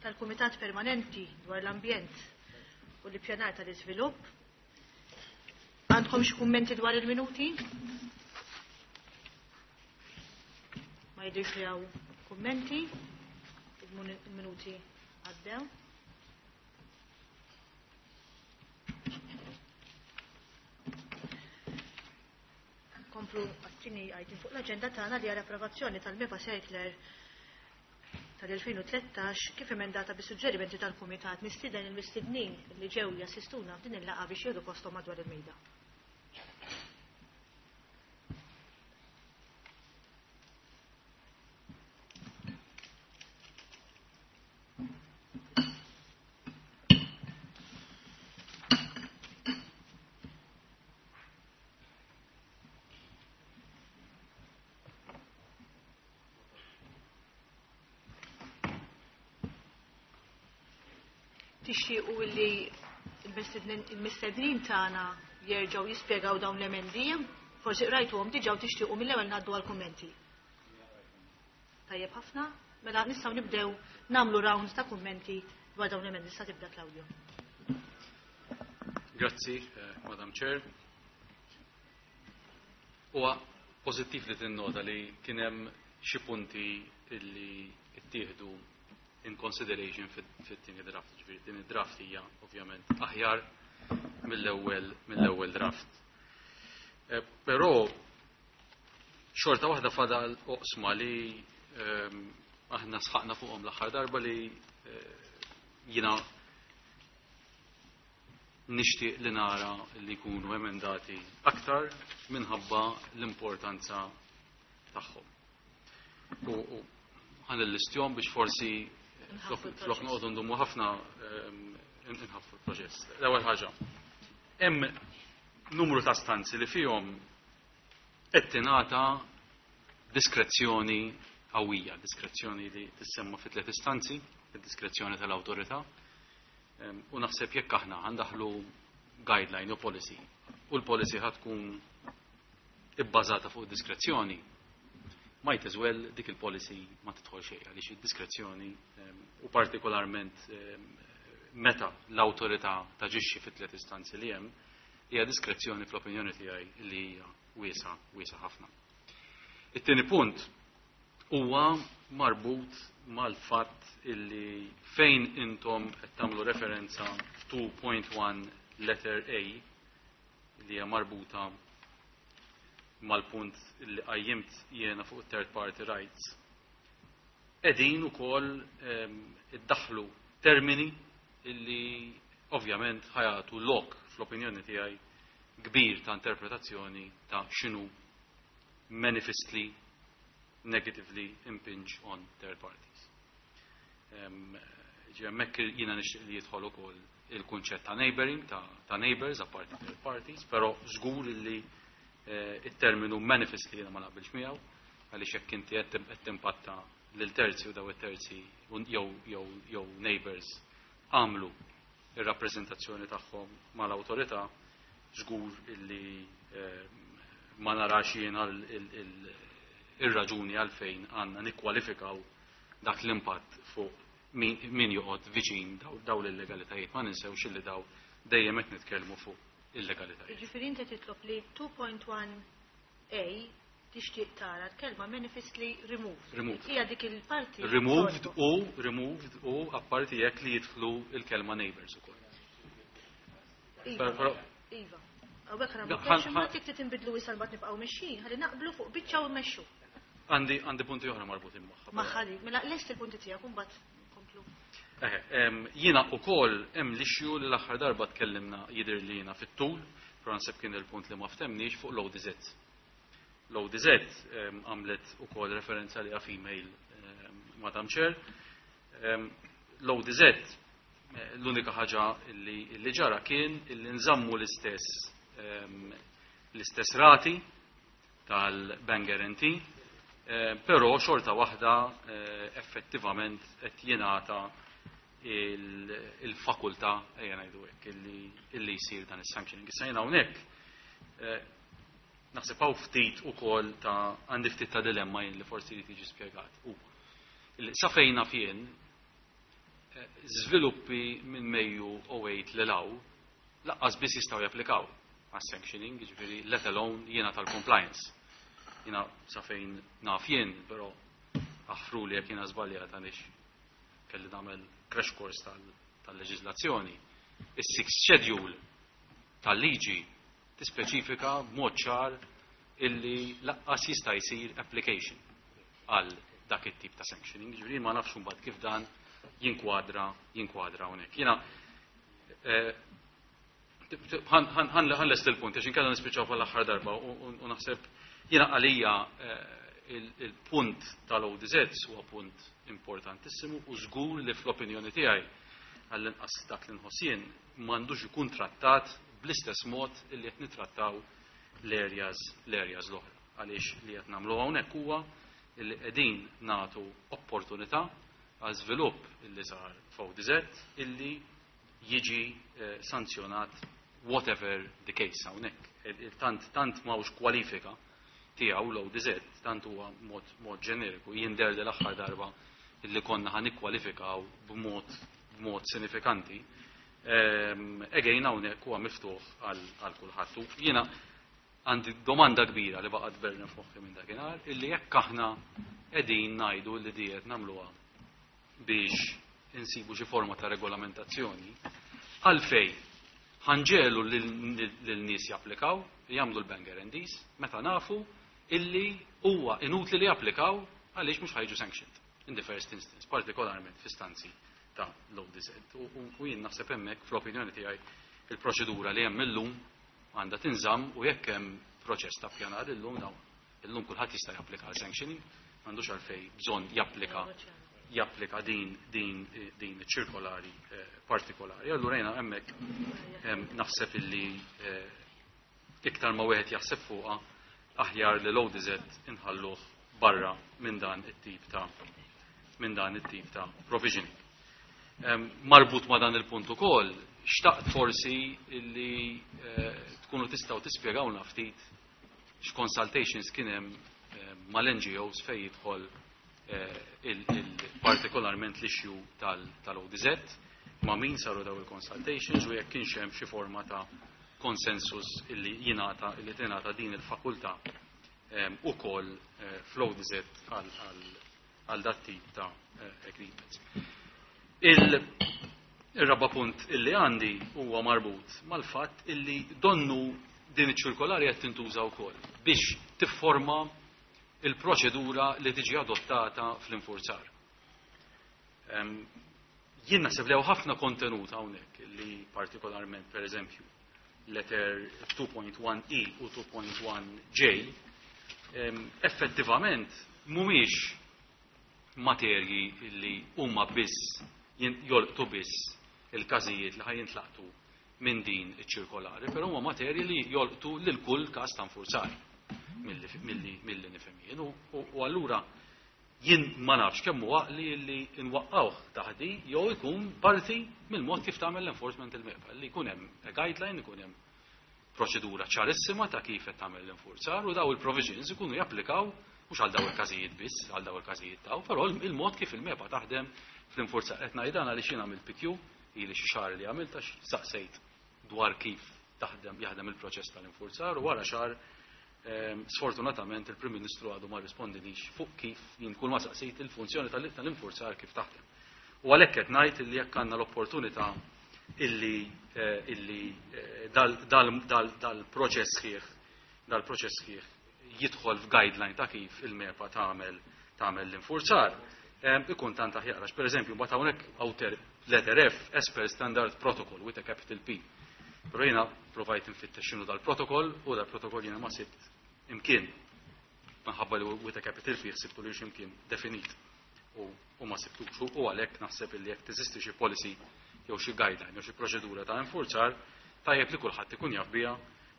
tal-Kumitat Permanenti dwar l-Ambjent u l-Ippjanar tal-Iżvilupp. Għandkom xi kummenti dwar il-minuti? Ma jidhirx li hawn kummenti. Il-minuti għaddew. Nkomplu għat-tieni item fuq l-aġenda tagħna li hija l-approvazzjoni tal-MEPA Circular tal-2013 kif emendata bis-suġġerimenti tal-Kumitat. Nistieden il-mistednin li ġew jassistuna f'din il-laqgħa biex jieħdu posthom madwar il-mejda. Tixtiequ li l-mistednin tagħna jerġgħu jispjegaw dawn l-emendi, forsi qrajtuhom diġà u tixtiequ mill-ewwel ngħaddu għall-kummenti. Tajjeb ħafna, mela nistgħu nibdew nagħmlu round ta' kummenti dwar dawn l-emendi. Sa tibda Claudio. Grazzi, eh, Madam Chair. Huwa pożittiv li tinnota li kien hemm xi punti li ttieħdu in consideration fit-tieni draft. Ġifieri din id-draft hija ovvjament aħjar mill-ewwel mill-ewwel draft. Eh, però xorta waħda fadal oqsma li ehm, aħna sħaqna fuqhom l-aħħar darba li eh, jina nixtieq li nara li jkunu emendati aktar minħabba l-importanza tagħhom. U ħan l-listjom biex forsi flok noqogħdu ndumu ħafna ehm, inħaffu l-proċess. L-ewwel ħaġa. Hemm numru ta' stanzi li fihom qed tingħata diskrezzjoni qawwija, diskrezzjoni li tissemma fi tliet istanzi, id-diskrezzjoni tal-awtorità. Ehm, u naħseb jekk aħna għandaħlu guideline u policy u l-policy ħad tkun ibbażata fuq diskrezzjoni, might as well dik il-policy ma tidħol xejn għaliex id-diskrezzjoni ehm, u partikolarment ehm, meta l-awtorità taġixxi fit-tliet istanzi li hemm hija diskrezzjoni fl-opinjoni tiegħi li hija wiesa wiesa ħafna. It-tieni punt huwa marbut mal-fatt illi fejn intom qed tagħmlu referenza f'2.1 letter A li hija marbuta mal-punt li qajjimt jiena fuq third party rights. Qegħdin ukoll ehm, iddaħlu termini illi ovvjament ħa jagħtu lok fl-opinjoni tiegħi kbir ta' interpretazzjoni ta' x'inhu manifestly negatively impinge on third parties. Ġi hemmhekk jiena nixtieq li jidħol ukoll il-kunċett ta' neighboring, ta', ta neighbors, apparti third parties, però żgur li eh, it-terminu manifestly jiena ma naqbilx miegħu, għaliex jekk inti qed timpatta lil terzi u daw it-terzi jew jew jew neighbors għamlu ir-rappreżentazzjoni tagħhom mal-awtorità, żgur illi eh, ma narax jiena ir-raġuni għalfejn għandna nikkwalifikaw dak l-impatt fuq min joqgħod viċin daw l-illegalitajiet. Ma ninsewx illi daw dejjem qed nitkellmu fuq illegalitajiet. Jiġifieri inti titlob li 2.1 A tixtieq tara l-kelma manifestly removed. Removed. Hija dik il-parti. Removed u removed u apparti jekk li jidħlu il-kelma neighbors ukoll. Iva. Iva. Hawnhekk ħa nagħmlu ma tik tinbidlu issa mbagħad nibqgħu mexjin, ħalli naqblu fuq biċċa u mmexxu. Għandi għandi punti oħra marbutin magħha. Magħha li, mela lest il-punti tiegħek u mbagħad nkomplu. Jiena ukoll hemm l-issue li l-aħħar darba tkellimna jidher li jiena fit-tul, però naħseb kien il-punt li ma ftemniex fuq l-ODZ. L-ODZ għamlet ukoll referenza li female Madam Chair. L-ODZ l-unika ħaġa li ġara kien li nżammu l-istess l-istess rati tal-bank guarantee, però xorta waħda effettivament qed jingħata il-fakultà ejja ngħidu hekk illi jsir dan is-sanctioning. Issa jiena hawnhekk naħseb hawn ftit ukoll ta' għandi ftit ta' dilemma jien li forsi jrid jiġi spjegat. U sa fejna fien. Żviluppi minn Mejju 08 lil hawn lanqas biss jistgħu japplikaw għas-sanctioning, jiġifieri let alone jiena tal-compliance. Jiena sa fejn naf jien, però aħfruli jekk jiena żbaljat għaliex kelli nagħmel crash course tal-leġiżlazzjoni. Is-sixth schedule tal-liġi tispeċifika b'mod ċar illi lanqas jista' jsir application għal dak it-tip ta' sanctioning. Ġifieri ma nafx imbagħad kif dan jinkwadra hawnhekk. Jiena ħa nlesti l-punt, għax inkella nispiċċaw fl-aħħar darba u naħseb jiena għalija il-punt tal-ODZ huwa punt importantissimu u żgur li fl-opinjoni tiegħi, għall-inqas dak li nħoss jien, m'għandux ikun trattat bl-istess mod illi qed nitrattaw l-areas l-oħra. Għaliex li qed nagħmlu hawnhekk huwa illi qegħdin nagħtu opportunità għal żvilupp illi sar f'ODZ illi jiġi sanzjonat whatever the case hawnhekk. Tant m'hawnx kwalifika tiegħu l-ODZ, tant huwa mod ġeneriku, jidher li l-aħħar darba illi konna ħa nikkwalifikaw b'mod sinifikanti. Again, hawnhekk huwa miftuħ għal kulħadd. U jiena għandi domanda kbira li baqgħet berna f'moħħi minn dakinhar, illi jekk aħna qegħdin ngħidu li diet nagħmluha biex insibu xi forma ta' regolamentazzjoni, għalfej ħa nġiegħlu lil-nies japplikaw, jagħmlu l-bank guarantees, meta nafu illi huwa inutli li japplikaw għaliex mhux ħa jiġu sanctioned in the first instance, partikolarment fi stanzi ta' l-ODZ. U jien naħseb hemmhekk, fl-opinjoni tiegħi, il-proċedura li hemm illum għandha tinżamm u jekk hemm proċess ta' pjanar illum, dawn illum kulħadd jista' japplika għal sanctioning, m'għandux għalfej bżonn japplika din ċirkolari partikolari. Allura jiena hemmhekk naħseb illi iktar ma wieħed jaħseb fuqha, aħjar li l-ODZ inħalluh barra minn dan it-tip ta' provisioning. Marbut ma' dan il-punt ukoll, xtaqt forsi illi tkunu tistgħu tispjegawna ftit x'consultations kien hemm mal-NGOs fejn jidħol partikolarment l-issue tal-ODZ, ma' min saru daw il-consultations u jekk kienx hemm xi forma ta' konsensus illi tingħata din il-fakultà ukoll fl-ODZ għal dat tip ta' agreements. Il-raba punt illi għandi huwa marbut mal-fatt illi donnu din iċ-ċirkolari qed tintuża wkoll biex tifforma il-proċedura li tiġi adottata fl-infurzar. Jien naħseb li hawn ħafna kontenut hawnhekk li partikolarment, per eżempju, letter 2.1e u 2.1j effettivament mhumiex materji li huma biss jolqtu biss il-każijiet li ħa jintlaqtu minn din iċ-ċirkolari, però huma materji li jolqtu lil kull każ ta' nfurzar milli nifhem jien. U allura jien ma nafx kemm huwa għaqli li nwaqqawh taħdi jew ikun parti mill-mod kif tagħmel l-enforcement il-MEPA, li jkun hemm a guideline, ikun hemm proċedura ċarissima ta' kif qed tagħmel l-infurzar u daw il-provisions ikunu japplikaw mhux għal daw il-każijiet biss, għal daw il-każijiet taw, però il-mod kif il-MEPA taħdem fl-infurzar. Qed ngħid dan għaliex jien għamilt PQ ili xi xahar li għamilt għax saqsejt dwar kif taħdem jaħdem il-proċess tal-infurzar u wara xahar sfortunatament il-Prim Ministru għadu ma rispondinix fuq kif jien kull ma saqsejt il-funzjoni tal-infurzar kif taħdem. U għalhekk qed ngħid illi jekk għandna l-opportunità illi dal-proċess sħiħ jidħol f'guideline ta' kif il-MEPA tagħmel l-infurzar, ikun tant aħjar. Għax, per eżempju, mbagħad hawnhekk outer letter F, as per standard protocol with a capital P. Però jiena provajt nfittex x'inhu dal-protokoll u dal-protokoll jiena ma sibt imkien. Minħabba li with a capital P ħsibtu li x'imkien definit u ma sibtux. U għalhekk naħseb illi jekk teżisti xi policy jew xi guideline jew xi proċedura ta' infurzar, tajjeb li kulħadd ikun jaf biha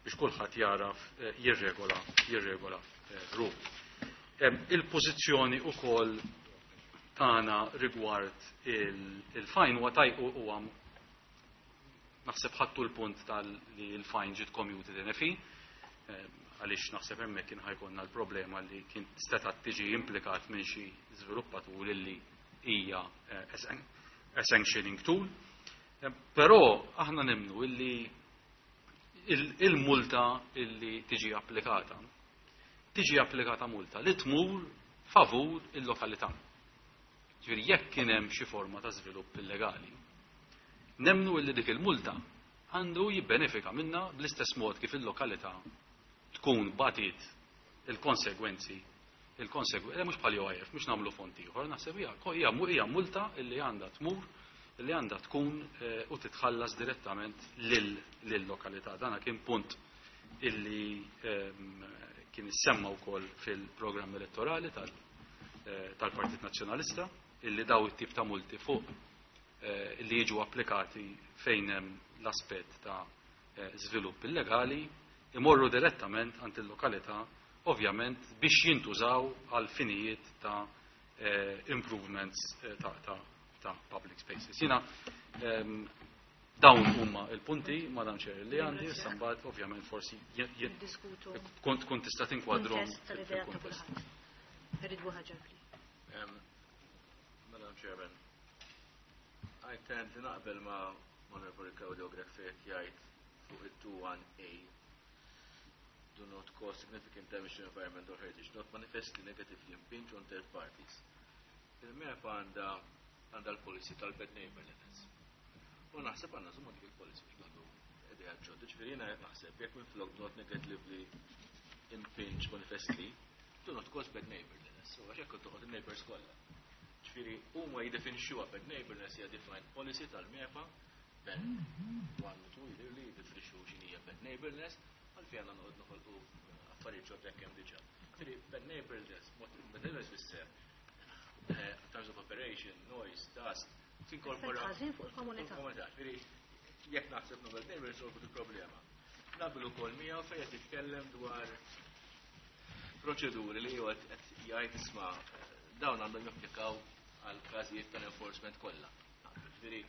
biex kulħadd jaraf jirregola ruħu. Il-pożizzjoni ukoll tagħna rigward il-fine huwa taj huwa naħseb ħattu l-punt tal li l-fine ġiet commuted in a fee, għaliex naħseb hemmhekk kien ħa jkollna l-problema li kien seta' tiġi implikat minn xi żviluppatur illi hija a sanctioning tool. Però aħna nemmnu illi il-multa illi tiġi applikata, tiġi applikata multa li tmur favur il-lokalità. Ġifieri jekk kien hemm xi forma ta' żvilupp illegali, nemmnu illi dik il-multa għandu jibbenefika minna bl-istess mod kif il-lokalità tkun batit il-konsegwenzi, il-konsegwenzi, mhux bħal UIF, mhux nagħmlu fond ieħor, naħseb hija multa illi għandha tmur, illi għandha tkun u titħallas direttament lil-lokalità. Dana kien punt illi kien issemma wkoll fil-programm elettorali tal-Partit Nazzjonalista, illi daw it-tip ta' multi fuq illi jiġu applikati fejn hemm l-aspett ta' żvilupp illegali imorru direttament għand il-lokalità, ovvjament biex jintużaw għal finijiet ta' improvements ta' public spaces. Jiena dawn huma il-punti, Madam Chair, li għandi, issa mbagħad ovvjament forsi Diskutu. Tkun tista' tinkwadrom Kuntest tal-idea ta' fil-kuntest. Kulħadd. Perit Buhagiar, please. Madam Chairman, I tend li naqbel ma' Honorable Claudio Grech fejn jgħid fuq il-2-1A: do not cause significant damage to environment or heritage, not manifestly negatively impinge on third parties. Il-MEPA għandha l-policy tal-bad neighborliness. U naħseb għandna żommu dik il-policy biex nagħdu idea ġodda. Ġifieri jiena naħseb jekk minflok do not negatively impinge manifestly, do not cause bad neighborliness. U għax hekk toqgħod il-neighbors kollha. Ġifieri huma jiddefinixxuha bad neighborliness, hija defined policy tal-MEPA, ben 1 u 2 jidher li jiddefinixxu x'inhi bad neighborliness, għalfejn għandna noqgħod noħolqu affarijiet ġodda jekk hemm diġà. Ġifieri bad neighborliness, mod bad neighborliness fisser terms of operation, noise, dust, tinkorpora Effett ħażin fuq il-komunità. Il-komunità. Ġifieri jekk naħseb no bad neighbor solvu il-problema. Naqbel ukoll miegħu fejn qed jitkellem dwar proċeduri li huwa qed jgħid, isma', dawn għandhom japplikaw għal każijiet tal-enforcement kollha. Ġifieri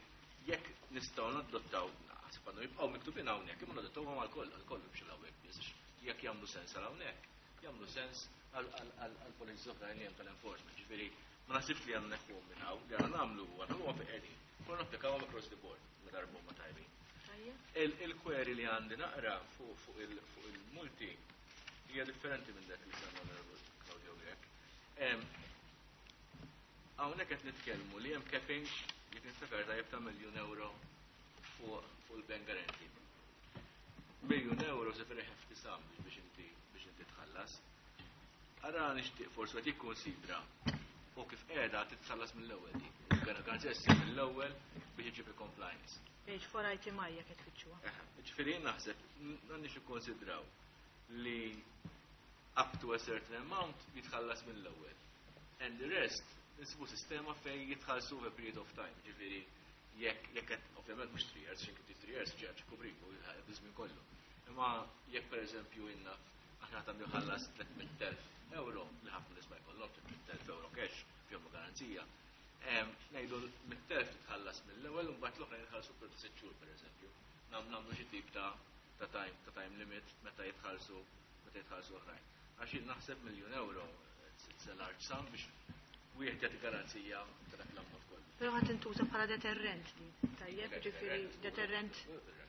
jekk nistgħu nadottaw, naħseb għandhom jibqgħu miktubin hawnhekk, imma nadottawhom għal kollha, għal kollu biex hawnhekk biss. Jekk jagħmlu sens għal hawnhekk, jagħmlu sens għal policies oħrajn li hemm tal-enforcement. Ġifieri ma naħsibx li għandna neħħuhom minn hawn, li għandna nagħmlu huwa nagħmluhom fejn qegħdin. Konna napplikawhom across the board, ma darbu ma tajbin. Il-query li għandi naqra fuq il-multi hija differenti minn dak li semma Honorable Claudio Grech. Hawnhekk qed nitkellmu li hemm capping, jekk niftakar tajjeb, ta' 1 miljun euro fuq il-bank guarantee. 1 miljun euro se very hefty sum biex inti tħallas. Ara nixtieq forsi qed jikkonsidra u kif qiegħda titħallas mill-ewwel din. Garanzija ssir mill-ewwel biex iġib il-compliance. Page 4 item I jekk qed tfittxuha. Ġifieri jien naħseb m'għandniex ikkonsidraw li up to a certain amount jitħallas mill-ewwel. And the rest nsibu sistema fejn jitħallsu over a period of time. Ġifieri jekk qed ovvjament mhux 3 years, x'inki 3 years ġeġ kubriku biż-żmien kollu. Imma jekk pereżempju inna aħna għandna jħallas 300,000 euro, li ħafna nies ma jkollhom 300,000 euro cash fihom garanzija. Ngħidu 100,000 titħallas mill-ewwel u mbagħad l-oħra jitħallsu per 6 xhur pereżempju. Nagħmlu xi tip ta' time limit meta jitħallsu oħrajn. Għax jien naħseb 1 miljun euro, it's a large sum biex wieħed jagħti garanzija ta' dak l-ammont kollu. Però ħadd intuża bħala deterrent din. Tajjeb, ġifieri deterrent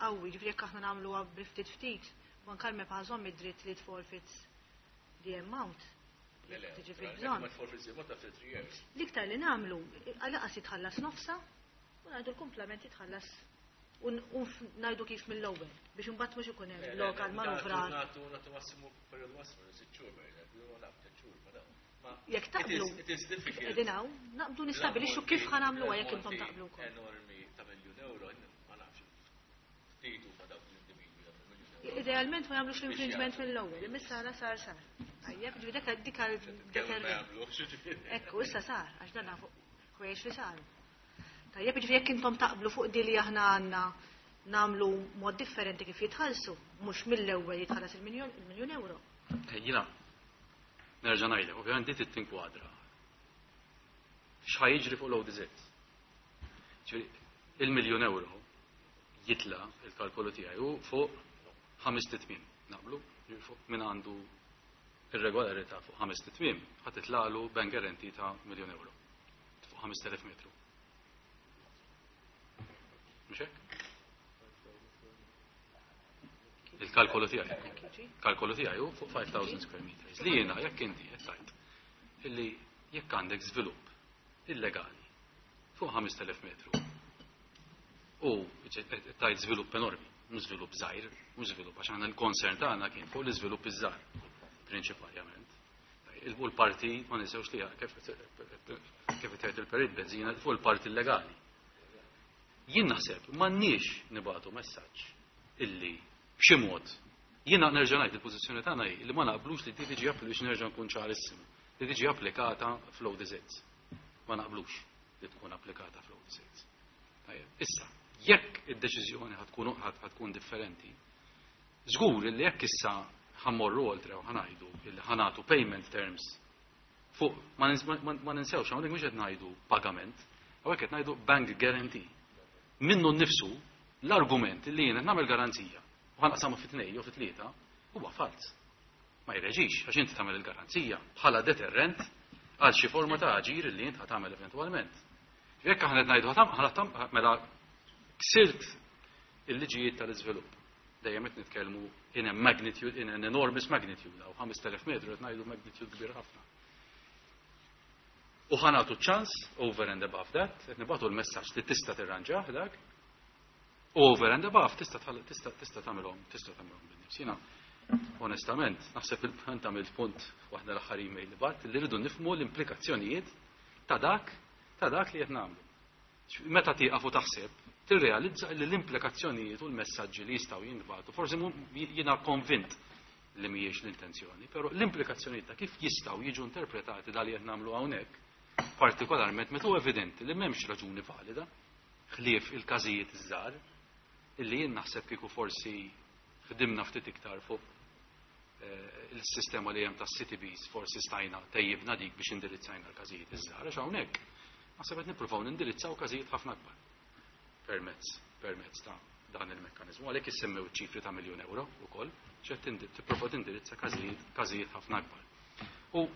qawwi, ġifieri jekk aħna nagħmluha bi ftit ftit, u anke l-MEPA żomm id-dritt li forfeits the amount. Le, le, Tiġi naturalment, fil-bżonn. ma tforfeits the amount after 3 years. L-iktar li nagħmlu, għalaqas jitħallas nofsa, u ngħidu l-komplement jitħallas u ngħidu kif mill-ewwel biex imbagħad mhux ikun hemm Le, le, lokal manuvrar. Nagħtu massimu periodu massimu 6 xhur pereżempju, u naf 3 xhur, ma dawn. Jekk taqblu, It is difficult. qegħdin hawn, naqbdu nistabilixxu kif ħa nagħmluha jekk intom L-ammonti taqblu wkoll. enormi ta' 1 miljun euro, ma nafx, ftit huma dawk l-individwi ta' 1 miljun euro. Idealment ma jagħmlux l-infringement Biex mill-ewwel, imma sara sar sar. Tajjeb, ġifieri dik Kemm ma deterrent. jagħmlux, ġifieri. Ekku, issa sar, għax dan fuq ħwejjeġ li saru. Tajjeb, ġifieri jekk intom taqblu fuq di li aħna għandna nagħmlu mod differenti kif jitħallsu, mhux mill-ewwel jitħallas il-miljun euro. Jiena, nerġa' ngħidlek, ovvjament di trid tinkwadra. X'ħa jiġri fuq l-ODZ? Ġifieri, il-miljun euro jitla il-kalkolu tiegħi hu fuq 5 tmiem. Naqblu? Ġifieri fuq min għandu irregolarità fuq 5 tmiem ħa titlalu bank guarantee ta' 1 miljun euro. Fuq 5000 metru. Mhux hekk? Il-kalkolu tiegħi. Kalkolu tiegħi hu fuq 5000 square meters. Li jiena jekk inti qed tgħid illi jekk għandek żvilupp illegali fuq 5000 metru u tajt żvilupp enormi, mhux żvilupp żgħir, mhux żvilupp għax aħna l-concern tagħna kien fuq l-iżvilupp iż-żgħar prinċipalment. U l-parti ma ninsewx li kif tgħid il-perit Bezzina fuq il-parti illegali. Jien naħseb m'għandniex nibagħtu messaġġ illi b'xi mod jiena nerġa' ngħid il-pożizzjoni tagħna hi li ma naqblux li tiġi biex nerġa' nkun ċarissimu, li tiġi applikata fl-ODZs. Ma naqblux li tkun applikata fl-ODZs. Issa, jekk id-deċiżjoni ħa tkun differenti, żgur li jekk issa ħa mmorru oltre u ħa ngħidu illi ħa nagħtu payment terms fuq ma ninsewx hawnhekk mhux qed ngħidu pagament, hawnhekk qed ngħidu bank guarantee. Minnu nnifsu l-argument li jien qed nagħmel garanzija u ħa naqsamha fi tnejn jew fi tlieta huwa fals. Ma jreġix għax inti tagħmel il-garanzija bħala deterrent għal xi forma ta' aġir li int tagħmel eventwalment. Jekk aħna qed ngħidu mela ksirt il-liġijiet tal-iżvilupp. Dejjem qed nitkellmu in a magnitude, in an enormous magnitude, aw 5000 metru qed ngħidu magnitude kbir ħafna. U ħa nagħtu ċans over and above that, qed nibagħtu l-messaġġ li tista' tirranġah dak, over and above tista' tista' tista' tagħmilhom tista' tagħmilhom bin-nifs. Jiena onestament naħseb il-punt għamilt punt waħda l-aħħar email li bgħatt li rridu nifhmu l-implikazzjonijiet ta' dak li qed nagħmlu. Meta tieqaf u taħseb, tirrealizza li l-implikazzjonijiet u l-messaġġi li jistgħu jintbagħtu, forsi jiena konvint li mhijiex l-intenzjoni, però l-implikazzjonijiet ta' kif jistgħu jiġu interpretati dal qed nagħmlu hawnhekk, partikolarment meta hu evidenti li m'hemmx raġuni valida, ħlief il-każijiet iż-żgħar, illi jien naħseb kieku forsi ħdimna ftit iktar fuq il-sistema li hemm tas-CTBs forsi stajna tejjibna dik biex indirizzajna l-każijiet iż-żgħar, għax hawnhekk naħseb qed nippruvaw nindirizzaw każijiet ħafna akbar permezz ta' dan il-mekkanizmu. Għalhekk issemmew ċifri ta' miljun euro ukoll, ċed tipprova tindirizza każijiet ħafna akbar. U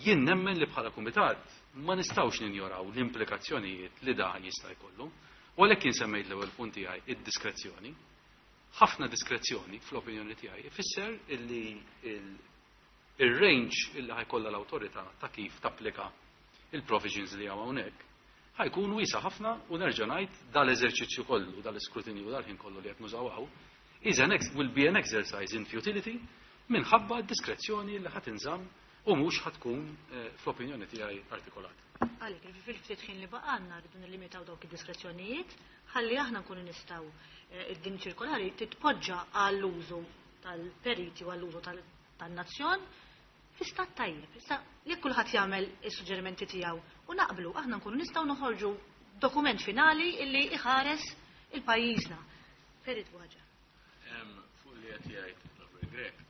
jien nemmen li bħala kumitat ma nistgħux ninjoraw l-implikazzjonijiet li dan jista' jkollu. U għalhekk jien semmejt l-ewwel punt tiegħi id-diskrezzjoni. Ħafna diskrezzjoni fl-opinjoni tiegħi ifisser illi il-range illi ħa jkollha l-awtorità ta' kif tapplika il-provisions li hawn hawnhekk ħa jkun wiesa' ħafna u nerġa' ngħid dal-eżerċizzju kollu, dal-iskrutinju dal-ħin kollu li qed nużaw hawn, is an ex will be an exercise in futility minħabba d-diskrezzjoni li ħa tinżamm u mhux ħa tkun fl-opinjoni tiegħi artikolata. Għalhekk, fil-ftit ħin li baqgħalna rridu nillimitaw dawk id-diskrezzjonijiet ħalli aħna nkunu nistgħu din ċirkolari titpoġġa għall-użu tal-periti u għall-użu tan-nazzjon fi stat tajjeb. Issa jekk kulħadd jagħmel is-suġġerimenti tiegħu u naqblu aħna nkunu nistgħu noħorġu dokument finali illi iħares il-pajjiżna. Perit Buhagiar. Fuq li qed jgħid Robert Grech,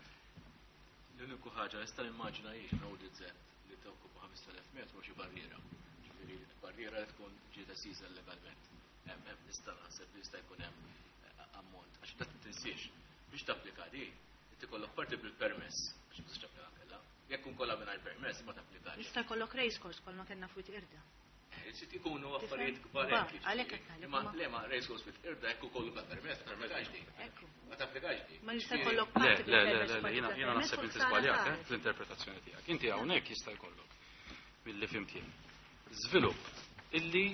l-uniku ħaġa nista' nimmaġina hi ODZ li tokkupa 5000 metru xi barriera. Ġifieri barriera li tkun ġiet estiża legalment. Hemm nista' naħseb li jista' jkun hemm ammont. Għax dak tinsiex biex tapplika di, inti kollok parti bil-permess għax ma tistax tapplika kellha. Jekk kun kollha mingħajr permess ma tapplikax. Jista' jkollok race course bħalma kellna fuq irda. Sit ikunu affarijiet kbar hekk. Għalhekk qed ngħidlek, Ma le ma race course fit-irda jekk ukollu bla permess, ma tapplikax di. Ekku. Ma tapplikax di. Ma jista' jkollok Le, parti le, le, bil-permess, le, le, parti jiena bla jiena permess, naħseb u inti ħsara żbaljat saret. fl-interpretazzjoni tiegħek. Inti hawnhekk jista' jkollok milli fhimt jien. Żvilupp illi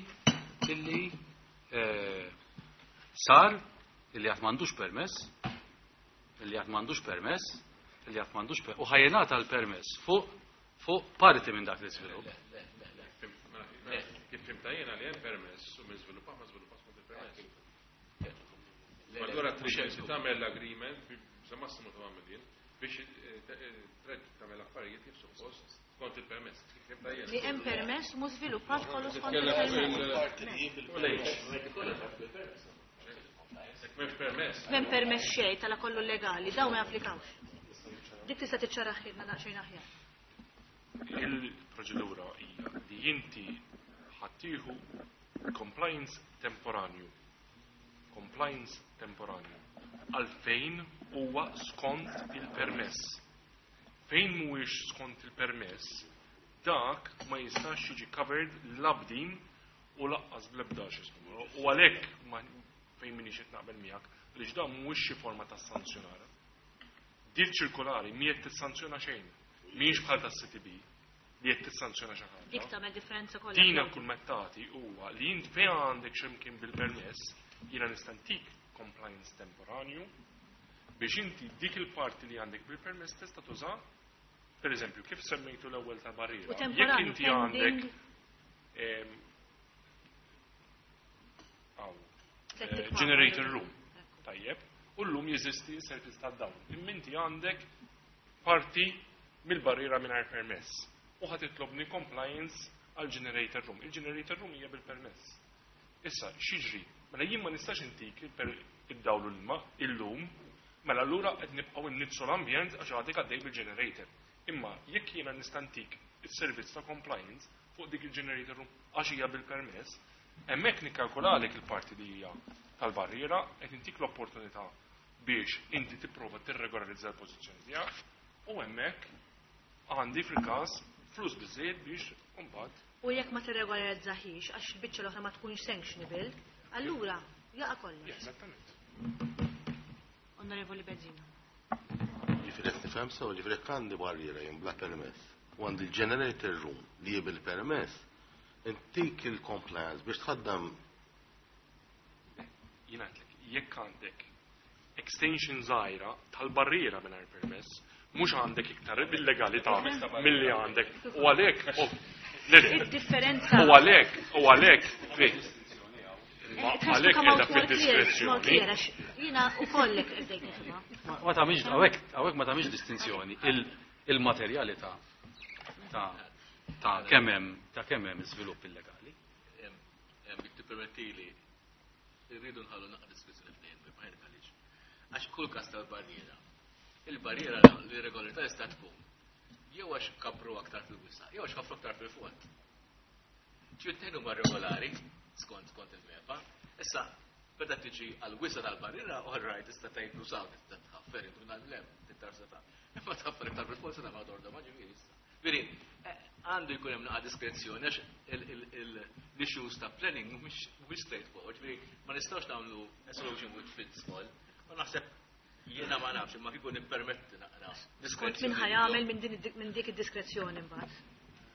sar illi għad m'għandux permess, illi għad m'għandux permess, illi għad m'għandux u ħa jingħata l-permess fuq parti minn dak l-iżvilupp. Kif fhimtha jiena li hemm permess u minn żviluppa ma żviluppa skont il-permess. Allura trid inti tagħmel l-agreement sa massimu ta' million biex tagħmel affarijiet kif suppost skont il-permess. Kif fhimtha jiena. Li hemm permess mhux żviluppat kollu skont Titkellem il-permess. il- Jekk m'hemmx permess. M'hemm permess xejn tala kollu legali, daw ma japplikawx. Dik tista' tiċċaraħilna daqsxejn aħjar. Il-proċedura hija li inti ħa tieħu compliance temporanju. Compliance temporanju. Għalfejn huwa skont il-permess. Fejn mhuwiex skont il-permess, dak ma jistax jiġi covered la b'din u lanqas bl-ebda x'ismu. U għalhekk fejn m'iniex qed naqbel miegħek, għaliex dan mhuwiex xi forma ta' sanzjonar. Din ċirkolari mhi qed tissanzjona xejn. Mhijiex bħal tas-CTB li qed tissanzjona xi ħaġa. Dik tagħmel differenza kollha. Dina kull ma tagħti huwa li int fejn għandek x'imkien bil-permess, jiena nista' ntik compliance temporanju biex inti dik il-parti li għandek bil-permess tista' tuża. Per eżempju, kif semmejtu l-ewwel ta' barriera. U Jekk temporanju inti għandek pending hawn, tlet tikmar. Generator room. Tajjeb, u llum jeżisti servizz ta' dawn. Imma inti għandek parti mill-barriera mingħajr permess. U ħa titlobni compliance għal generator room. Il-generator room hija bil-permess. Issa, x'jiġri? Mela jien ma nistax intik id-dawl u l-ilma illum, mela allura qed nibqgħu nniġġsu l-ambjent għax għadek għaddej bil-generator. Imma jekk jiena nista' ntik is-servizz ta' compliance fuq dik il-generator room għax hija bil-permess, hemmhekk nikkalkulalek il-parti li hija tal-barriera, qed intik l-opportunità biex inti tipprova tirregolarizza l-pożizzjoni tiegħek u hemmhekk għandi fil-każ flus biżejjed biex imbagħad U jekk ma tirregolarizzaħiex għax il-biċċa l-oħra ma tkunx sanctionable, allura jaqa' kollox. Eżattament. Onorevoli Bezzina. Ġifieri qed nifhem sew, ġifieri jekk għandi barriera jien bla permess u għandi l-generator room li hi bil-permess, intik il-compliance biex tħaddam. Jien għedtlek, jekk għandek extension żgħira tal-barriera mingħajr permess, mhux għandek iktar bil-legalità milli għandek. U għalhekk le, le. Id-differenza. U għalhekk, ma għalhekk qiegħda fid-diskrezzjoni. Jiena u kollek bdejt nifhimha. Ma tagħmilx hawnhekk ma tagħmilx distinzjoni. Il-materjalità ta' kemm hemm iżvilupp illegali. Jekk tippermettili, irridu nħallu naqra diskrezzjoni f'dejjem, ma għaliex. Għax kull każ tal-barriera, il-barriera l-irregolarità tista' tkun jew għax kabru aktar fil-wisa, jew għax ħafru aktar fil-fond. Ġifieri huma regolari skont il-MEPA. Issa, meta tiġi għal-wisa tal-barriera, all right, tista' tgħid nużaw, tista' tħaffer intu lem, tittar seta'. Imma tħaffer iktar fil-fond se tagħmel orda ma ġifieri issa. Veri, għandu jkun hemm naqa' diskrezzjoni għax l-issues ta' planning mhumiex straightforward, ġifieri ma nistgħux nagħmlu a solution which fits all. U naħseb jiena ma nafx imma kieku nippermetti naqra. Skont min ħa jagħmel minn dik id-diskrezzjoni mbagħad.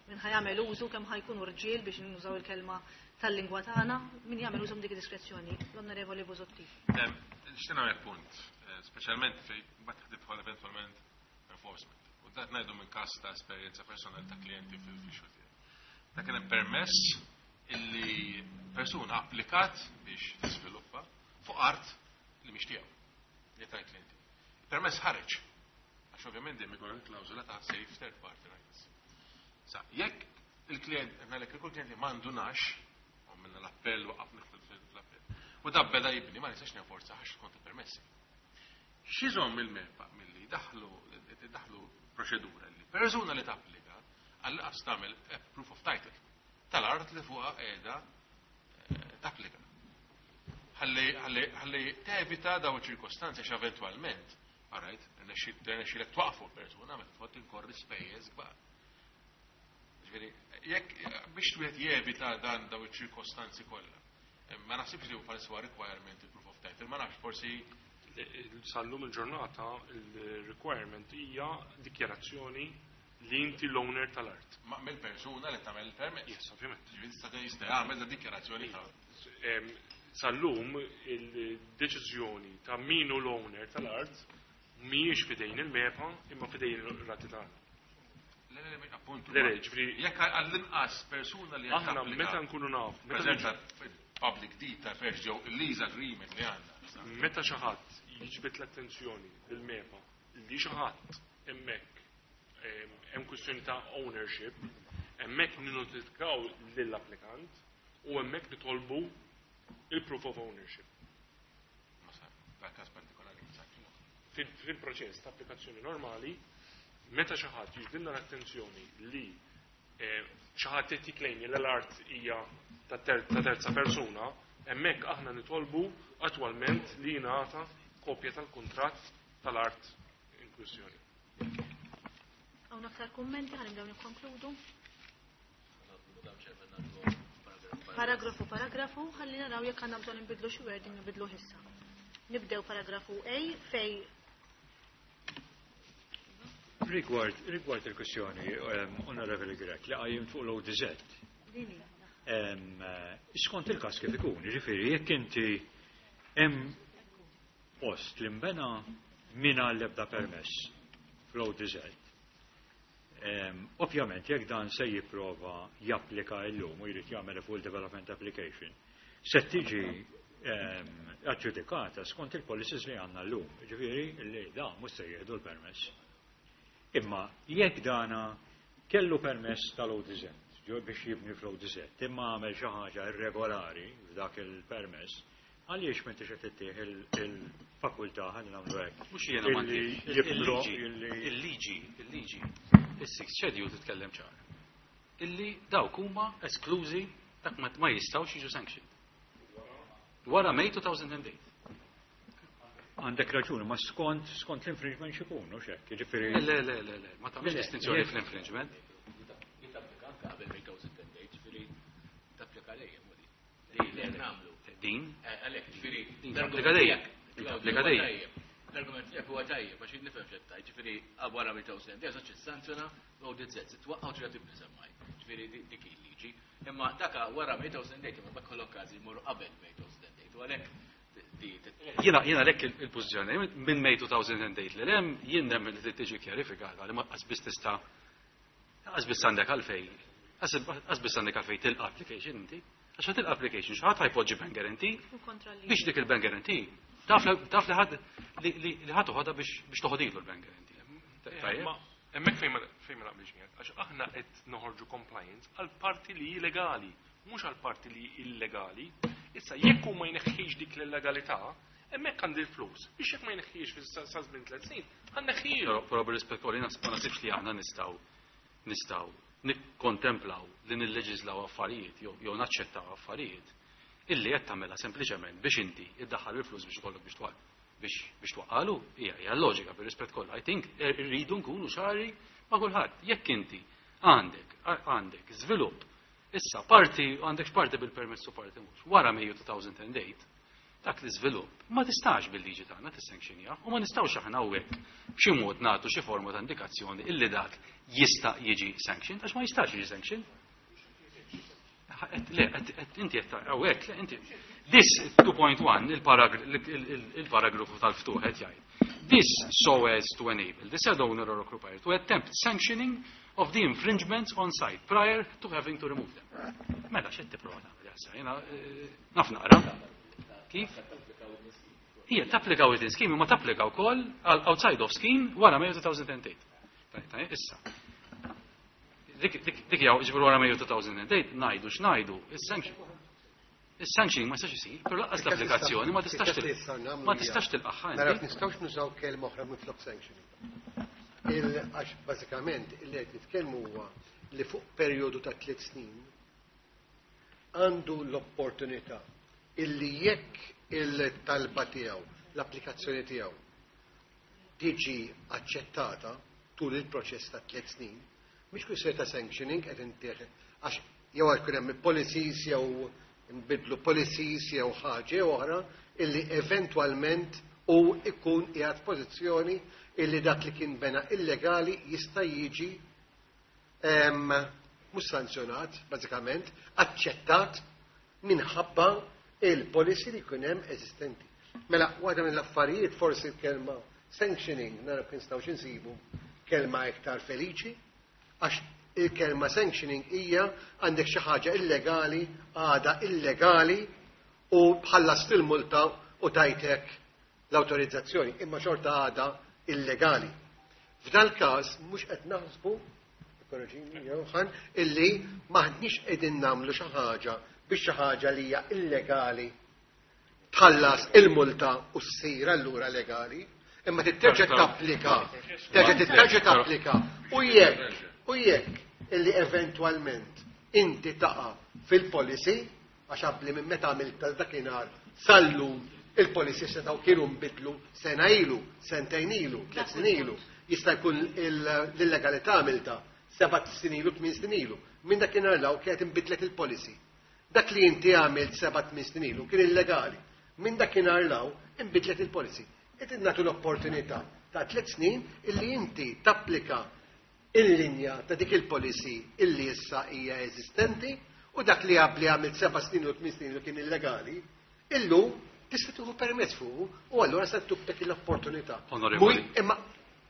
Min ħa jagħmel użu, kemm ħa jkunu rġiel biex nużaw il-kelma tal-lingwa tagħna, min jagħmel użu minn dik id-diskrezzjoni. L-Onorevoli Busuttil. Nixtieq nagħmel punt, speċjalment fej mbagħad tidħol eventwalment enforcement. U dat ngħidu minn każ ta' esperjenza personali ta' klijenti fil-xogħol tiegħi. Ta' kien hemm permess illi persuna applikat biex tiżviluppa fuq art li mhix tiegħu, li tal-klijenti. Permess ħareġ, għax ovvjament dejjem ikun hemm klawżola ta' safe third party rights. Sa, jekk il-klient, għalek il klient li m'għandunax, u minna l-appell, waqafna fl-appell, u da beda jibni, ma nistax nenforza għax kont permessi. X'iżomm il-MEPA milli daħlu proċedura li persuna li tapplika għall-qas tagħmel proof of title tal-art li fuqha qiegħda tapplika. Ħalli tevita daw ċirkostanzi għax eventwalment, alright, rnexxilek twaqfu l-persuna meta tħodd tinkorri spejjeż kbar. Ġifieri, jekk biex wieħed jevita dan daw iċ-ċirkostanzi kollha. Ma naħsibx li huwa huwa requirement il-proof of title, ma nafx, forsi. Sallum il-ġurnata il-requirement hija dikjarazzjoni li inti l-owner tal-art. Ma mill-persuna li tagħmel il-permess. Yes, ovvjament. Ġifieri jista' jagħmel da dikjarazzjoni ta' Sallum il-deċiżjoni ta' min hu l-owner tal-art mhijiex fidejn il-MEPA imma fidejn il-rati tagħna. Le, le, le, appuntu. Le, le, ġifieri Jekk għall-inqas persuna li aħna tapplika meta nkunu naf, meta preżenza public deed ta' first ġew il-lease agreement li għandna. Meta xi ħadd jiġbed l-attenzjoni lill-MEPA li xi ħadd hemmhekk hemm kwistjoni ta' ownership, hemmhekk ninnotifikaw lill-applikant u hemmhekk nitolbu il-proof of ownership. Ma sa, da każ partikolari ma sa. Fil-proċess ta' applikazzjoni normali, meta xi ħadd jiġbidilna l-attenzjoni li xi ħadd qed jikklejmja li l-art hija ta' terza persuna, hemmhekk aħna nitolbu attwalment li jingħata kopja tal-kuntratt tal-art in kwistjoni. Hawn aktar kummenti, ħa nibdew nikkonkludu. Madam Chairman, nagħmlu paragraf. Paragrafu paragrafu, ħalli naraw jekk għandna bżonn nbidlu xi wording nbidlu issa. Nibdew paragrafu A fej Rigward il-kwestjoni, Onorevoli Grech, li qajjim fuq l-ODZ. Dini. Skont il-każ kif ikun, jiġifieri jekk inti hemm post li nbena mingħajr l-ebda permess fl-ODZ. Ovvjament, jekk dan se jipprova japplika llum u jrid jagħmel full development application, se tiġi aġġudikata skont il-policies li għandna llum, ġifieri li da mhux se jieħdu l-permess. Imma jekk dana kellu permess tal-ODZ, ġo biex jibni fl-ODZ, imma għamel xi ħaġa irregolari f'dak il-permess, għaliex m'intix qed ittih il-fakultà ħalli nagħmlu hekk? Mhux jiena ma Illi ntih. Il-liġi, is-sixth schedule titkellem ċar. Illi dawk huma esklużi, dak ma jistgħux jiġu sanctioned. Wara May 2008. Għandek raġuni, ma skont l-infringement xikun, u xek, jiġifieri. Le, le, le, le, ma tagħmilx distinzjoni fl-infringement. Li tapplika anke qabel May 2008, ġifieri tapplika dejjem, u di. Li li nagħmlu. Din? Għalhekk, ġifieri, Din l-argument tapplika dejjem. tiegħek, Din Claudio, tapplika huwa dejjem. tajjeb. L-argument tiegħek huwa tajjeb, għax jien nifhem x'qed tgħid, ġifieri wara May 2008 se tissanzjona l-ODZ, se twaqqgħu trid tibni semmaj. Ġifieri dik il-liġi. Imma daka wara May 2008 imma bekk l-okkażi jmorru qabel May 2008 u għalhekk Jiena għalhekk il-pożizzjoni minn May 2008 li hemm jien nemmen li tiġi kjarifikata li ma qas tista' qas biss għandek għalfej qas biss għandek għalfej tilqa' application inti. Għax tilqa' application xi ħadd ħa jpoġġi bank guarantee U kontra li. biex dik il-bank guarantee taf li ħadd li ħadd toħodha biex toħodilu l-bank guarantee. Tajjeb? Ma hemmhekk fejn ma naqbilx miegħek, għax aħna qed noħorġu compliance għal parti li hi legali, mhux għal parti li hi illegali. Issa jekk hu ma jneħħix dik l-illegalità, hemmhekk għandi l-flus. Biex jekk ma jneħħix fi sa żmien 3 snin, ħanneħħilu. Però bir-rispett kollu ma naħsibx li aħna nistgħu nikkontemplaw li nilleġislaw affarijiet jew naċċettaw affarijiet illi qed tagħmilha sempliċement biex inti iddaħħal il-flus biex ikollok biex twaqqalu, hija loġika bir-rispett kollu. I think irridu nkunu ċari ma' kulħadd. Jekk inti għandek żvilupp, issa parti għandek parti bil-permess u parti mhux. Wara Mejju 2008, dak l-iżvilupp ma tistax bil-liġi tagħna tissanctionja u ma nistgħux aħna hawnhekk b'xi mod nagħtu xi forma ta' indikazzjoni illi dak jista' jiġi sanctioned għax ma jistax jiġi sanctioned. Le, inti qed hawnhekk, le, inti. This 2.1, il-paragrafu tal-ftuħ qed jgħid. This so as to enable the said owner or occupier to attempt sanctioning of the infringements on site prior to having to remove them. Mela, x'qed tipprova tagħmel issa? Jiena naf naqra. Kif? Hija tapplika within scheme, ma tapplika wkoll għal outside of scheme wara May 2008. Tajjeb, issa. Dik jew ġifieri wara May 2008 ngħidu x'ngħidu, is-sanction. Is-sanctioning ma jistax isir, però lanqas l-applikazzjoni ma tistax tilqaħħa Nara inti. nistgħux nużaw kelma oħra minflok sanctioning. Għax bażikament li qed nitkellmu huwa li fuq perjodu ta' 3 snin għandu l-opportunità illi jekk il-talba tiegħu, l-applikazzjoni tiegħu tiġi aċċettata tul il-proċess ta' 3 snin, mhix kwistjoni ta' sanctioning qed intieħ għax jew għal hemm policies jew nbidlu policies jew ħaġa oħra illi eventwalment u ikun qiegħed pożizzjoni illi dak li kien bena illegali jista' jiġi mhux sanzjonat, bażikament, aċċettat minħabba il-policy li jkun hemm eżistenti. Mela, waħda mill-affarijiet forsi l-kelma sanctioning, nara kien nistgħu insibu kelma iktar feliċi, għax il-kelma sanctioning hija għandek xi ħaġa illegali, għada illegali u bħallast il-multa u tajtek l-autorizzazzjoni, imma xorta għada illegali. F'dal każ mhux qed naħsbu, korreġini Johan, illi maħniex qegħdin nagħmlu xi ħaġa biex xi ħaġa li hija illegali tħallas il-multa u ssir allura legali, imma titterġa' tapplika, terġa' titterġa' tapplika. U jekk illi eventwalment inti taqa' fil-policy, għax qabli minn meta għamilt dakinhar sal-lum il-policy setgħu kienu nbidlu sena ilu, sentejn ilu, 3 snin ilu, jista' jkun l-illegalità għamilta 7 snin ilu, 8 snin ilu. Minn dakinhar law kienet inbidlet il-policy. Dak li inti għamilt 7-8 snin ilu kien illegali. Minn dakinhar 'l hawn inbidlet il-policy. Qed nagħtu l-opportunità ta' 3 snin illi inti tapplika il-linja ta' dik il-policy illi issa hija eżistenti u dak li qabli għamilt 7 snin u 8 snin ilu kien illegali, illum tista' tieħu permess fuq u allura se tuk dak l-opportunità. Onorevoli. Imma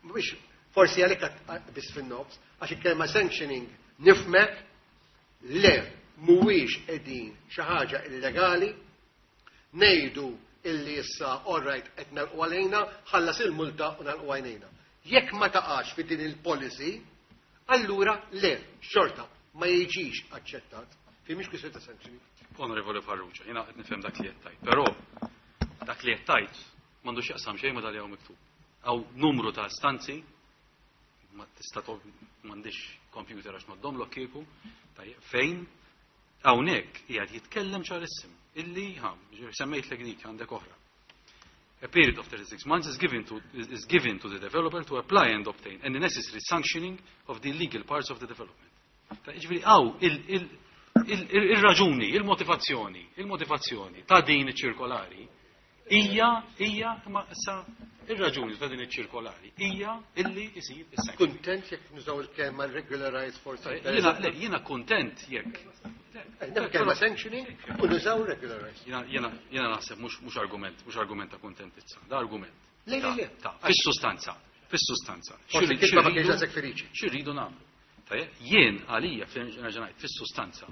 mhux forsi għalhekk biss fin-nofs, għax il-kelma sanctioning nifmek le mhuwiex qegħdin xi ħaġa illegali, ngħidu illi issa all right qed nagħlqu għalejna, ħallas il-multa u nagħlqu għajnejna. Jekk ma taqax fi din il-policy, allura le, xorta, ma jiġix aċċettat. Fi mhix kwistjoni ta' sanctioning. Onorevoli Farrugia, jiena qed nifhem dak li qed tgħid, però dak li qed tgħid m'għandux jaqsam xejn ma dak li hawn miktub. Hawn numru ta' istanzi, ma tista' m'għandix computer għax ngħoddhomlok kieku, tajjeb, fejn hawnhekk qiegħed jitkellem ċarissim illi ha, semmejtlek dik għandek oħra. A period of 36 months is given to the developer to apply and obtain any necessary sanctioning of the illegal parts of the development. Ta' ġifieri hawn il-raġuni, il-motivazzjoni ta' din iċ-ċirkolari hija ma issa ir-raġuni ta' din iċ-ċirkolari hija illi isir is-sanction. Kuntent jekk nużaw il-kelma regularize for Jiena le, jiena kuntent jekk. Nagħmel kelma sanctioning u nużaw regularize. Jiena naħseb mhux argument ta' kuntentizza, da argument. Le, le, le. Ta' fis-sustanza, fis-sustanza. Forsi kitba ma kienx daqshekk feliċi. X'irridu nagħmlu? Tajjeb, jien għalija nerġa' ngħid fis-sustanza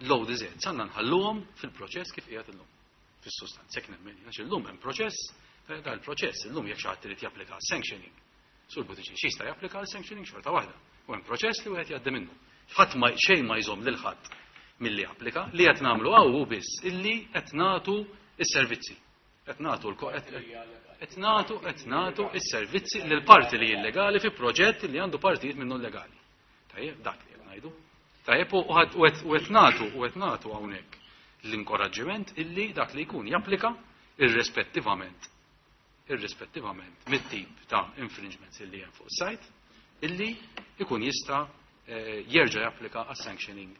l-ODZ għandna nħalluhom fil-proċess kif qiegħed illum. Fis-sustanza, jekk nemmen, għax illum hemm proċess, da l-proċess illum jekk xi ħadd irid japplika sanctioning. Sur Buttigieg xi jista' japplika sanctioning xorta waħda. U hemm proċess li wieħed jgħaddi minnu. Ħadd ma xejn ma jżomm lil ħadd milli applika, li qed nagħmlu hawn hu biss illi qed nagħtu s-servizzi. Qed nagħtu l qed nagħtu qed nagħtu s-servizzi lil parti li illegali fi proġett li għandu partijiet minnu legali. Tajjeb, dak li qed ngħidu. Tajjeb, u qed nagħtu u qed nagħtu hawnhekk l-inkoraġġiment illi dak li jkun japplika irrispettivament mit-tip ta' infringements illi hemm fuq site, illi ikun jista' jerġa' japplika għas-sanctioning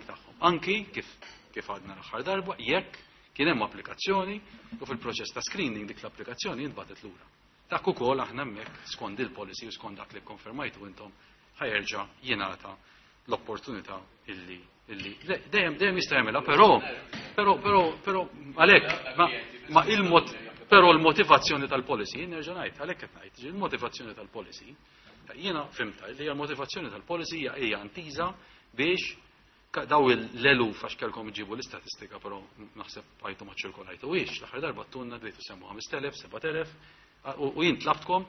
tagħhom. Anki kif għadna l-aħħar darba, jekk kien hemm applikazzjoni u fil-proċess ta' screening dik l-applikazzjoni jintbatet lura. Dak ukoll aħna hemmhekk skont il-policy u skont dak li kkonfermajtu intom ħajerġa' jingħata l-opportunità illi le, dejjem jista' jagħmilha, però għalhekk ma, ma il-mod, però l-motivazzjoni tal-policy, nerġa' ngħid, għalhekk qed ngħid, il-motivazzjoni tal-policy, jiena fimta li l-motivazzjoni tal-policy hija intiża biex daw l-eluf għax kellkom iġibu l-istatistika, però naħseb għajtu ma ċirkolajtu ix, l-aħħar darba tunna bdejtu semmu 5,000, 7,000, u jien tlabtkom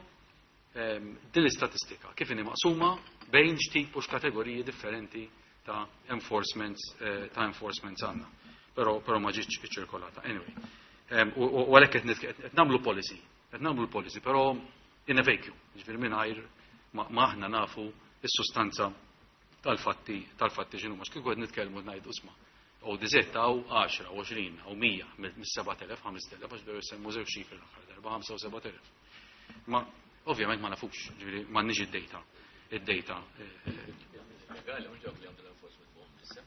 din l-istatistika kif inhi maqsuma bejn x'tip u x'kategoriji differenti ta' enforcements għandna. Però ma ġietx iċċirkolata. Anyway. U għalhekk qed nagħmlu policy, qed nagħmlu l-policy, però in a vacuum, ġifieri mingħajr ma aħna nafu s-sustanza tal-fatti x'inhu. Għax kieku qed nitkellmu ngħidu isma' u diżett hawn 10, 20, u 100 mis-7,000, 5,000, għax bdew jsemmu żewġ ċifri l-aħħar darba, 5 u 7,000. Ma ovvjament ma nafux, ġifieri m'għandniex id-data. Id-data. Legali, mhux dawk li għandu l-enforcement fuqhom issa.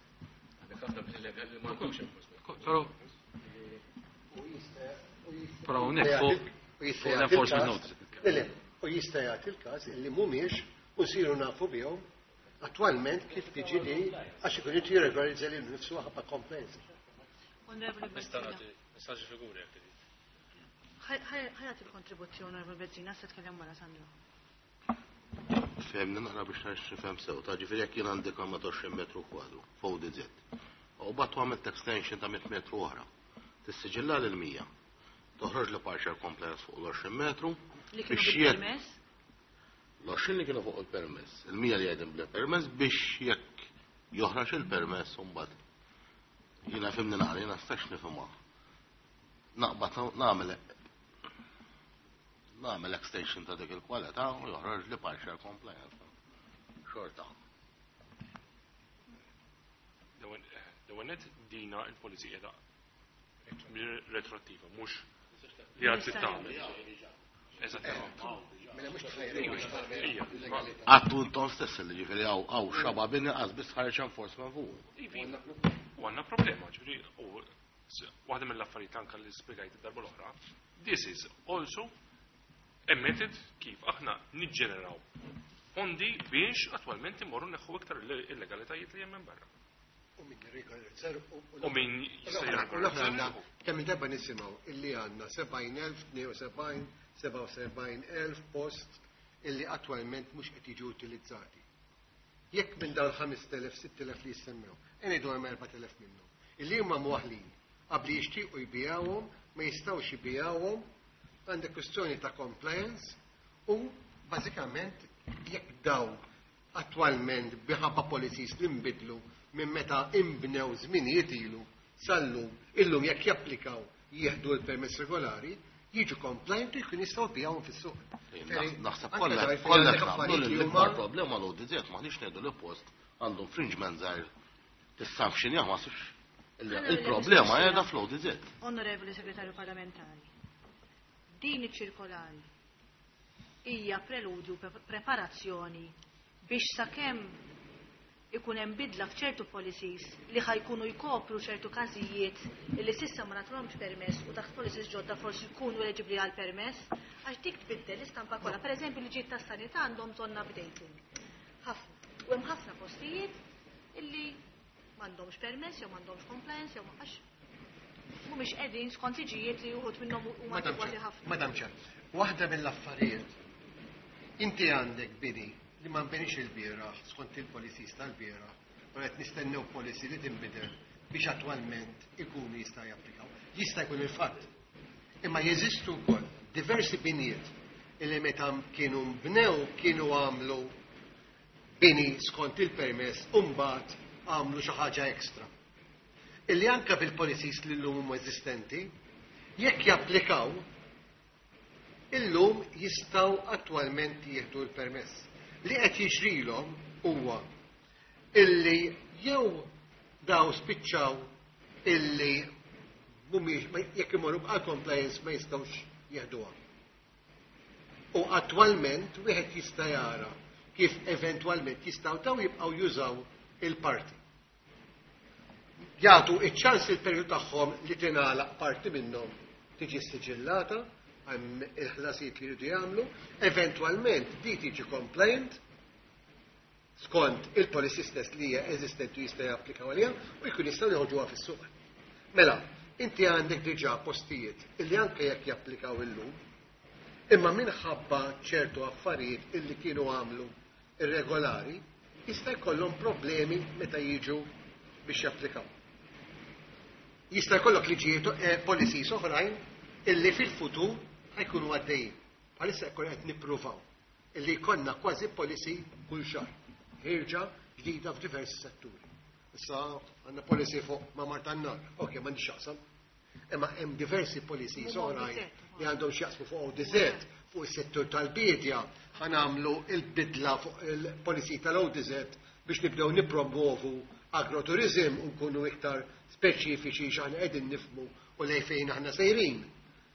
Għandek ħafna bil-legali li m'għandhomx enforcement. Però hawnhekk fuq l-enforcement notice. Le, le, u jista' jagħti l-każ illi mhumiex u nsiru nafu bihom attualment kif tiġi li għax ikun irid jirregolarizza lil nifsu ħabba compliance. Onorevoli Nista' Bezzina. nagħti messaġġi figuri jekk trid. Ħajat il-kontribuzzjoni, Onorevoli Bezzina, se tkellem wara Sandro. Fehmni naqra biex nara x'nifhem sew, ta' ġifieri jekk jien għandi kamra ta' 20 metru kwadru fuq DZ. U mbagħad għamilt extension ta' 100 metru oħra. Tissiġilla lil 100. Toħroġ li partial compliance fuq l-20 metru. Li kienu biex jekk bil-permess? L-20 li kienu fuq il-permess, il-100 li għedin bla permess biex jekk joħroġ il-permess mbagħad. Jiena fimni naqra, jiena stax nifhimha. Naqbad nagħmel extension ta' dik il-kwalità u joħroġ li partial compliance. Xorta. L-ewwel dina il-policy qiegħda retroattiva, mhux li għad tagħmel. Eżattament. Mela mhux tħajrek biex tagħmel Ija, illegalità. Għattu intom stess li ġifieri hawn xaba bini qas biss ħareġ enforcement fuq. Ivi. U għandna problema, ġifieri, u waħda mill-affarijiet anke li spjegajt id-darba l-oħra, this is also a method kif aħna niġġeneraw fondi biex attwalment imorru neħħu iktar illegalitajiet li hemm minn barra. U min regolarizzar U min jista' jirregolarizza. Kemm il-darba nisimgħu illi għandna 70,000, 72, 77,000 post illi attwalment mhux qed jiġu utilizzati. Jekk minn dawn 5,000, 6,000 li jissemmew, ngħidu hemm 4,000 minnhom. Illi huma mwaħlin qabli jixtiequ jbijawhom, ma jistgħux jbijawhom, għandek kwistjoni ta' compliance u bażikament jekk daw attwalment minħabba policies li nbidlu minn meta imbnew żminijiet ilu sal-lum, illum jekk japplikaw jieħdu l-permess regolari, jiġu compliant u jkun jistgħu jbijawhom fis-suq. Naħseb kollha kollha naqblu li l-ikbar problema l-ODZ m'aħniex ngħidu li post għandu infringement żgħir tissanzjonjah, ma sibx. Il-problema qiegħda fl-ODZ. Onorevoli Segretarju Parlamentari, din iċ-ċirkolari hija preludju, preparazzjoni biex sakemm ikun hemm bidla f'ċertu policies li ħa jkunu jkopru ċertu każijiet li s'issa ma nagħtuhomx permess u taħt policies ġodda forsi jkunu eliġibbli għal permess, għax dik tbiddel l-istampa kollha. Pereżempju, liġijiet tas-sanità għandhom bżonn updating. Ħafna. U hemm ħafna postijiet illi m'għandhomx permess jew m'għandhomx compliance jew għax mhumiex qegħdin skont liġijiet li uħud minnhom huma Madam adegwati Chair, ħafna. Madam Chair, waħda mill-affarijiet, inti għandek bini li ma nbenix il-bieraħ skont il-policies tal-bieraħ, u qed nistennew policy li tinbidel biex attwalment ikunu jista' japplikaw. Jista' jkun il-fatt. Imma jeżistu wkoll diversi binijiet illi meta kienu mbnew kienu għamlu bini skont il-permess u mbagħad għamlu xi ħaġa ekstra. Illi anka bil-policies li llum huma eżistenti, jekk japplikaw, illum jistgħu attwalment jieħdu l-permess. Li qed jiġrilhom huwa illi jew daw spiċċaw illi mhumiex jekk imorru għal compliance ma jistgħux jieħduha. U attwalment wieħed jista' jara kif eventwalment jistgħu daw jibqgħu jużaw il-parti. Jagħtu iċ-ċans il-perjodu tagħhom li tingħalaq parti minnhom tiġi siġillata hemm il-ħlasijiet li jridu jagħmlu, eventwalment di tiġi compliant skont il-policy stess li hija eżistenti u jista' japplikaw għaliha u jkun jistgħu joħorġuha fis-suq. Mela, inti għandek diġà postijiet illi anke jekk japplikaw illum, imma minħabba ċertu affarijiet illi kienu għamlu irregolari, jista' jkollhom problemi meta jiġu biex japplikaw. Jista' jkollok liġijiet, policies oħrajn illi fil-futur ħa jkunu għaddejjin. Bħalissa jkun qed nippruvaw illi jkollna kważi policy kull xahar. Ħirġa ġdida f'diversi setturi. Issa għandna policy fuq ma' Marta n-nar. Ok, m'għandix x'jaqsam. Imma hemm diversi policies Mhuma oħrajn ODZ. li għandhom x'jaqsmu fuq ODZ, fuq is-settur tal-bidja, ħa nagħmlu il-bidla fuq il-policy tal-ODZ biex nibdew nippromovu agroturizm u nkunu iktar speċifiċi x'aħna qegħdin nifhmu u lejn fejn aħna sejrin.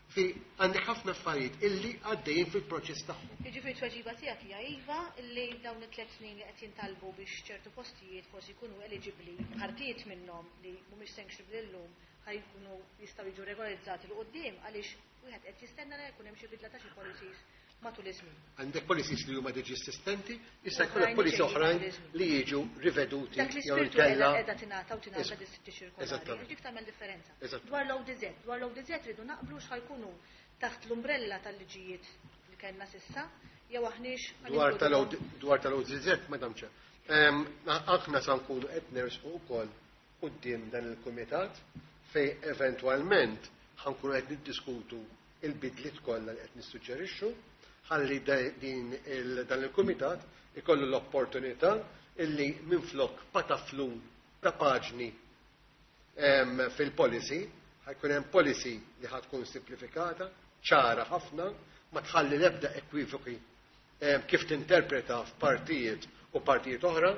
Fi għandek ħafna affarijiet illi għaddejjin fil-proċess tagħhom. Jiġifieri tweġiba tiegħek hija iva illi dawn it-3 snin li qed jintalbu biex ċertu postijiet forsi jkunu eligibbli, partijiet minnhom li mhumiex sanctionable illum ħa jkunu jistgħu jiġu regolarizzati 'l quddiem għaliex wieħed qed jistenna li jkun hemm xi bidla ta' xi policies matul iż-żmien. Għandek policies li huma diġi esistenti, issa Oħrajn jkollok policies ġejjin oħrajn matul iż-żmien. li jiġu riveduti Dak jew l-ispirtu inkella qiegħda tingħata u tingħata dis-ċirkolari. Eżattament. Dik tagħmel differenza. Eżattament. Dwar l-ODZ, dwar l-ODZ rridu naqblu x'ħa jkunu taħt l-umbrella tal-liġijiet li kellna s'issa, jew aħniex ħa Dwar ninkluduhom. tal-ODZ, Madam Chair. Aħna sa nkunu qed nersqu wkoll quddiem dan il-kumitat fej eventwalment ħa nkunu qed niddiskutu il-bidliet kollha li qed nissuġġerixxu ħalli dan il-kumitat ikollu l-opportunità illi minflok pataflun ta' paġni fil-policy, ħa jkun hemm policy li ħa tkun simplifikata, ċara ħafna, ma tħalli l-ebda ekwivoki kif tinterpreta f'partijiet u partijiet oħra,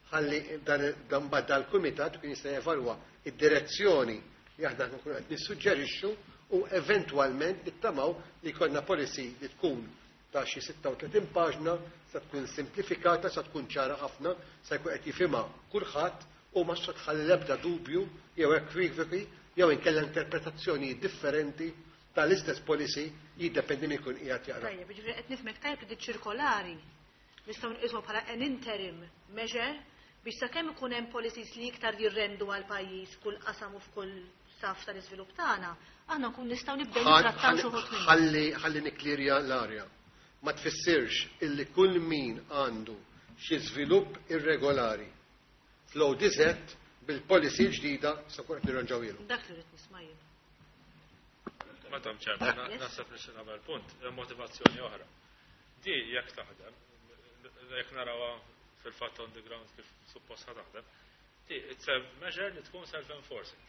ħalli dan bad dal-kumitat kien jista' jevalwa id-direzzjoni li aħna nkunu qed nissuġġerixxu u eventwalment nittamaw li jkollna policy li tkun ta' xi 36 paġna, sa tkun simplifikata, sa tkun ċara ħafna, sa jkun qed jifhimha kulħadd u ma tħalli l-ebda dubju jew ekwivoki jew inkella interpretazzjoni differenti tal-istess policy, jiddependi min ikun qiegħed jaqra. Tajjeb, jiġifieri qed nifhmek tajjeb li ċirkolari nistgħu nqisuha bħala an interim measure biex sakemm ikun hemm policies li iktar jirrendu għal pajjiż kull qasam u f'kull saf tal-iżvilupp tagħna, aħna nkun nistgħu nibdew nittrattaw xi wħud minnhom. Ħalli nikklirja l-arja. Ma tfissirx illi kull min għandu xi żvilupp irregolari fl-ODZ bil-policy ġdida se kun qed nirranġaw. Dak li rrid nisma' jien. Madam Chairman, naħseb li xi nagħmel punt, motivazzjoni oħra. Di jekk taħdem, jekk narawha fil-fatt on the ground kif suppost taħdem, di it's a measure li tkun self-enforcing.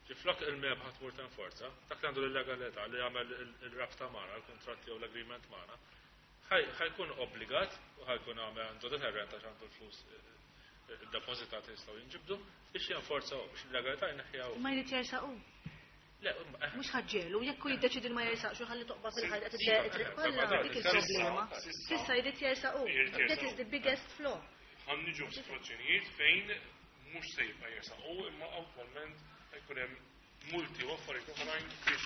Ġiflok il-MEPA ħa tmur tenforza, dak li għandu l-illegalità li jagħmel il-rabta magħna, il-kontratti jew l-agreement magħna, ħa jkun obbligat u ħa jkun għamel għandu deterrent għax għandu l-flus depositati jistgħu jinġibdu biex jenforza biex l-illegalità jneħħiha. Ma jrid jersaqu. Le, Mhux ħaġġelu, jekk hu jiddeċidi ma jersaqx u ħalli toqba fil-ħajt qed triq kollha, dik il-problema. S'issa jrid jersaqu. That is the biggest flaw. Ħa niġu f'sitwazzjonijiet fejn mhux se jibqa' jersaqu, imma attwalment jkun hemm multi u affarijiet oħrajn biex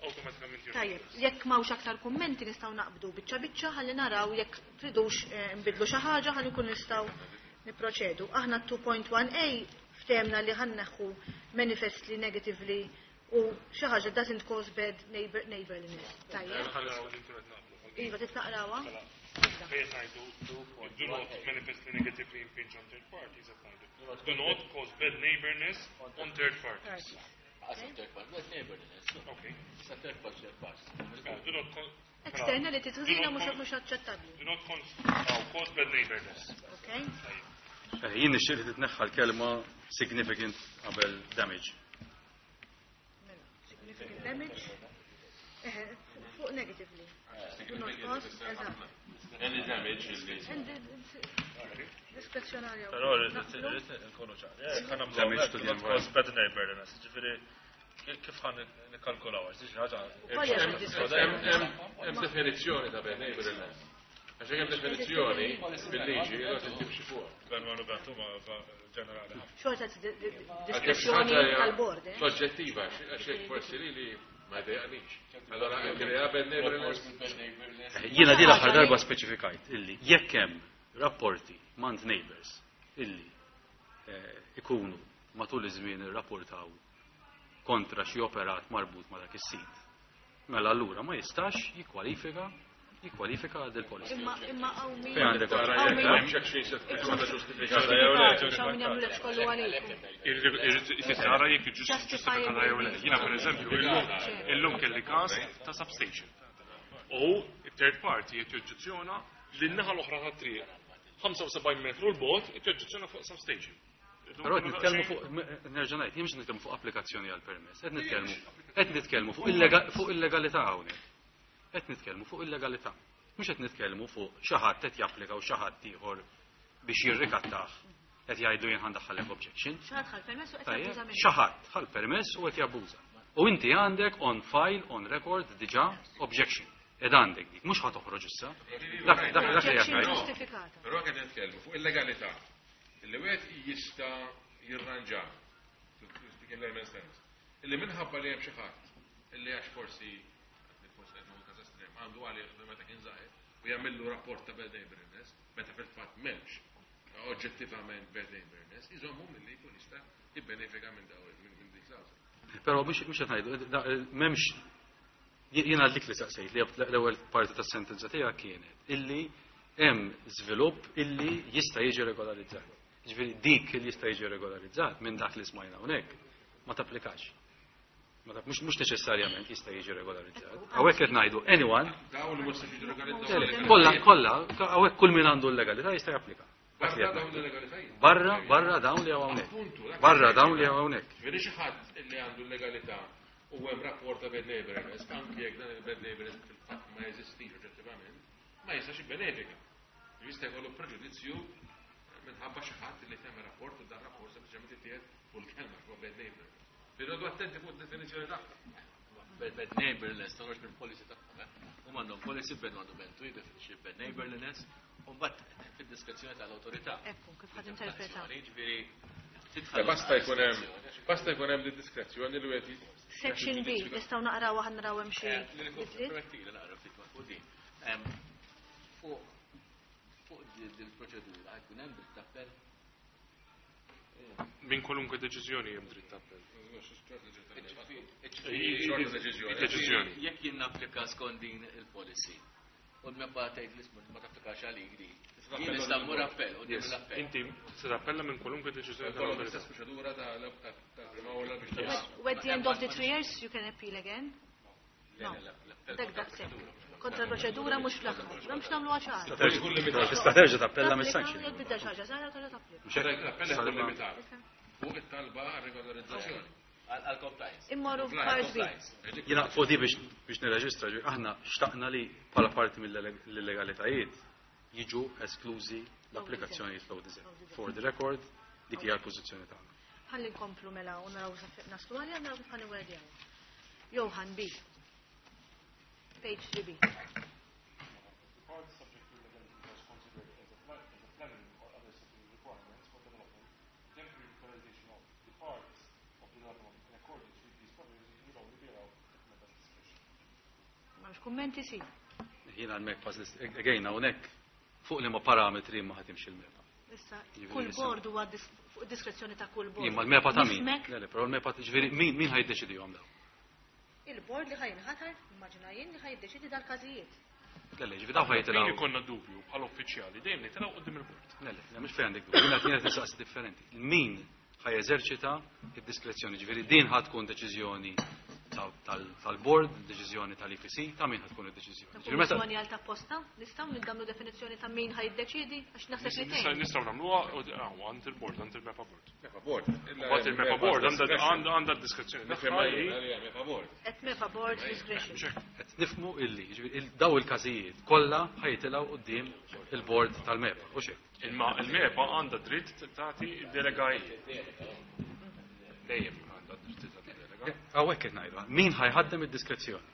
awtomatikament. Tajjeb, jekk m'hawnx aktar kummenti, nistgħu naqbdu biċċa biċċa ħalli naraw jekk tridux nbidlu xi ħaġa ħalli nkun nistgħu niproċedu. Aħna 2.1a ftehemna li ħa nneħħu manifestly negatively u xi ħaġa doesn't cause bad neighborliness. Tajjeb. Iva, titnaqrawha? Fejn ngħidu do not manifestly negatively impinge on third parties, qed ngħidu do not cause bad neighborness on third parties. Third party, bad neighborliness. Okay. Sa third party, third party. Do not Externality ħażina mhux aċċettabbli. Do not cause bad neighborness. Okay. Jien nixtieq li titneħħa l-kelma significant qabel damage. Mela, significant damage. Fuq negatively. Do not cause, eżatt. Any damage li. Diskrezzjonarja. Però rrid nkunu ċari. Ħa nagħmlu Damage to the do not cause bad neighborliness. Ġifieri kif ħa nikkalkulaw għax xi ħaġa. Hemm definizzjoni ta' bad neighborliness. Għax hemm definizzjoni bil-liġi li qed timxi fuq. Ben ma nubentu ma ġenerali. Xorta diskrezzjoni tal-bord, eh? Soġġettiva, għax hekk forsi li ma jdejqanix. Allora krea bad neighborliness. Jiena di l-aħħar darba speċifikajt illi jekk hemm rapporti mant neighbors illi ikunu matul iż-żmien irrapportaw kontra xi operat marbut ma' dak is-sit. Mela allura ma jistax jikkwalifika għal il-policy. Imma hawn min Fejn għandek Tara hawn jekk min objection se tkun ġustifikata jew le. Hawn min jagħmlu lek kollu għalikum. Irrid tara jekk ġustifikata jew le. Jiena pereżempju illum kelli każ ta' substation. U it-third party qed joġġezzjona lin-naħa l-oħra tat-triq. 75 metru l-bot qed joġġezzjona fuq substation. Però qed nitkellmu fuq, nerġa' ngħid, jien mhux nitkellmu fuq applikazzjoni għal permess, qed nitkellmu fuq illegalità hawnhekk. Qed nitkellmu fuq illegalità. Mhux qed nitkellmu fuq xi ħadd qed japplika u xi ħadd ieħor biex jirrikattah qed jgħidu jien ħa ndaħħallek objection. Xi ħadd ħa l-permess u qed Tajjeb, jabbuża minnu. Xi ħadd ħa l-permess u qed jabbuża. U inti għandek on file, on record, diġà objection. Ed għandek dik, mhux ħa toħroġ issa. Dak li Objection jgħid. ġustifikata. Però qed nitkellmu fuq illegalità. Illi wieħed jista' jirranġa, to speak in layman's terms. Illi minħabba li hemm xi ħadd illi għax forsi qed nagħmlu każ estrem, għandu għalih meta kien żgħir u jagħmillu rapport ta' bad neighborliness, meta fil-fatt m'hemmx oġġettivament bad neighborliness, iżommu milli jkun jista' jibbenefika minn dik klawżola. Però mhux qed ngħidu, m'hemmx, jiena dik li saqsejt li l-ewwel parti tas-sentenza tiegħek kienet illi hemm żvilupp illi jista' jiġi regolarizzat. Ġifieri dik li jista' jiġi regolarizzat minn dak li smajna hawnhekk ma tapplikax. Ma tap, mhux neċessarjament jista' jiġi regolarizzat. Hawnhekk qed ngħidu anyone Dawn li mhux se jiġu regolarizzati. Kollha, kollha, hawnhekk kull min għandu l-legalità jista' japplika. Dak li Barra qed dawn ngħidu. l-legalitajiet. Barra dawn li hawn hawnhekk. Appuntu, dak Barra li dawn li hawn hawnhekk. Ġifieri xi ħadd li għandu l-legalità u hemm rapport ta' bad neighborliness, anki jekk dan il-bad neighborliness fil-fatt ma jeżistix oġġettivament, ma jistax jibbenefika. Jista' jkollu preġudizzju minħabba xi ħadd li tagħmel rapport u dan rapport sempliċement ittieħed fuq il-kelma fuq bad neighborliness. Irridu attenti fuq id-definizzjoni tagħha. Bad neighborliness, toħroġ minn policy tagħhom. Huma għandhom policy bad għandhom bad to jiddefinixxi bad neighborliness. Mbagħad fid-diskrezzjoni tal-awtorità. Ekku, kif ħad interpreta. Jiġifieri Basta jkun hemm basta jkun hemm diskrezzjoni li wieħed Section B, nistgħu naqraw aħna naraw hemm xi bidliet. Permettili naqra ftit ma' fuq din. Fuq din il-proċedura jkun hemm dritt appell. Minn kwalunkwe deċiżjoni hemm dritt appell. Deċiżjoni. Jekk jien napplika skont din il-policy u l-MEPA tgħid li ma tapplikax għalik di. Jien nista' mmur appell u l-appell. Inti se tappella minn kwalunkwe deċiżjoni tal-awtorità. L-istess proċedura tal-prima awla biex At the end of the 3 years you can appeal again? No. Dak daqshekk. Kontra proċedura mhux fl-aħħar. M'hemmx nagħmluha ċara. Tista' terġa' tappella mis-sanction. Jekk bidda xi ħaġa żgħira terġa' tapplika. L-appell ikun limitat. Fuq it-talba għar-regolarizzazzjoni. Għal-compliance. Immorru part B. Jiena fuq di biex nirreġistra, aħna xtaqna li bħala parti mill-illegalitajiet jiġu esklużi l-applikazzjonijiet fl-ODZ. For the record, dik hija l-pożizzjoni tagħna. Ħalli nkomplu mela u naraw sa fejn naslu għalija naraw kif ħaniwerdjaw. Johan B. Page 3B. M'hemmx kummenti si. Jiena l-MEPA, again, hawnhekk fuq liema parametri ma ħatimx il-MEPA. Issa, kull board huwa fuq diskrezzjoni ta' kull board. Imma l-MEPA ta' min? Le, le, però l-MEPA, ġifieri min ħajdeċidihom dawn? Il-board li ħajinħatar, immaġina jien li ħajdeċidi dal-każijiet. Le, le, ġifieri dawn ħajtilgħu. Fejn ikollna dubju bħala uffiċjali dejjem nitilgħu quddiem il-board. Le, le, mhux fejn għandek dubju, jiena qed nistaqsi differenti. Min ħajeżerċita id-diskrezzjoni, ġifieri din ħad tkun deċiżjoni tal-board, deċiżjoni tal-IPC, ta' min ħad tkun id-deċiżjoni. Ta' kummissjoni għal ta' posta, nistgħu nagħmlu definizzjoni ta' min ħajdeċiedi għax naħseb li tgħin. Nistgħu nagħmluha għand il-board, għand il-MEPA board. MEPA board. Mbagħad il-MEPA board għandha d-diskrezzjoni tagħha. MEPA board. Qed MEPA board discretion. Qed nifhmu illi, ġifieri daw il-każijiet kollha ħajtilgħu quddiem il-board tal-MEPA, u xejn. Imma il-MEPA għandha dritt tagħti d-delegajiet. Dejjem għandha dritt tagħti delega. Hawnhekk qed ngħidu, min ħajħaddem id-diskrezzjoni?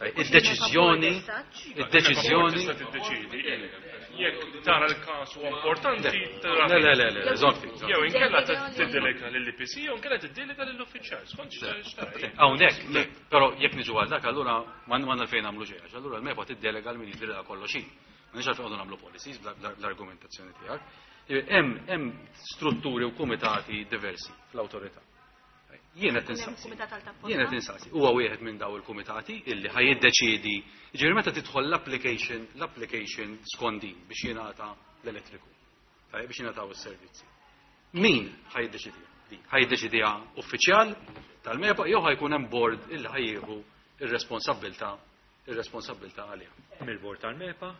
Id-deċiżjoni, id-deċiżjoni. Tista' tiddeċiedi. Jekk tara l-każ huwa importanti, Le, le, le, le, żomm ftit. Jew inkella tiddelega lill-IPC, jew inkella tiddelega lill-uffiċjal, skont x'tara. Hawnhekk, le, però jekk niġu għal dak allura m'għandna fejn nagħmlu xejn, għax allura l-MEPA tiddelega l min jidrilha kollox hi. M'għandniex għalfejn qogħdu nagħmlu policies bl-argumentazzjoni tiegħek. Hemm strutturi u kumitati diversi fl-awtorità. Jien qed insaqsi. Jien qed insaqsi. Huwa wieħed minn daw il-kumitati illi ħaj jiddeċiedi. Jiġifieri meta tidħol l-application, l-application skont din biex jingħata l-elettriku. Tajjeb biex jingħataw is-servizzi. Min ħaj jiddeċidiha? Din ħaj jiddeċidiha uffiċjal tal-MEPA jew ħajkun hemm board illi ħajjieħu ir-responsabbiltà, ir-responsabbiltà għaliha. Hemm il-board tal-MEPA,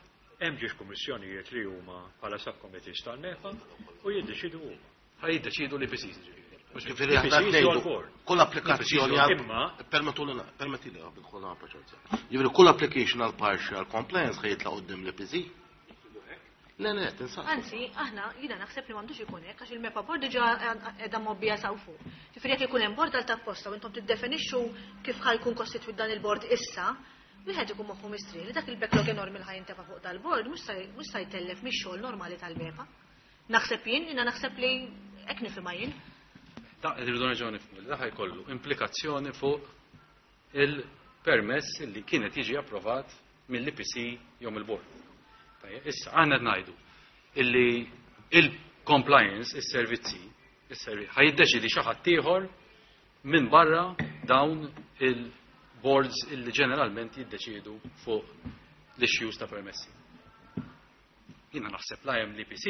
hemm ġiex kummissjonijiet li huma bħala subcommittees tal-MEPA u jiddeċidu huma. Ħaj jiddeċidu li PCs ġifieri. Ġifieri aħna ngħidu kull applikazzjoni għal permettuli permettili nidħol nagħmel proċess. Ġifieri kull application għal partial compliance ħaj jitla' quddiem l-IPC. Le, le, tinsab. Anzi, aħna jiena naħseb li m'għandux ikun hekk għax il-MEPA board diġà qiegħda mgħobbija saw fuq. Ġifieri jekk ikun hemm board għal tapposta u intom tiddefinixxu kif ħajkun kostitwit dan il-board issa, wieħed ikun moħħu mistrieħ li dak il-backlog enormi li ħajintefa' fuq dal-board mhux se jtellef mix-xogħol normali tal-MEPA. Naħseb jien, jiena naħseb li hekk nifhimha jien. Da, irridu nerġgħu nifhmu li da ħajkollu implikazzjoni fuq il-permess li kienet jiġi approvat mill-IPC jew mill-board. Tajjeb, issa aħna qed ngħidu illi il-compliance, is-servizzi, is-servizzi ħajiddeċidi xi ħadd ieħor minn barra dawn il-boards illi ġeneralment jiddeċidu fuq l-issues ta' permessi. Jiena naħseb la hemm l-IPC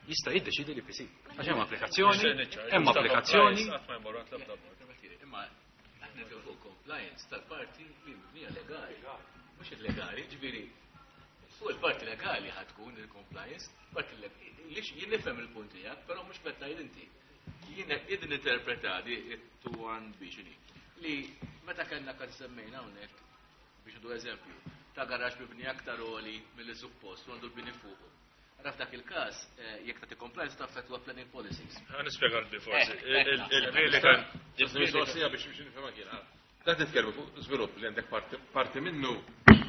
jista' jiddeċidi l-IPC. Għax hemm applikazzjoni, hemm applikazzjoni. Imma aħna fuq compliance tal-parti li mibnija legali. Mhux illegali, ġifieri fuq il-parti legali ħad tkun il-compliance, parti legali. Jien nifhem il-punt tiegħek, però mhux meta tgħid inti. Jien qed ninterpreta di 2-1 B x'inhi. Li meta kellna kan semmejna hawnhekk biex ndu eżempju, ta' garax mibni aktar għoli milli suppost u għandu l-bini fuqu. Raf dak il-każ, jekk tagħti compliance taffettwa planning policies. Ħa nispjega l forsi. Il-mistoqsija biex nifhimha kien. Da titkellmu fuq żvilupp li għandek parti minnu,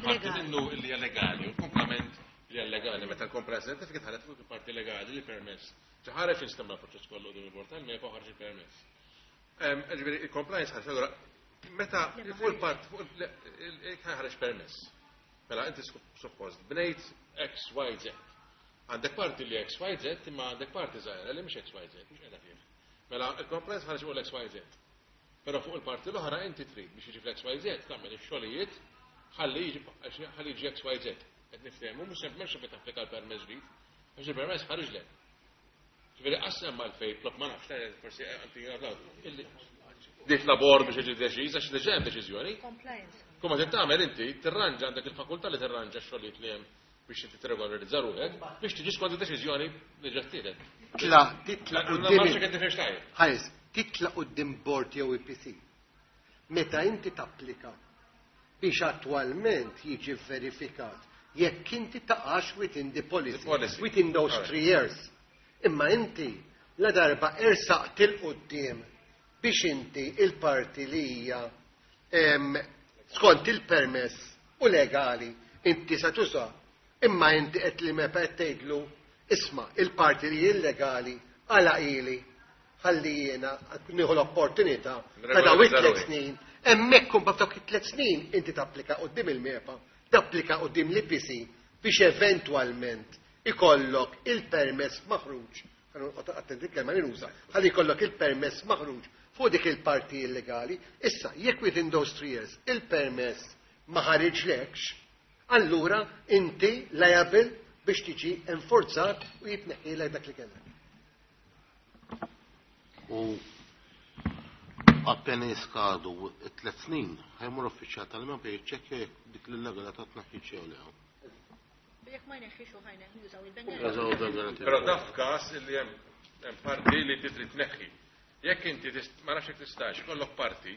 parti minnu li hija legali u l-kumplament Li hija legali, meta l-compliance certificate ħaret fuq il-parti legali li permess. Ħareġ instemma l-proċess kollu din il-bord tal-MEPA u ħareġ il-permess. Ġifieri il-compliance ħareġ allura meta fuq il-part fuq ħareġ permess. Mela inti suppost bnejt X, Y, Z. Għandek parti li X, Y, Z, imma għandek parti żgħira li mhix X, Y, Z, mhux qiegħda fih. Mela il-compliance ħareġ fuq l-X, Y, Z. Però fuq il-parti l-oħra inti trid biex jiġi fl-X, Y, Z tagħmel ix-xogħlijiet ħalli jiġi X, Y, Z. Qed niftehmu mhux sempliċement xi tapplika l-permess ġdid, għax il-permess ħariġlek. Ġifieri qasem mal-fejn plok ma nafx, forsi anti Dit labor biex jiġi deċiż għax diġà hemm deċiżjoni. Kumma trid tagħmel inti tirranġa għandek il-fakultà li tirranġa x-xogħlijiet li hemm biex inti tirregolarizza ruħek biex tiġi skont id-deċiżjoni li ġa ttieħdet. Titla' titla' quddiem. Ħares, titla' quddiem bord jew EPC. Meta inti tapplika biex attwalment jiġi verifikat jekk inti taqax within the policy, within those 3 years. Imma inti la darba ersaqt 'il quddiem biex inti il-parti li hija skont il-permess u legali inti sa tuża, imma inti qed li MEPA qed tgħidlu, "Isma', il-parti li illegali għala ili ħalli jiena nieħu l-opportunità ta' daw it-3 snin." Hemmhekk kumba f'dawk it-3 snin inti tapplika quddiem il-MEPA, tapplika quddiem l-EPC biex eventwalment ikollok il-permess maħruġ, attenti kelma li nuża, ħalli jkollok il-permess maħruġ fuq dik il-parti illegali. Issa, jekk within those 3 years il-permess ma ħariġlekx, allura inti liable biex tiġi enforzat u jitneħħilek dak li kellek. U appena jiskadu 3 snin, ħa jmur uffiċjal tal-MEPA jiċċekkja jekk dik l-illegalità tneħħietx jew le. Jekk ma jneħħix u ħajneħ jużaw Jużaw il-bank. Però daf każ li hemm parti li trid tneħħi. Jekk inti ma nafx jekk tistax ikollok parti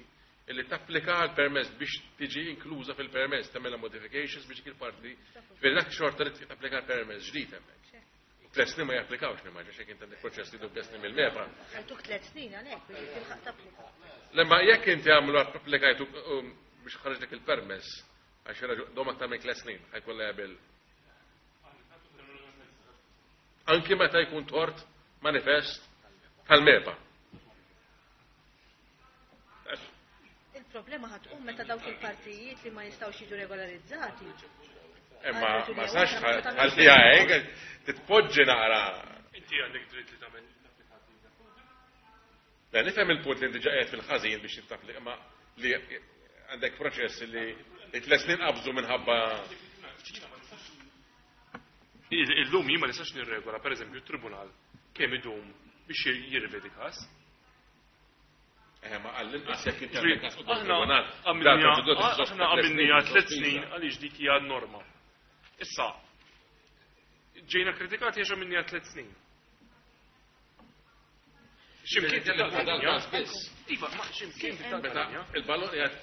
illi tapplika għal permess biex tiġi inkluża fil-permess, tagħmilha modifications biex dik il-parti, ġifieri dak xorta li tapplika għal permess ġdid hemmhekk. U 3 snin ma japplikawx nimmaġina x'jekk inti għandek proċess li 3 snin mill-MEPA. Għaltuk 3 snin għalhekk biex tilħaq tapplika. Lemma jekk inti għamlu applikajtu biex ħarġ dak il-permess, għax raġu dom aktar minn 3 snin, ħa jkun liable. Anki meta jkun tort manifest tal-MEPA. Il-problema ħa tqum meta dawk il-partijiet li ma jistgħux jiġu regolarizzati. Imma ma sax għal-fija hekk, titpoġġi naqra. Inti għandek dritt li tagħmel. Le, nifhem il-punt li inti ġa qiegħed fil-ħażin biex tittapplika, ma li għandek proċess li 3 snin qabżu minħabba. Illum jien ma nistax nirregola, per eżempju, tribunal kemm idum biex jirrivedi każ. Eh, ma għall-inqas jekk inti għandek każ quddiem Aħna tribunal, aħna għamilniha 3 snin għaliex dik hija norma. Issa, ġejna kritikati għax għamilniha 3 snin. Ximkien dal-każ biss. Iva, ma ximkien Meta il-ballon qiegħed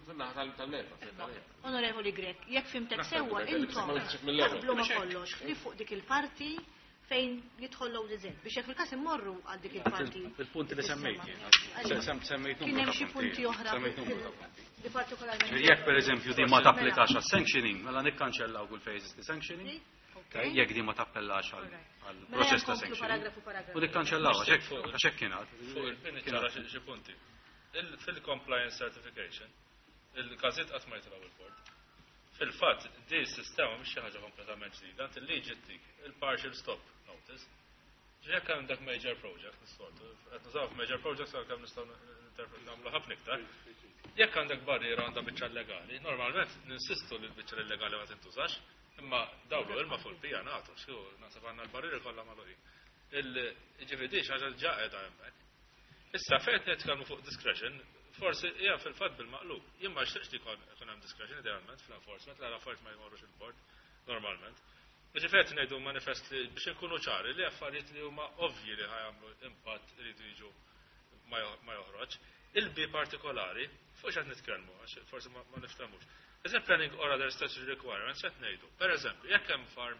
fin-naħa tal-MEPA. Onorevoli Grech, jekk fhimtek Naħseb sewwa li intom ma nixtieq mill-ewwel. taqblu ma kollox li fuq dik il-parti fejn jidħol l-ODZ biex jekk fil-każ immorru għal dik il-parti. Il-punti li semmejt jien. Għalija. Semmejt Kien numru hemm ta' xi punti oħra Semmejt numru ta' punti. li partikolarment. Ġifieri jekk pereżempju din ma tapplikax għas sanctioning, mela nikkanċellaw kull fejn jeżisti sanctioning. Jekk din ma tappellax għal Mela proċess ta' nkomplu sanctioning. paragrafu paragrafu. U nikkanċellaw għax hekk kien għad. Fuq il-pini ċara xi punti. Fil-compliance certification, il-każiet qatt ma jitilgħu il-bord. Fil-fatt, di s-sistema mhix xi ħaġa kompletament ġdida, inti liġi tik il-partial stop notice. Jekk għandek major project, nissoltu, qed nużaw major projects għalkemm nistgħu nagħmlu ħafna iktar. Jekk għandek barriera għandha biċċa legali, normalment ninsistu li l-biċċa illegali ma tintużax, imma dawlu ilma fuq il-pija nagħtu, xu naħseb għandna l-barrieri kollha magħluqin. Il-ġifieri xi ħaġa ġa qiegħda hemmhekk. Issa fejn qed nitkellmu fuq discretion, forsi hija fil-fatt bil-maqlub. Jien ma xtieqx li jkun hemm discretion idealment fl-enforcement, la l-affarijiet ma jmorrux il-bord normalment. Ġifieri qed ngħidu manifest li biex inkunu ċari li affarijiet li huma ovvji li ħa jagħmlu impatt iridu jiġu ma joħroġ. Il-B partikolari, fuq x'qed nitkellmu, għax forsi ma niftemux. Is it planning or other statutory requirements qed ngħidu? Per eżempju, jekk hemm farm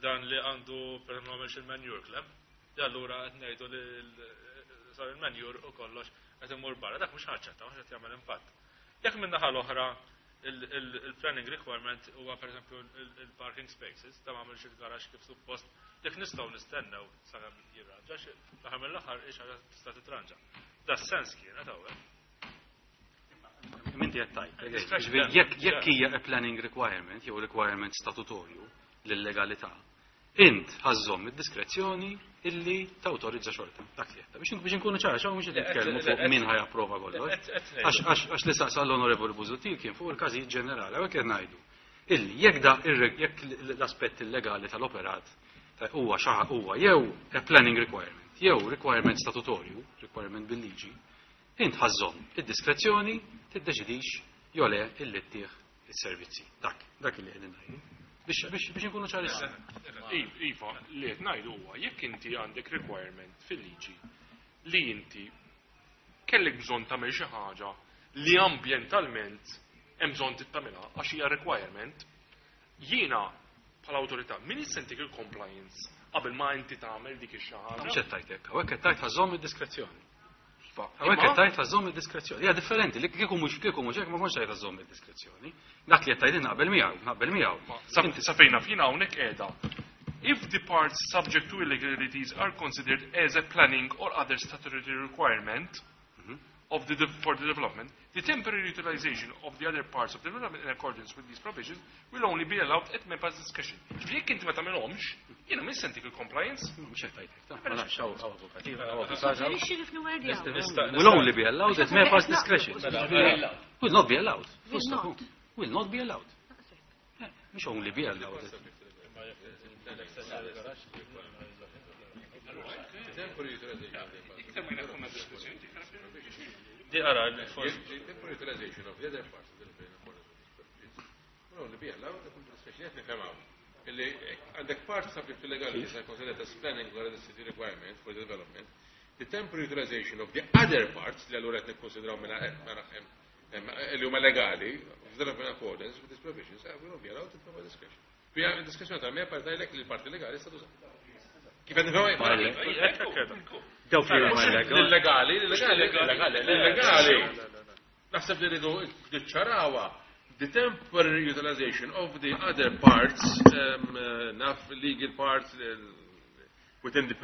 dan li għandu per eżempju għamilx il-manure clamp, li allura qed ngħidu li sar il-manure u kollox qed imur barra, dak mhux ħaċċetta, mhux qed jagħmel impatt. Jekk minn naħa l-oħra Il-planning requirement huwa pereżempju il-parking spaces, ta' ma għamilx il-garaxx kif suppost, dik nistgħu nistennew sakemm jirranġa, l-aħħar mill-aħħar hi xi ħaġa tista' titranġa. Da sens kienet hawnhekk. Minti qed tgħid. Jekk hija a planning requirement jew requirement statutorju lill-legalità, int ħa żżomm id-diskrezzjoni illi tawtorizza xorta. Dak li qed. Biex inkunu ċara, xaw mhux qed nitkellmu fuq min ħa japprova kollox. Għax li saqsa l-Onorevoli Busuttil kien fuq il-każijiet ġenerali, hawnhekk qed ngħidu. Illi jekk da jekk l-aspett illegali tal-operat huwa xaħa huwa jew a planning requirement, jew requirement statutorju, requirement bil-liġi, int ħa żżomm id-diskrezzjoni tiddeċidix jew le illi ttih is-servizzi. Dak li qegħdin ngħidu. Biex inkunu ċarissimi. Iva, li qed ngħidu huwa jekk inti għandek requirement fil-liġi li inti kellek bżonn tagħmel xi ħaġa li ambjentalment hemm bżonn tittamilha għax hija requirement, jiena bħala awtorità min se ntik il-compliance qabel ma inti tagħmel dik ix-xi ħaġa. Mhux qed tgħid hekk, hawnhekk qed tgħid ħa żżomm id-diskrezzjoni. Hawnhekk qed tgħid ħa żżomm id-diskrezzjoni. Hija differenti, li kieku mhux kieku mhux hekk ma kontx tgħid ħa żżomm id-diskrezzjoni. Dak li qed tgħidin naqbel miegħu, naqbel miegħu. Sa fejna fina hawnhekk qiegħda. If the parts subject to illegalities are considered as a planning or other statutory requirement for the development, the temporary utilization of the other parts of the development in accordance with these provisions will only be allowed at MEPA's discretion. Ġifieri jekk inti ma tagħmilhomx, jiena minn se ntik il-compliance. Mhux qed tgħid hekk, ma nafx hawn avukat, avukat. Suġġerixxi kif niwerdjaw. Will only be allowed at MEPA's discretion. Will not be allowed. Will not. Will not be allowed. Mhux only be allowed. Di ara, forsi. Temporary utilization of the other parts of the will only be allowed at discretion. Qed nifhem hawn. Illi għandek part subject to legalities are considered as planning or the city requirement for the development. The temporary utilization of the other parts li allura qed nikkonsidraw mela li huma legali, development in accordance with these provisions, will not be allowed to provide discretion. Fija diskrezzjoni tal-MEPA tgħidlek li l-parti legali sta tuża. Kif qed nifhem? Daw fi huma illegali. Illegali, illegali, illegali. Naħseb li rridu niċċarawha the temporary utilization of the other parts, naf legal parts, within the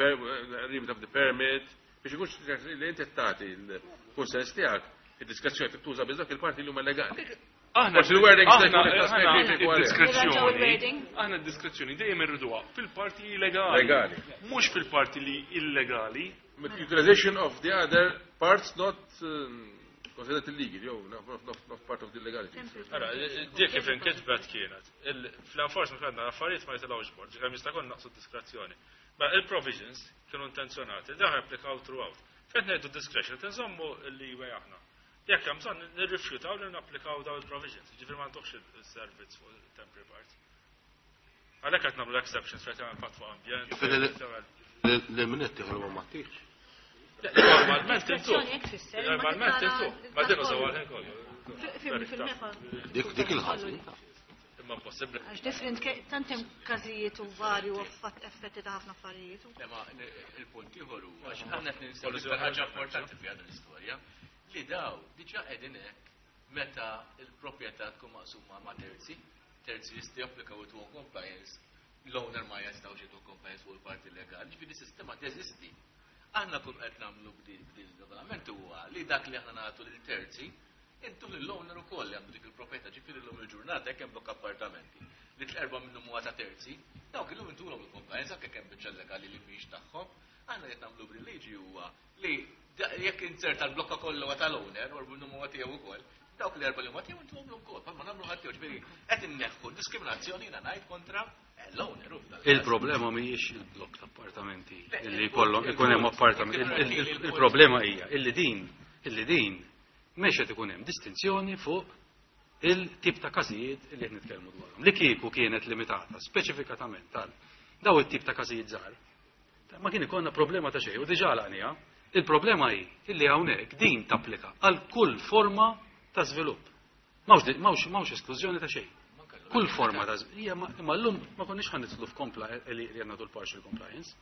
remit of the permit, biex ikunx li inti tagħti l-kunsens tiegħek, id-diskrezzjoni tuża biss dak il-parti li huma legali. Aħna Forsi l-wording sta jkun iktar speċifiku għalih. aħna d-diskrezzjoni dejjem irriduha fil-parti legali. Legali. Mhux fil-parti li illegali. Utilization of the other parts not considered illegal, jew not part of the legality. Ara, dik kif inkitbet kienet. Fl-enforcement għandna affarijiet ma jitilgħux bord, ġifieri jista' jkun naqsu diskrezzjoni. Ma il-provisions kienu intenzjonati, dawn applikaw throughout. Fejn ngħidu discretion, tinżommu l-leeway aħna. Jekk hemm bżonn nirrifjutaw li napplikaw dawn il-provisions, ġifieri ma ntuħx il-servizz fuq il-temporary parts. Għalhekk qed nagħmlu exceptions fejn tagħmel impatt fuq ambjent. Ġifieri li min qed tieħu ma tieħx. Normalment intu. Diskrezzjoni hekk tfisser, imma Normalment tara intu. Ma din użaw għal kollu. Fil-MEPA. Dik il-ħażin. Imma impossibbli. Għax different tant hemm każijiet u varju u effetti ta' ħafna affarijiet. Le, ma il-punt ieħor huwa għax aħna qed ninsew l-iktar ħaġa importanti fi din l-istorja li daw diġà qegħdin hekk meta l-proprjetà tkun maqsuma ma' terzi, terzi jistgħu japplikaw it compliance, l-owner ma jistgħux jagħtu compliance fuq il-parti legali, ġifieri sistema teżisti. Aħna kull qed nagħmlu b'din regolament huwa li dak li aħna nagħtu lil terzi, intu lill-owner ukoll li għandu dik il-proprjetà, ġifieri llum il-ġurnata jekk hemm blokk appartamenti li tl-erba' minnhom huwa ta' terzi, dawk illum intulhom il-compliance anke kemm biċċa legali li mhijiex tagħhom. Aħna qed nagħmlu bil-liġi huwa li jekk inzerta l-blokka kollha huwa tal-owner u minnhom huwa tiegħu wkoll, dawk l-erba' li huma tiegħu intuhom ukoll, bħalma nagħmlu ħadd tiegħu, ġifieri qed inneħħu diskriminazzjoni jiena ngħid kontra l-owner u f'dal-każ. Il-problema mhijiex il-blokk ta' appartamenti Le, illi jkollhom ikun hemm appartamenti. Il-problema hija illi din mhux qed ikun hemm distinzjoni fuq il-tip ta' każijiet illi qed nitkellmu dwarhom. Li kieku kienet limitata speċifikatament tal daw it-tip ta' każijiet żgħar, ma kien ikollna problema ta' xejn u diġà għalaqniha. Il-problema hi illi hawnhekk din tapplika għal kull forma ta' żvilupp. M'hawnx esklużjoni ta' xejn. Kull forma ta' hija imma llum ma konniex ħa nidħlu f'kompla li għandna dul partial compliance.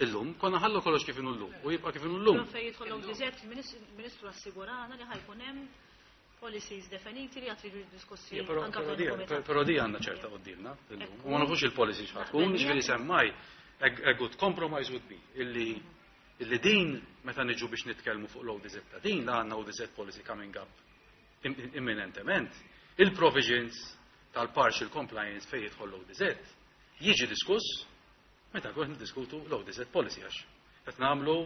Illum konna ħallu kollox kif inhu llum u jibqa' kif inhu llum. Fejn jidħol l-ODZ, il-Ministru assigurana li ħajkun hemm Policies definiti li għad iridu diskussi Ja, anke Però di- fil-komitat. però di għandna ċerta quddiemna illum. Ekku. U ma nafux il-policy x'ħa tkun, Naqbel ġifieri miegħek. semmaj a good compromise would be illi din meta niġu biex nitkellmu fuq l-ODZ ta' din la għandna ODZ policy coming up imminentement, il-provisions tal-partial compliance fejn jidħol l-ODZ jiġi diskuss meta nkun niddiskutu l-ODZ policy, għax qed nagħmlu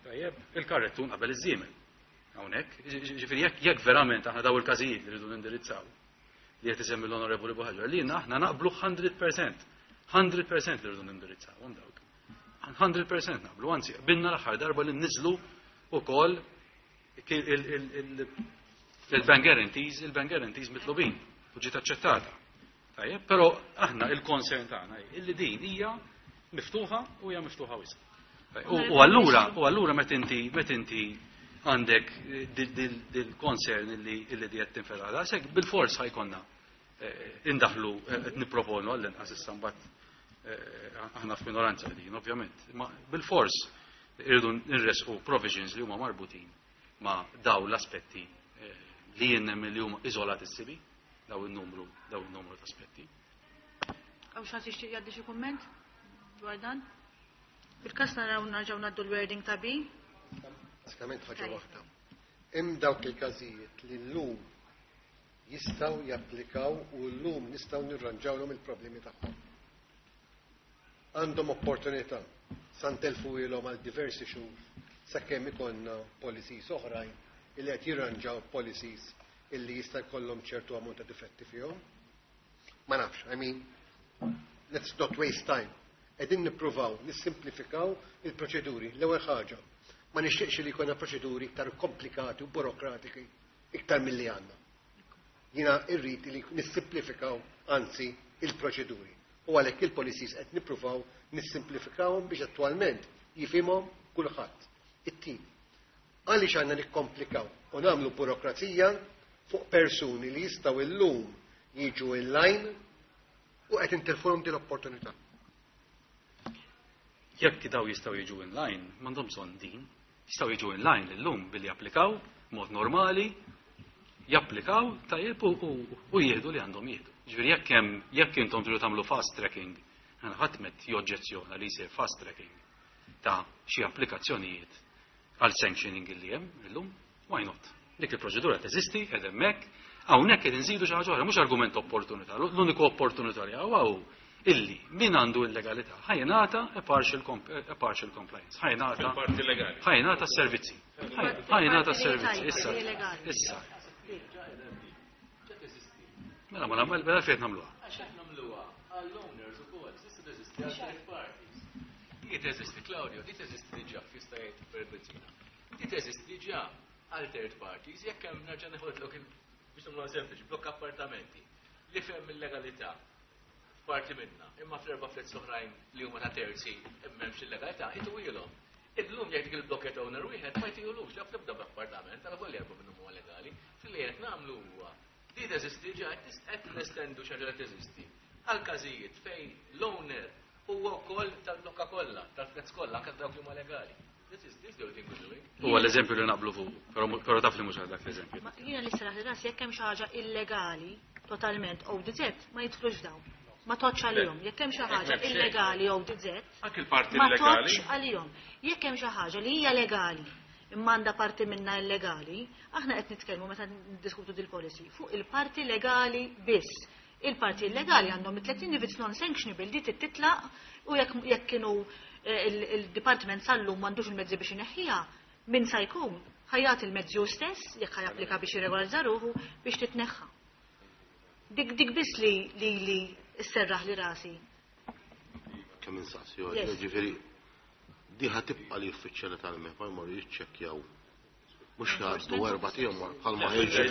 tajjeb il-karrettun qabel iż-żiemel. Hawnhekk, ġifieri jekk verament aħna daw il-każijiet li rridu nindirizzaw li qed isemmi l-Onorevoli Buhaġar, li aħna naqblu 100%, 100% li rridu nindirizzawhom dawk. 100% naqblu, anzi, binna l-aħħar darba li nniżlu wkoll il-bank guarantees, il-bank guarantees mitlubin u ġiet aċċettata. Tajjeb, però aħna il-concern tagħna hi illi din hija miftuħa u hija miftuħa wisq. U allura meta inti għandek dil-concern illi di qed tinfetaħ daqshekk, bil-fors ħa jkollna indaħlu, qed nipproponu għall-inqas issa, mbagħad aħna f'minoranza din ovvjament, ma bil-fors irridu nresqu provisions li huma marbutin ma' daw l-aspetti li jien nemmen li huma iżolatissimi, daw il-numru ta' aspetti. Hawn xi ħadd jixtieq jgħaddi xi kumment dwar dan? Bil-kas naraw narġgħu ngħaddu l-wording ta' B. Basikament ħaġa waħda. Hemm dawk il-każijiet li llum jistgħu japplikaw u llum nistgħu nirranġawlhom il-problemi tagħhom. Għandhom opportunità sa ntelfu ilhom għal diversi xhur sakemm ikollna policies oħrajn illi qed jirranġaw policies illi jista' jkollhom ċertu ammont ta' difetti fihom. Ma nafx, I mean, let's not waste time. Qegħdin nippruvaw nissimplifikaw il-proċeduri. L-ewwel ħaġa, ma nixtieqx li jkollna proċeduri iktar komplikati u burokratiki iktar milli għandna. Jiena irrid li nissimplifikaw anzi il-proċeduri. U għalhekk il-policies qed nippruvaw nissimplifikawhom biex attwalment jifhimhom kulħadd. It-tieni. Għaliex għandna nikkomplikaw u nagħmlu burokrazija fuq persuni li jistgħu illum jiġu in line u qed intilfuhom din l-opportunità? Jekk daw jistgħu jiġu in line, m'għandhom bżonn din. Jistgħu jiġu in line illum billi japplikaw mod normali, japplikaw tajjeb u jieħdu li għandhom jieħdu. Ġifieri jekk intom tridu tagħmlu fast tracking, ħadd met joġġezzjona li jsir fast tracking ta' xi applikazzjonijiet għal sanctioning illi hemm illum, why not? Dik il-proċedura teżisti, qed hemmhekk, hawnhekk qed inżidu xi ħaġa oħra, mhux argument opportunità. L-uniku opportunità li hawn illi min għandu illegalità ħa jingħata a partial compliance. Ħa jingħata Fil-parti legali. ħa jingħata s-servizzi. Ħa jingħata s-servizzi. Issa. Issa. Mela ma nagħmel mela fejn nagħmluha. Għax qed nagħmluha għall-owners ukoll, tista' teżisti għal third parties. Di teżisti, Claudio, di teżisti diġà, jista' jgħid per Bezzina. Di teżisti diġà għal third parties, jekk hemm, nerġa' neħodlok biex nagħmluha sempliċi, blokk appartamenti li fem il-legalità f'parti minna, imma fl-erba' flats oħrajn li huma ta' terzi m'hemmx il-legalità, ituhilhom. Illum jekk dik il-block owner wieħed ma jtihulux, jaf tibda b'appartament, għal volja erba' minnhom huwa legali. Fil-li qed nagħmlu huwa di teżisti ġa, qed nestendu xi ħaġa li teżisti għal każijiet fejn l-owner huwa wkoll tal-blokka kollha, tal-flats kollha, anke dawk li huma legali. This is the only thing we're doing. Huwa l-eżempju li naqblu fuq, però taf li mhux għal dak l-eżempju. Ma jiena li seraħ li ras, jekk hemm xi ħaġa illegali totalment ODZ ma jidħlux dawn. Ma toċ għalihom. Jekk hemm xi ħaġa Hekk m'hemm xejn. illegali ODZ, Anke il-parti ma illegali. toċ għalihom. Jekk hemm xi ħaġa li hija legali imma għandha parti minna illegali, aħna qed nitkellmu meta niddiskutu dil-policy fuq il-parti legali biss. Il-parti illegali għandhom it-30, if it's non-sanctionable, di titlaq u jekk kienu il-department sallum m'għandux il-mezzi biex ineħħiha, min sa jkun ħa jagħti il-mezzi hu stess jekk ħa japplika biex jirregolarizza ruħu biex titneħħa. Dik biss li sserraħ li rasi. Kemm insaqsi, ġifieri di ħa tibqa' li uffiċjali tal-MEPA jmorru jiċċekkjaw, mhux jgħaddu 4 ijiem bħalma ħirġu.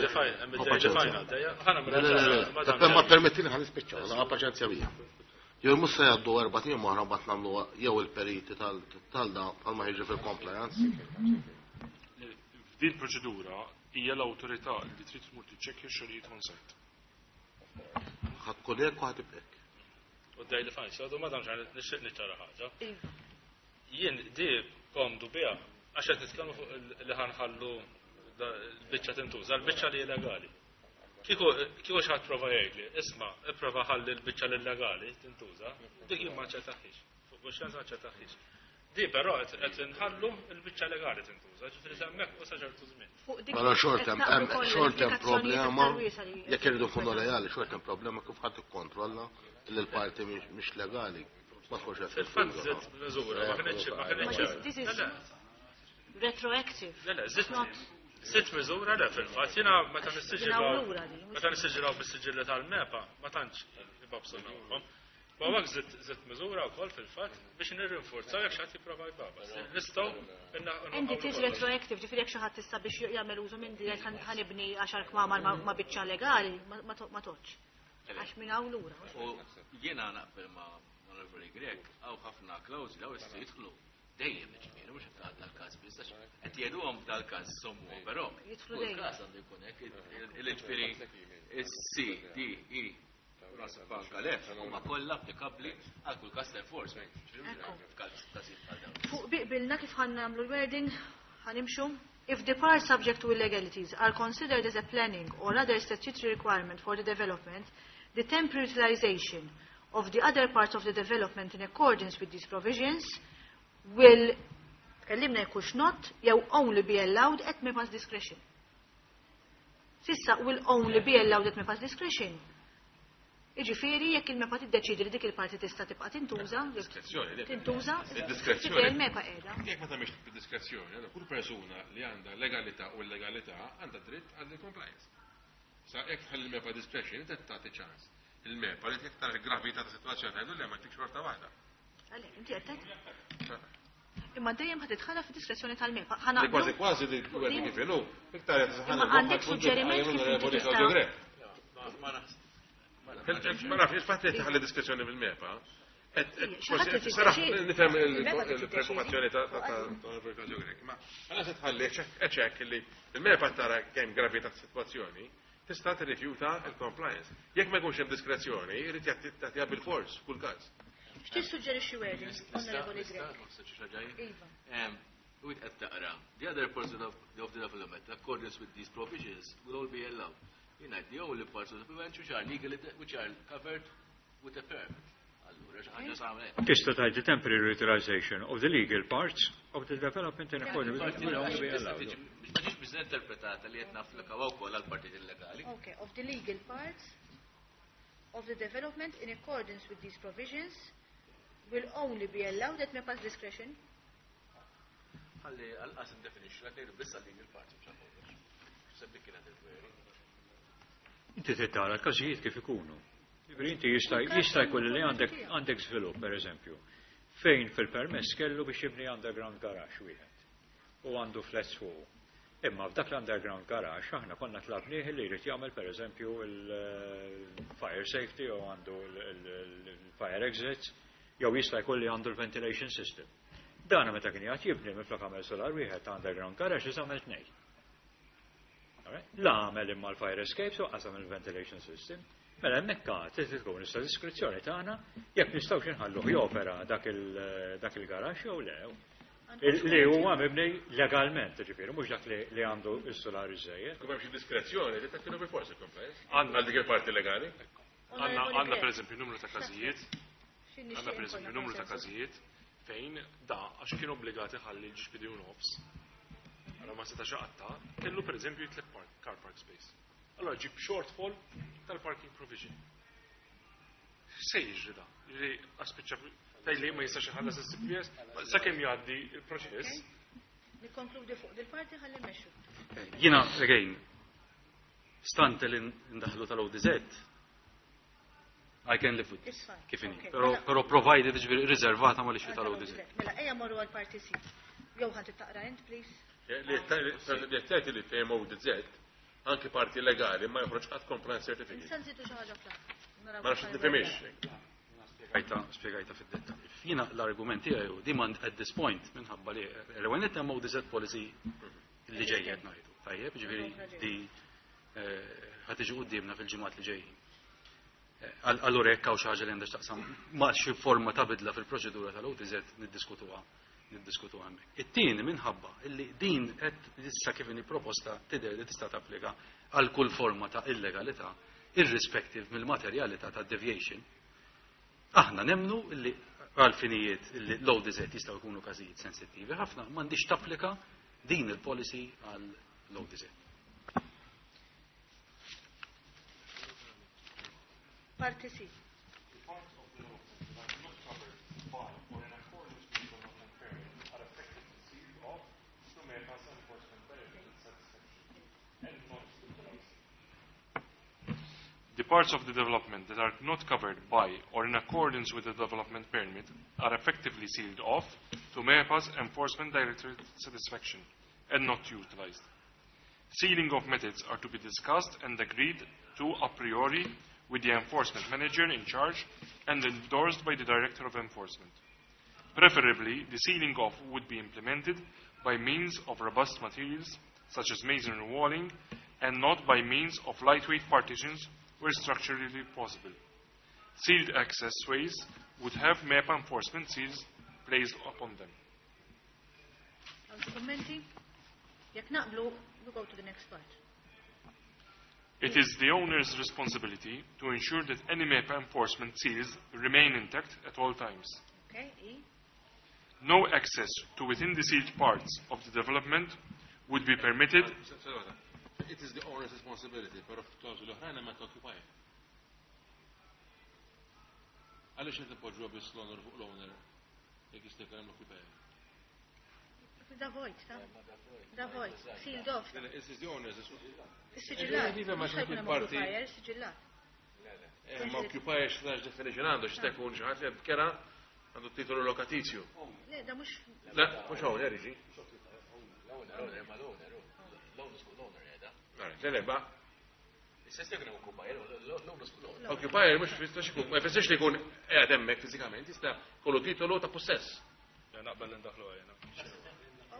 Ma permettini ħa nispiċċaw, ħa paċenzja bija. Jew mhux se jgħaddu 4 ijiem oħra mbagħad nagħmlu jew il-periti tal-da bħalma ħirġu fil-compliance. F'din proċedura hija l-awtorità li trid tmur tiċċekkja x-xogħlijiet on site. Ħa tkun hekk u ħa tibqa' hekk. U daj li fajn, so madam ġan nixtieq niċċara ħaġa. Jien di komdu biha, għax qed nitkellmu fuq li ħa nħallu l-biċċa tintuża, l-biċċa li illegali. Kieku xi ħadd prova jgħidli, isma', ipprova ħalli l-biċċa l-illegali tintuża, dik jien ma aċċettaħiex. Fuq kuxjenza ma aċċettaħiex. Di però qed inħallu l-biċċa legali tintuża, ġifieri hemmhekk u sa ċertu żmien. Mela xorta hemm xorta hemm problema jekk irridu nkunu leali, xorta hemm problema kif ħadd ikkontrolla li l-parti mhix legali. Ma tkunx qed Fil-fatt żidt miżura, ma kinitx ma kinitx. This is retroactive. Le, le, żidt miżura le fil-fatt jiena meta nissiġilaw meta nissiġilaw bis-siġilli tal-MEPA ma tantx ibabsu nagħhom. Ma għak zitt miżura wkoll fil-fatt biex nirrinforzaw jekk xi ħadd jipprova jbabas. Nistgħu And it is retroactive, ġifieri jekk xi ħadd issa biex jagħmel użu minn di ħa nibni għaxar kmamar ma' biċċa legali, ma toqgħodx. Għax minn hawn lura. U jiena naqbel ma' Onorevoli Grech, hawn ħafna klawżoli hawn jistgħu jidħlu dejjem ġifieri mhux qed tgħadda l-każ biss għax qed jgħiduhom f'dal-każ sommu, però Jidħlu kull dejjem. każ għandu jkun hekk il-ġifieri is-C, D, E, naħseb anke l-F huma kollha applikabbli għal kull każ ta' enforcement. F'każ każijiet bħal dawn. Fuq biqbilna kif ħa nagħmlu l-wording, ħa nimxu. If the parts subject to illegalities are considered as a planning or other statutory requirement for the development, the temporary utilization of the other parts of the development in accordance with these provisions will, tkellimna jekux not, jew only be allowed at MEPA's discretion. S'issa will only be allowed at MEPA's discretion. Iġifieri jekk il-MEPA tiddeċidi li dik il-parti tista' tibqa' tintuża, Diskrezzjoni, le. tintuża, Id-diskrezzjoni. ġifieri il-MEPA qiegħda. Jekk ma tagħmilx bid-diskrezzjoni, allora kull persuna li għandha legalità u illegalità għandha dritt għal compliance. Sa jekk tħalli il-MEPA discretion, inti tagħti ċans. Il-MEPA li jekk tara l-gravità ta' situazzjoni tgħidu le ma tik xorta waħda. Għalhekk inti qed tgħid. Imma dejjem ħad titħalla fid-diskrezzjoni tal-MEPA. Ħa Li naqblu? kważi kważi li għedin kif inhu, iktar qed Imma għandek suġġeriment kif inti tista' Ma naħseb. Ma nafx, il-fatt li tħalli diskrezzjoni fil-MEPA, Xi ħadd li Saraħ, tiddeċiedi. nifhem Il-MEPA il-preoccupazzjoni ta' Claudio Grech, ma għala se tħalli eċek li il-MEPA tara kemm gravità ta' situazzjoni, tista' tirrifjuta il-compliance. Jekk ma jkunx hemm diskrezzjoni, irid jagħtiha bil-fors kull każ. X'tissuġġerixxi wording, Onorevoli Grech? Iva. U qed taqra, the other parts of the development, in accordance with these provisions, will all be allowed. Jiena the only parts of the development which are legally, which are covered with a permit. Allura, xi ħaġa sa hekk. Tista' tgħid the temporary utilization of the legal parts of the development in accordance with will only be allowed. Ma ġiġ biż interpretata li qed napplikaw wkoll għal partit illegali. Okay, of the legal parts of the development in accordance with these provisions will only be allowed at MEPA's discretion. Ħalli għal-qas indefinixxu qed ngħidu biss għal legal parts mhux għal kollox. Sebbi kienet il-query. Inti trid tara l-każijiet kif ikunu. Ġifieri inti jista' jista' jkun li għandek għandek żvilupp pereżempju fejn fil-permess kellu biex jibni underground garage wieħed u għandu flats fuq. Imma f'dak l-underground garage aħna konna tlabnieh li jrid jagħmel pereżempju il-fire safety jew għandu l-fire exits jew jista' jkun li għandu l-ventilation system. Dan meta kien jgħid jibni minflok għamel solar wieħed ta' underground garage issa għamel tnejn. Alright? La għamel imma l-fire escape so qasam il-ventilation system. Mela hemmhekk għad trid tkun issa diskrezzjoni tagħna jekk nistgħux inħalluh jopera dak il-garaxx jew le. Li huwa mibni legalment, ġifieri, mhux dak li għandu s-solar iżejjed. Kif hemm xi diskrezzjoni li tagħtilu bil-forsi compliance. Għandna Għal dik il-parti legali. Għandna per eżempju numru ta' każijiet, għandna per eżempju numru ta' każijiet fejn da għax kien obbligati ħalli l-ġbidi u nofs. Allora ma setax iqatta', kellu per eżempju jitlef car park space. Allora ġib shortfall tal-parking provision. Se jiġri da? Li aspiċċa taj li ma jistax iħallas is-CPS, sakemm jgħaddi il-proċess. Nikkonkludi fuq dil-parti ħalli mmexxu. Jiena, again, stante li ndaħlu tal-ODZ, I can live with this. It's fine. Kif inhi. Okay. Però Mela- però provided ġifieri riservata ma li tal-ODZ. Mela ejja morru għal-parti C. Jew ħa taqra int, please. Li qed li fejn ODZ anki parti legali ma joħroġ qatt compliance certificate. Nista' nżidu xi ħaġa fl-aħħar. Naraw Ma nafx kif nifhimix. Spjegajta, spjegajta fid-dettall. Jiena l-argument tiegħi hu demand at this point minħabba li l-ewwel nett hemm ODZ policy li ġejja qed ngħidu. Tajjeb, ġifieri di ħa tiġi quddiemna fil-ġimgħat li ġejjin. Allura jekk hawn xi ħaġa li għandha x'taqsam ma' xi forma ta' bidla fil-proċedura tal-OTZ niddiskutuha niddiskutu hemmhekk. It-tieni minħabba illi din qed issa kif inhi proposta tidher li tista' tapplika għal kull forma ta' illegalità irrespective mill-materjalità ta' deviation. Aħna nemmnu illi għal finijiet illi l-ODZ jistgħu jkunu każijiet sensittivi ħafna, m'għandix tapplika din il-policy għal l-ODZ. Parti C. The parts of the development that are not covered by or in accordance with the development permit are effectively sealed off to MEPA's Enforcement Directorate satisfaction and not utilized. Sealing of methods are to be discussed and agreed to a priori with the enforcement manager in charge and endorsed by the Director of Enforcement. Preferably, the sealing off would be implemented by means of robust materials such as masonry walling and not by means of lightweight partitions where structurally possible. Sealed access ways would have MEPA enforcement seals placed upon them. Għal kummenti? Jekk naqblu, we go to the next part. It is the owner's responsibility to ensure that any MEPA enforcement seals remain intact at all times. Okay, E. No access to within the sealed parts of the development would be permitted. It is the owner's responsibility, però f'klawżoli oħrajn hemm occupier. Għaliex qed ipoġġuha biss l-owner fuq l-owner jekk jista' jkun hemm l-occupier? Da vojt, ta? Da vojt, sealed off. It is the owner's responsibility. Is-siġillat. Iva, ma Mhux ħajkun hemm parti- occupier, siġillat. Ma occupier x'tax definition għandu x'ta jkun xi ħadd li kera għandu titolu lokatizju. Le, da mhux Le, mhux owner jiġi. L-owner, ma l-owner, l-owner l-owner jeda. Le, le, ba. Istess jekk occupier, l-owner l-owner. Occupier mhux fistux ikun, ma jfissirx li jkun qiegħed hemmhekk fiżikament, jista' kollu titolu ta' possess. Naqbel ndaħlu għajna.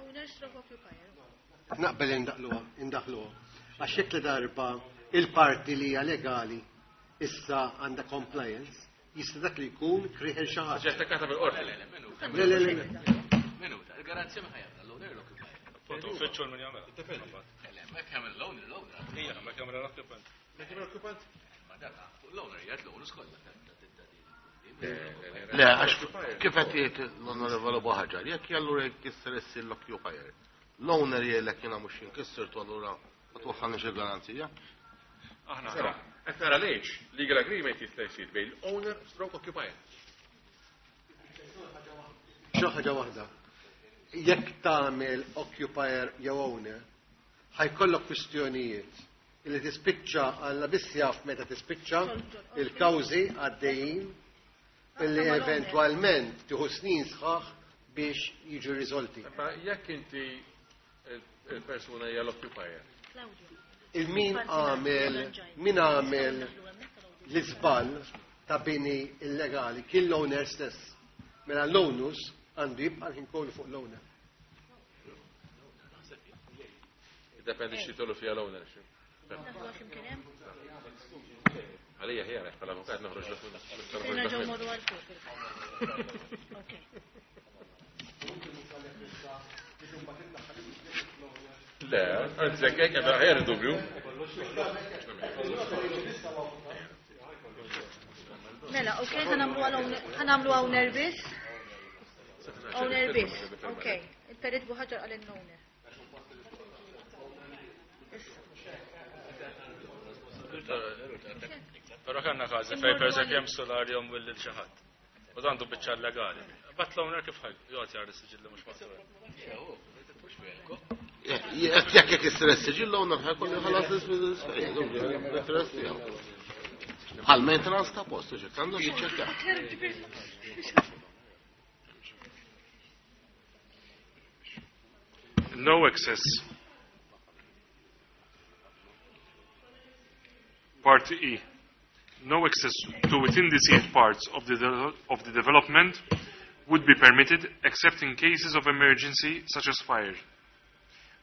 Owner stroke occupier. Naqbel indaħluha, indaħluha. Għax jekk li darba il-parti li hija legali issa għandha compliance, jista' dak li jkun kriħel xi ħadd. Ġi attakkata bil-qorti. Le, le, le, le. Minuta, il-garanzija ma ħajamla l-owner l-occupier. Appunto, uffiċċju min jagħmel. Le, ma jagħmel l-owner l-owner. Ija, ma jagħmel l-occupant. Ma jagħmel l-occupant? Ma dak l-owner jgħid l-owner kollha. Le, għax kif qed jgħid l-Onorevole Buhagiar, jekk allura jkisser issir l-occupier. L-owner jgħidlek jiena mhux jinkissirtu allura ma twaħħalniex il-garanzija. Aħna Sara, qed nara lejx, legal agreement jista' jsir bejn l-owner stroke occupier. Xi ħaġa waħda. Jekk tagħmel occupier jew owner, ħajkollok kwistjonijiet illi tispiċċa għalla biss jaf meta tispiċċa il-kawżi għaddejjin illi eventwalment tieħu snin sħaħ biex jiġu riżolti. Ma jekk inti il-persuna hija l-occupier. Il-min għamel min għamel l-iżball ta' bini illegali kien l-owner stess. Mela l-onus għandu jibqa' l-ħin kollu fuq l-owner. Dependi x'titolu fiha l-owner. Għalija ħjar, bħala avukat noħroġ Nerġgħu morru għal fuq. Ok. Le, anzi, jekk hekk ħjar dubju. Mela, ok, ħanamlu owner biss. Owner biss, ok. Il-perit Buhagiar għal owner. Issa. Però kellna każi fejn pereżempju hemm solarjum u lil xi ħadd. U dan għandu biċċa legali. Bat l-owner kif ħaj jgħod jara s-siġilli mhux maqtur. Jekk jekk jisser is-siġill l-owner ħajkollu jħallas l-interess tiegħu. Bħal maintenance ta' post, ġek għandu jiċċekkja. No access. Part E. No access to within the sealed parts of the development would be permitted except in cases of emergency such as fire.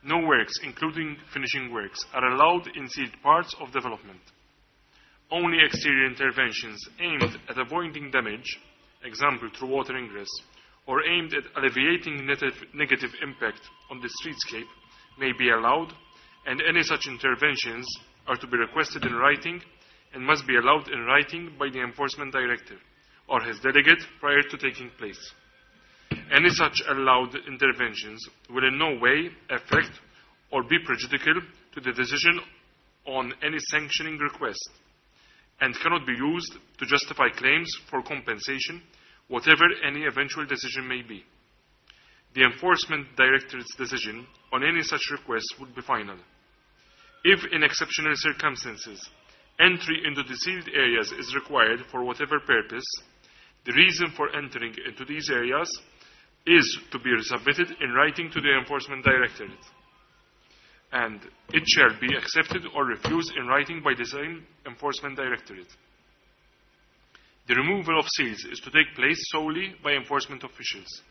No works, including finishing works, are allowed in sealed parts of development. Only exterior interventions aimed at avoiding damage, example through water ingress, or aimed at alleviating negative impact on the streetscape may be allowed, and any such interventions are to be requested in writing and must be allowed in writing by the Enforcement Director or his delegate prior to taking place. Any such allowed interventions will in no way affect or be prejudicial to the decision on any sanctioning request and cannot be used to justify claims for compensation, whatever any eventual decision may be. The Enforcement Directorate's decision on any such request would be final. If, in exceptional circumstances, entry into the sealed areas is required for whatever purpose, the reason for entering into these areas is to be submitted in writing to the Enforcement Directorate, and it shall be accepted or refused in writing by the same Enforcement Directorate. The removal of seals is to take place solely by enforcement officials,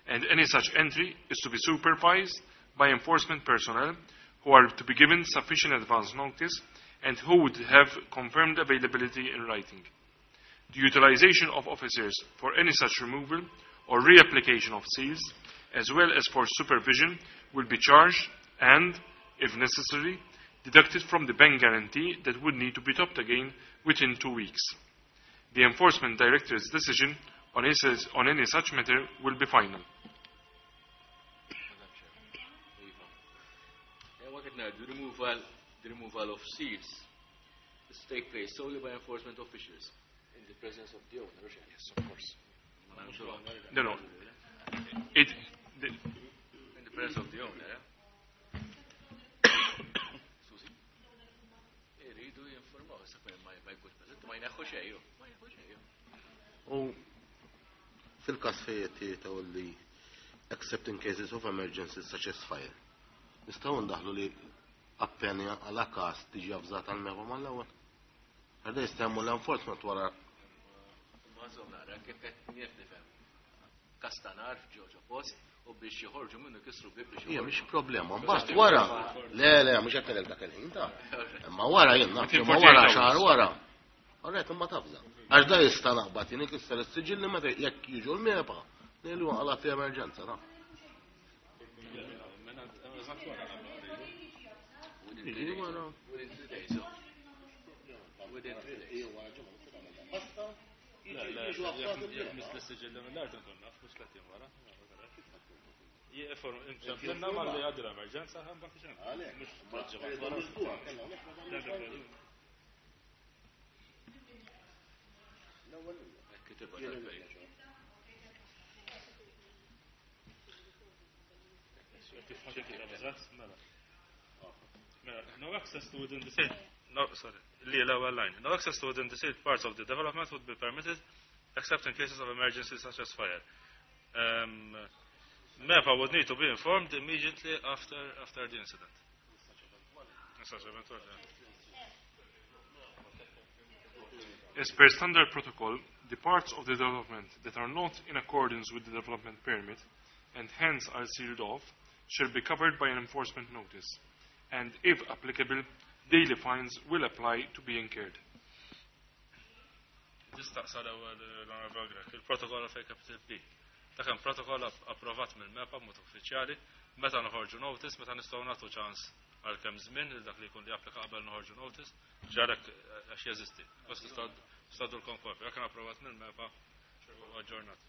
and any such entry is to be supervised by enforcement personnel who are to be given sufficient advance notice and who would have confirmed availability in writing. The utilization of officers for any such removal or reapplication of seals, as well as for supervision, will be charged and, if necessary, deducted from the bank guarantee that would need to be topped again within 2 weeks. The Enforcement Director's decision on any such matter will be final. The removal of seals is to take place solely by enforcement officials in the presence of the owner. Yes, of course. No, no. It, the, in the presence of the owner, yeah? Susi? Iridu jinformaw, issa ma jkunx preżenti, ma jneħħu xejn, ma jneħħu xejn. U fil-każ fejn qed li except in cases of emergency such as fire. Nistgħu ndaħlu li appena għala każ tiġi avżata għal MEPA mal-ewwel. Għadha jistemmu l-enforcement wara. Ma żomm nara kif qed nifhem. Każ ta' nar f'ġo post u biex joħorġu minnu kisru bib biex Hija mhix problema, mbagħad wara. Le, le, mhux qed ngħidlek dak il-ħin ta' Imma wara jien naf, imma wara xahar wara. Alright, imma tafża. Għax da jista' naqbad jien ikisser is-siġilli meta jekk jiġu l-MEPA, ngħidu għala fi emerġenza ta'. Jiġi wara. Within 3 days. Within 3 days. Le, le, jekk mis l-siġilli mill-art nkun naf, mhux tliet jiem wara. Inċempilna malli għaddi l-emerġenza, mbagħad ixen. Mhux tliet ġimgħat wara. No access to within the sealed, no, sorry, li l-ewwel line. No access to within the sealed parts of the development would be permitted except in cases of emergency such as fire. MEPA would need to be informed immediately after the incident. Such eventuality. As per standard protocol, the parts of the development that are not in accordance with the development permit and hence are sealed off shall be covered by an enforcement notice, and if applicable, daily fines will apply to be incurred. Nistaqsa l-ewwel l-Onorevole Grech, il-protokoll fejn capital P. Dak hemm protokoll approvat mill-MEPA b'mod uffiċjali, meta noħorġu notice, meta nistgħu nagħtu ċans għal kemm żmien lil dak li jkun li applika qabel noħorġu notice, ġarek għax jeżisti. Bas tistadulkom kopja, dak kien approvat mill-MEPA u aġġornat.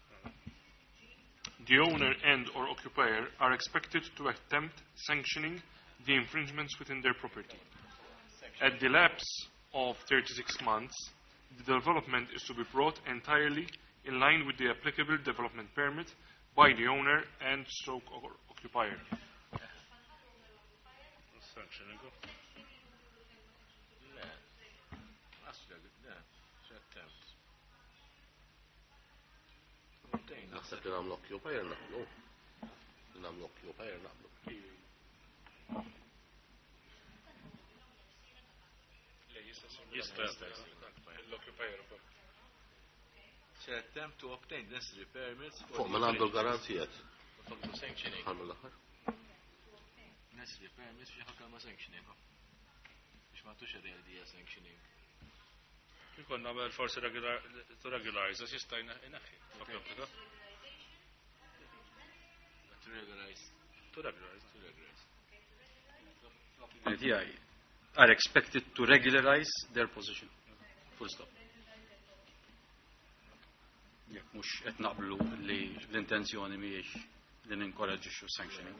The owner and or occupier are expected to attempt sanctioning the infringements within their property. At the lapse of 36 months, the development is to be brought entirely in line with the applicable development permit by the owner and stroke or occupier. Sanctioning. Le. Le. Attempt. Naħseb li nagħmlu occupier naqblu. Li nagħmlu occupier naqblu. Jista' L-occupier ukoll. Se attempt to obtain necessary permits for Fuq the ma għandu infringements. l-garanzijiet. Fuq to sanctioning. Ħallu l-aħħar. Necessary permits biex ħakka ma sanctioning. Biex ma tux idea sanctioning. Kikon nagħmel forsi to regularize, għax jista' jneħħi. To regularize. To regularize. Tiegħi are expected to regularize their position. Full stop. Jekk mhux qed naqblu li l-intenzjoni mhijiex li ninkoraġġixxu sanctioning.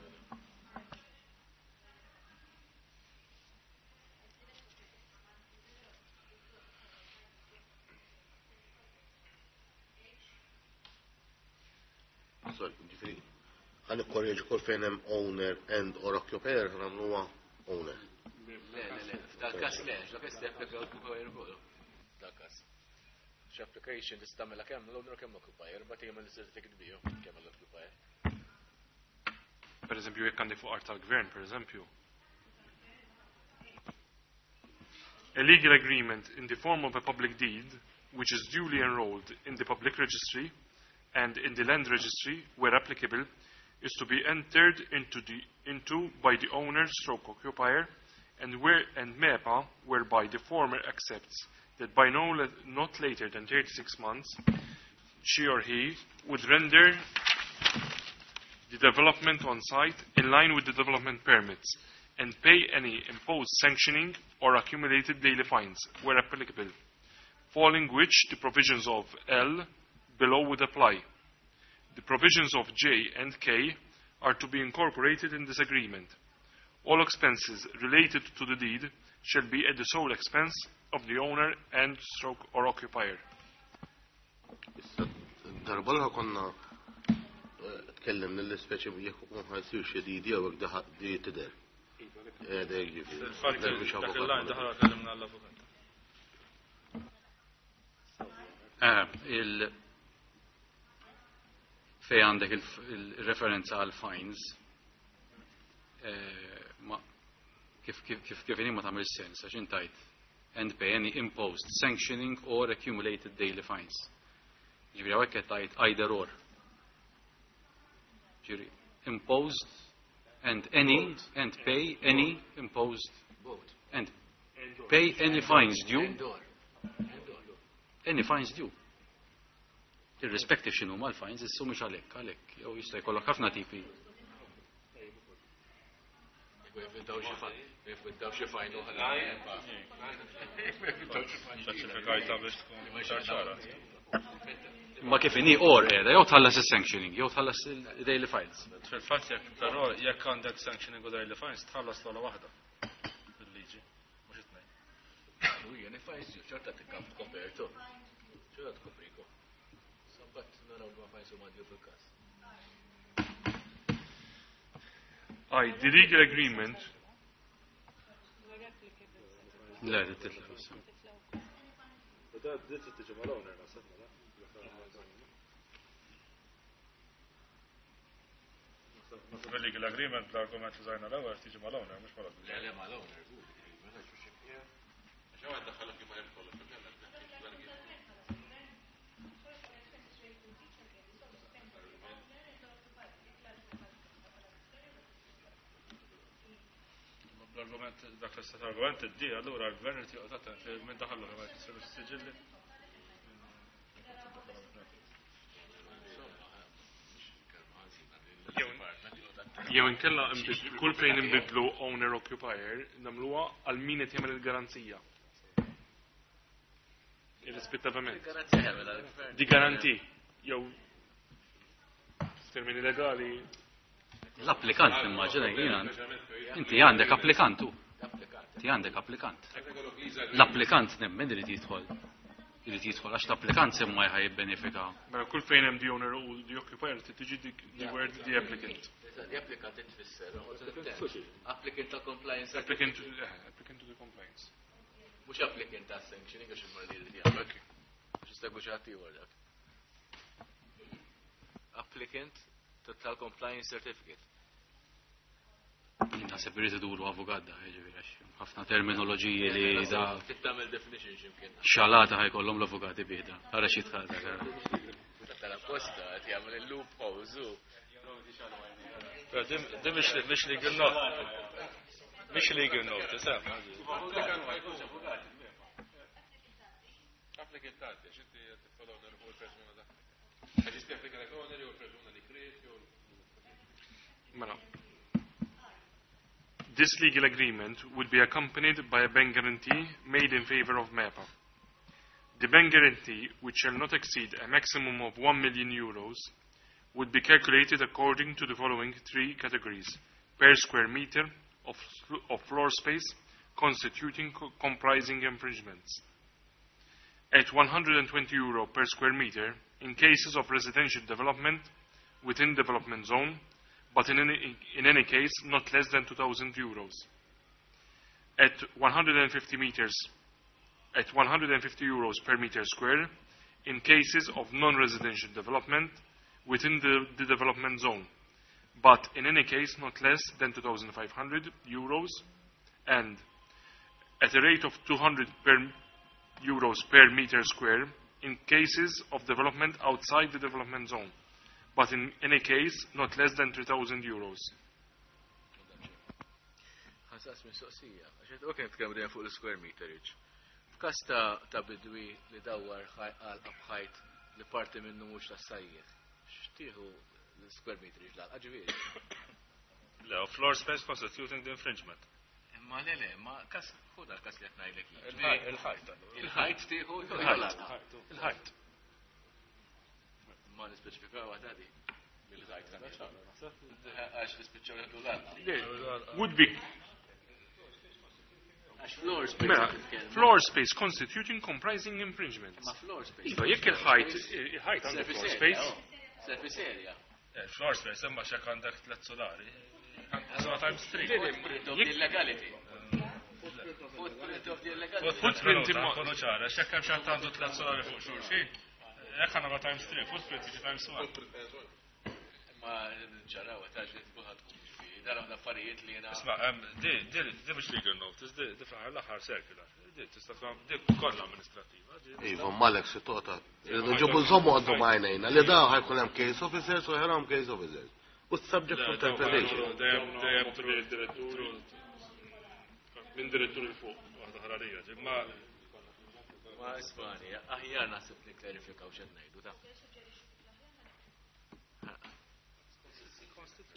Sorry, ġifieri, ħa nikkorreġi kull fejn hemm owner and or occupier ħa nagħmluha owner. Le, le, le, f'dal-każ le, dak jista' japplika occupier ukoll. F'dal-każ. Xi application tista' tagħmilha kemm l-owner kemm occupier, bagħad jagħmel certificate biju kemm l-occupier. Per eżempju, jekk għandi fuq art tal-gvern, per eżempju. A legal agreement in the form of a public deed, which is duly enrolled in the public registry and in the land registry, where applicable, is to be entered into by the owner stroke occupier and where and MEPA, whereby the former accepts that by no not later than 36 months, she or he would render the development on site in line with the development permits and pay any imposed sanctioning or accumulated daily fines, where applicable, following which the provisions of L below would apply. The provisions of J and K are to be incorporated in this agreement. All expenses related to the deed shall be at the sole expense of the owner and stroke or occupier. Issa, darba l konna tkellimna l-ispeċi jekk ikun ħa jsir xi deed jew hekk di tidher. Dek ġifieri. Fil-fatt, Dak biex dak avukat il-line ma daħal kellimna l-avukat. Il fej għandek il-referenza għal fines, ma kif ma tagħmel sens, għax intajt and pay any imposed sanctioning or accumulated daily fines. Ġifieri hawnhekk qed tgħid either or. Ġifieri imposed and any and pay any imposed Both. and pay any fines due. And or. And or. Any fines due. Irrispective x'inhu mal-fines, issu mhux għalhekk, għalhekk, jew jista' jkollok ħafna tipi. Jevitaw xi jevitaw xi fine oħra. Jevitaw xi fine. Speċifikajta biex tkun ċara. Ma kif inhi or qiegħda, jew tħallas is-sanctioning, jew tħallas il-daily fines. Fil-fatt jekk però jekk għandek sanctioning u daily fines tħallas l-ogħla waħda bil-liġi, mhux it-tnejn. U jien fines due, ċerta tikkam kopertu. Ċerta tkopriku. Sabbat naraw li ma fines huma due fil-każ. I, the legal agreement. Le, titlef issa. U da dit tiġi mal-owner naħseb, mela. Naħseb il-legal agreement l-argument li żajna l-ewwel tiġi mal-owner, mhux mal-owner. Le, le, mal-owner. Għax hawn daħħalok kif hemm kollox, L-argument, dak l-istat argument id-di, allura l-gvern irid joqgħod attent li minn daħallu ma jkissirux is-siġilli. Jew inkella kull fejn inbidlu owner occupier nagħmluha għal min qed jagħmel il-garanzija. Irrispettivament. Il-garanzija jagħmel għall-gvern. Di garanti jew f'termini legali. L-applikant nimmaġina jiena. Inti għandek applikantu. Inti għandek applikant. L-applikant nemmen irid jidħol. Irid jidħol għax l-applikant semma ħaj jibbenefika. Mela kull fejn hemm the owner u the occupier trid tiġi the word the applicant. The applicant tfisser. Applicant ta' compliance. Applicant, applicant to the compliance. Mhux applicant ta' sanctioning għax imur li jrid jagħmel. Għax jista' jkun xi ħadd ieħor dak. Applicant tal-compliance certificate. Naħseb irid iduru avukat da, jiġifieri għax ħafna terminoloġiji li da. Trid tagħmel definition x'imkien. Xalata ħajkollhom l-avukati bieda. Ara xi tħal dak. Tal-apposta qed jagħmel il-loopholes u. Però di mhix legal note. Mhix legal note, sem. Applicant tgħaddi, għax inti qed tiffollow fuq il-persuna dak. Għax jista' japplika l-owner jew il-persuna li kriet jew Mela. This legal agreement would be accompanied by a bank guarantee made in favor of MEPA. The bank guarantee, which shall not exceed a maximum of 1 million euros, would be calculated according to the following three categories: per square meter of floor space constituting comprising infringements. At 120 euro per square meter in cases of residential development within development zone, but in any case not less than 2,000 euros. At 150 meters, at 150 euros per meter square in cases of non-residential development within the development zone, but in any case not less than 2,500 euros, and at a rate of 200 euros per meter square in cases of development outside the development zone, but in any case not less than 3,000 euros. Ħa nsaqsi mistoqsija, għax ok nitkellmu dejjem fuq l-square meterage. F'każ ta' bidwi li dawwar għalqa b'ħajt li parti minnu mhux tas-sajjied, x'tieħu l-square meterage l-għalqa ġifieri? Le, floor space constituting the infringement. Imma le, ma kas hu dal-każ li qed ngħidlek jien. Il-ħajt. Il-ħajt tieħu jew l-għalqa? Il-ħajt. Ma nispeċifikaw waħda di. Bil-ħajt. Għax nispiċċaw jieħdu l-għalqa. Would be Għax floor space Mela, qed titkellmu. floor space constituting comprising infringements. Ma floor space. Iva, jekk il-ħajt għandu Surface floor area, space. oh. Surface area. Floor space, imma xek għandek tlet solari. Għandek times 3. Footprint of the illegality. Footprint of the illegality. Footprint imma- Konu ċara, xek hemm xi għandu tlet solari fuq xulxin. Jekk għandna times 3, footprint jiġi times 1. Ma ġaraw, taġ li tkuħat tkun ġifieri. Dara l-affarijiet li jiena. Isma', di mhux legal notice, di fl-aħħar l-aħħar circular. Di tista' tkun di kollha amministrattiva. Iva, malek si tota. Irridu nġibu nżommu għaddu majnejna li da ħajkun hemm case officers u ħerom case officers. U subject to interpretation. Dejjem dejjem direttur minn direttur il fuq. Waħda ħrarija, imma Ma ismani, aħjar naħseb li klarifikaw x'qed ngħidu ta'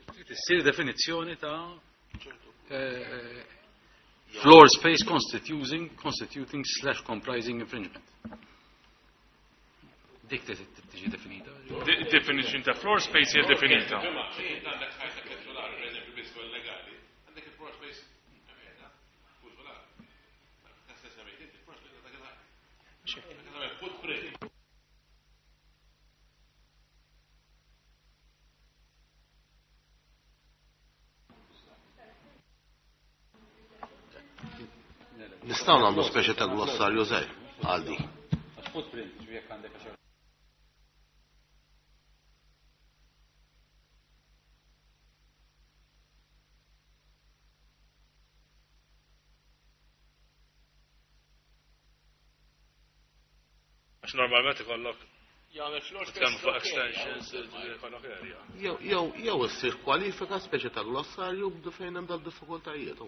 Trid issir definizzjoni ta' floor space constituting slash comprising infringement. Dik tiġi definita. Definition ta' floor space hija definita. Għandek ħajta tliet solari, per eżempju, biss fuq illegali, għandek il-floor space fuq solar. Ta' semmejt inti, floor space dak il-ħajt. Footprint. Nistgħu nagħmlu speċi ta' glossarju żgħir għal di. Footprint, ġifieri jekk għandek għaxar. Għax normalment ikollok Jagħmel floor space. Tkellmu fuq extensions, ikollok area. Jew issir kwalifika speċi ta' glossarju b'du fejn hemm dal-diffikultajiet.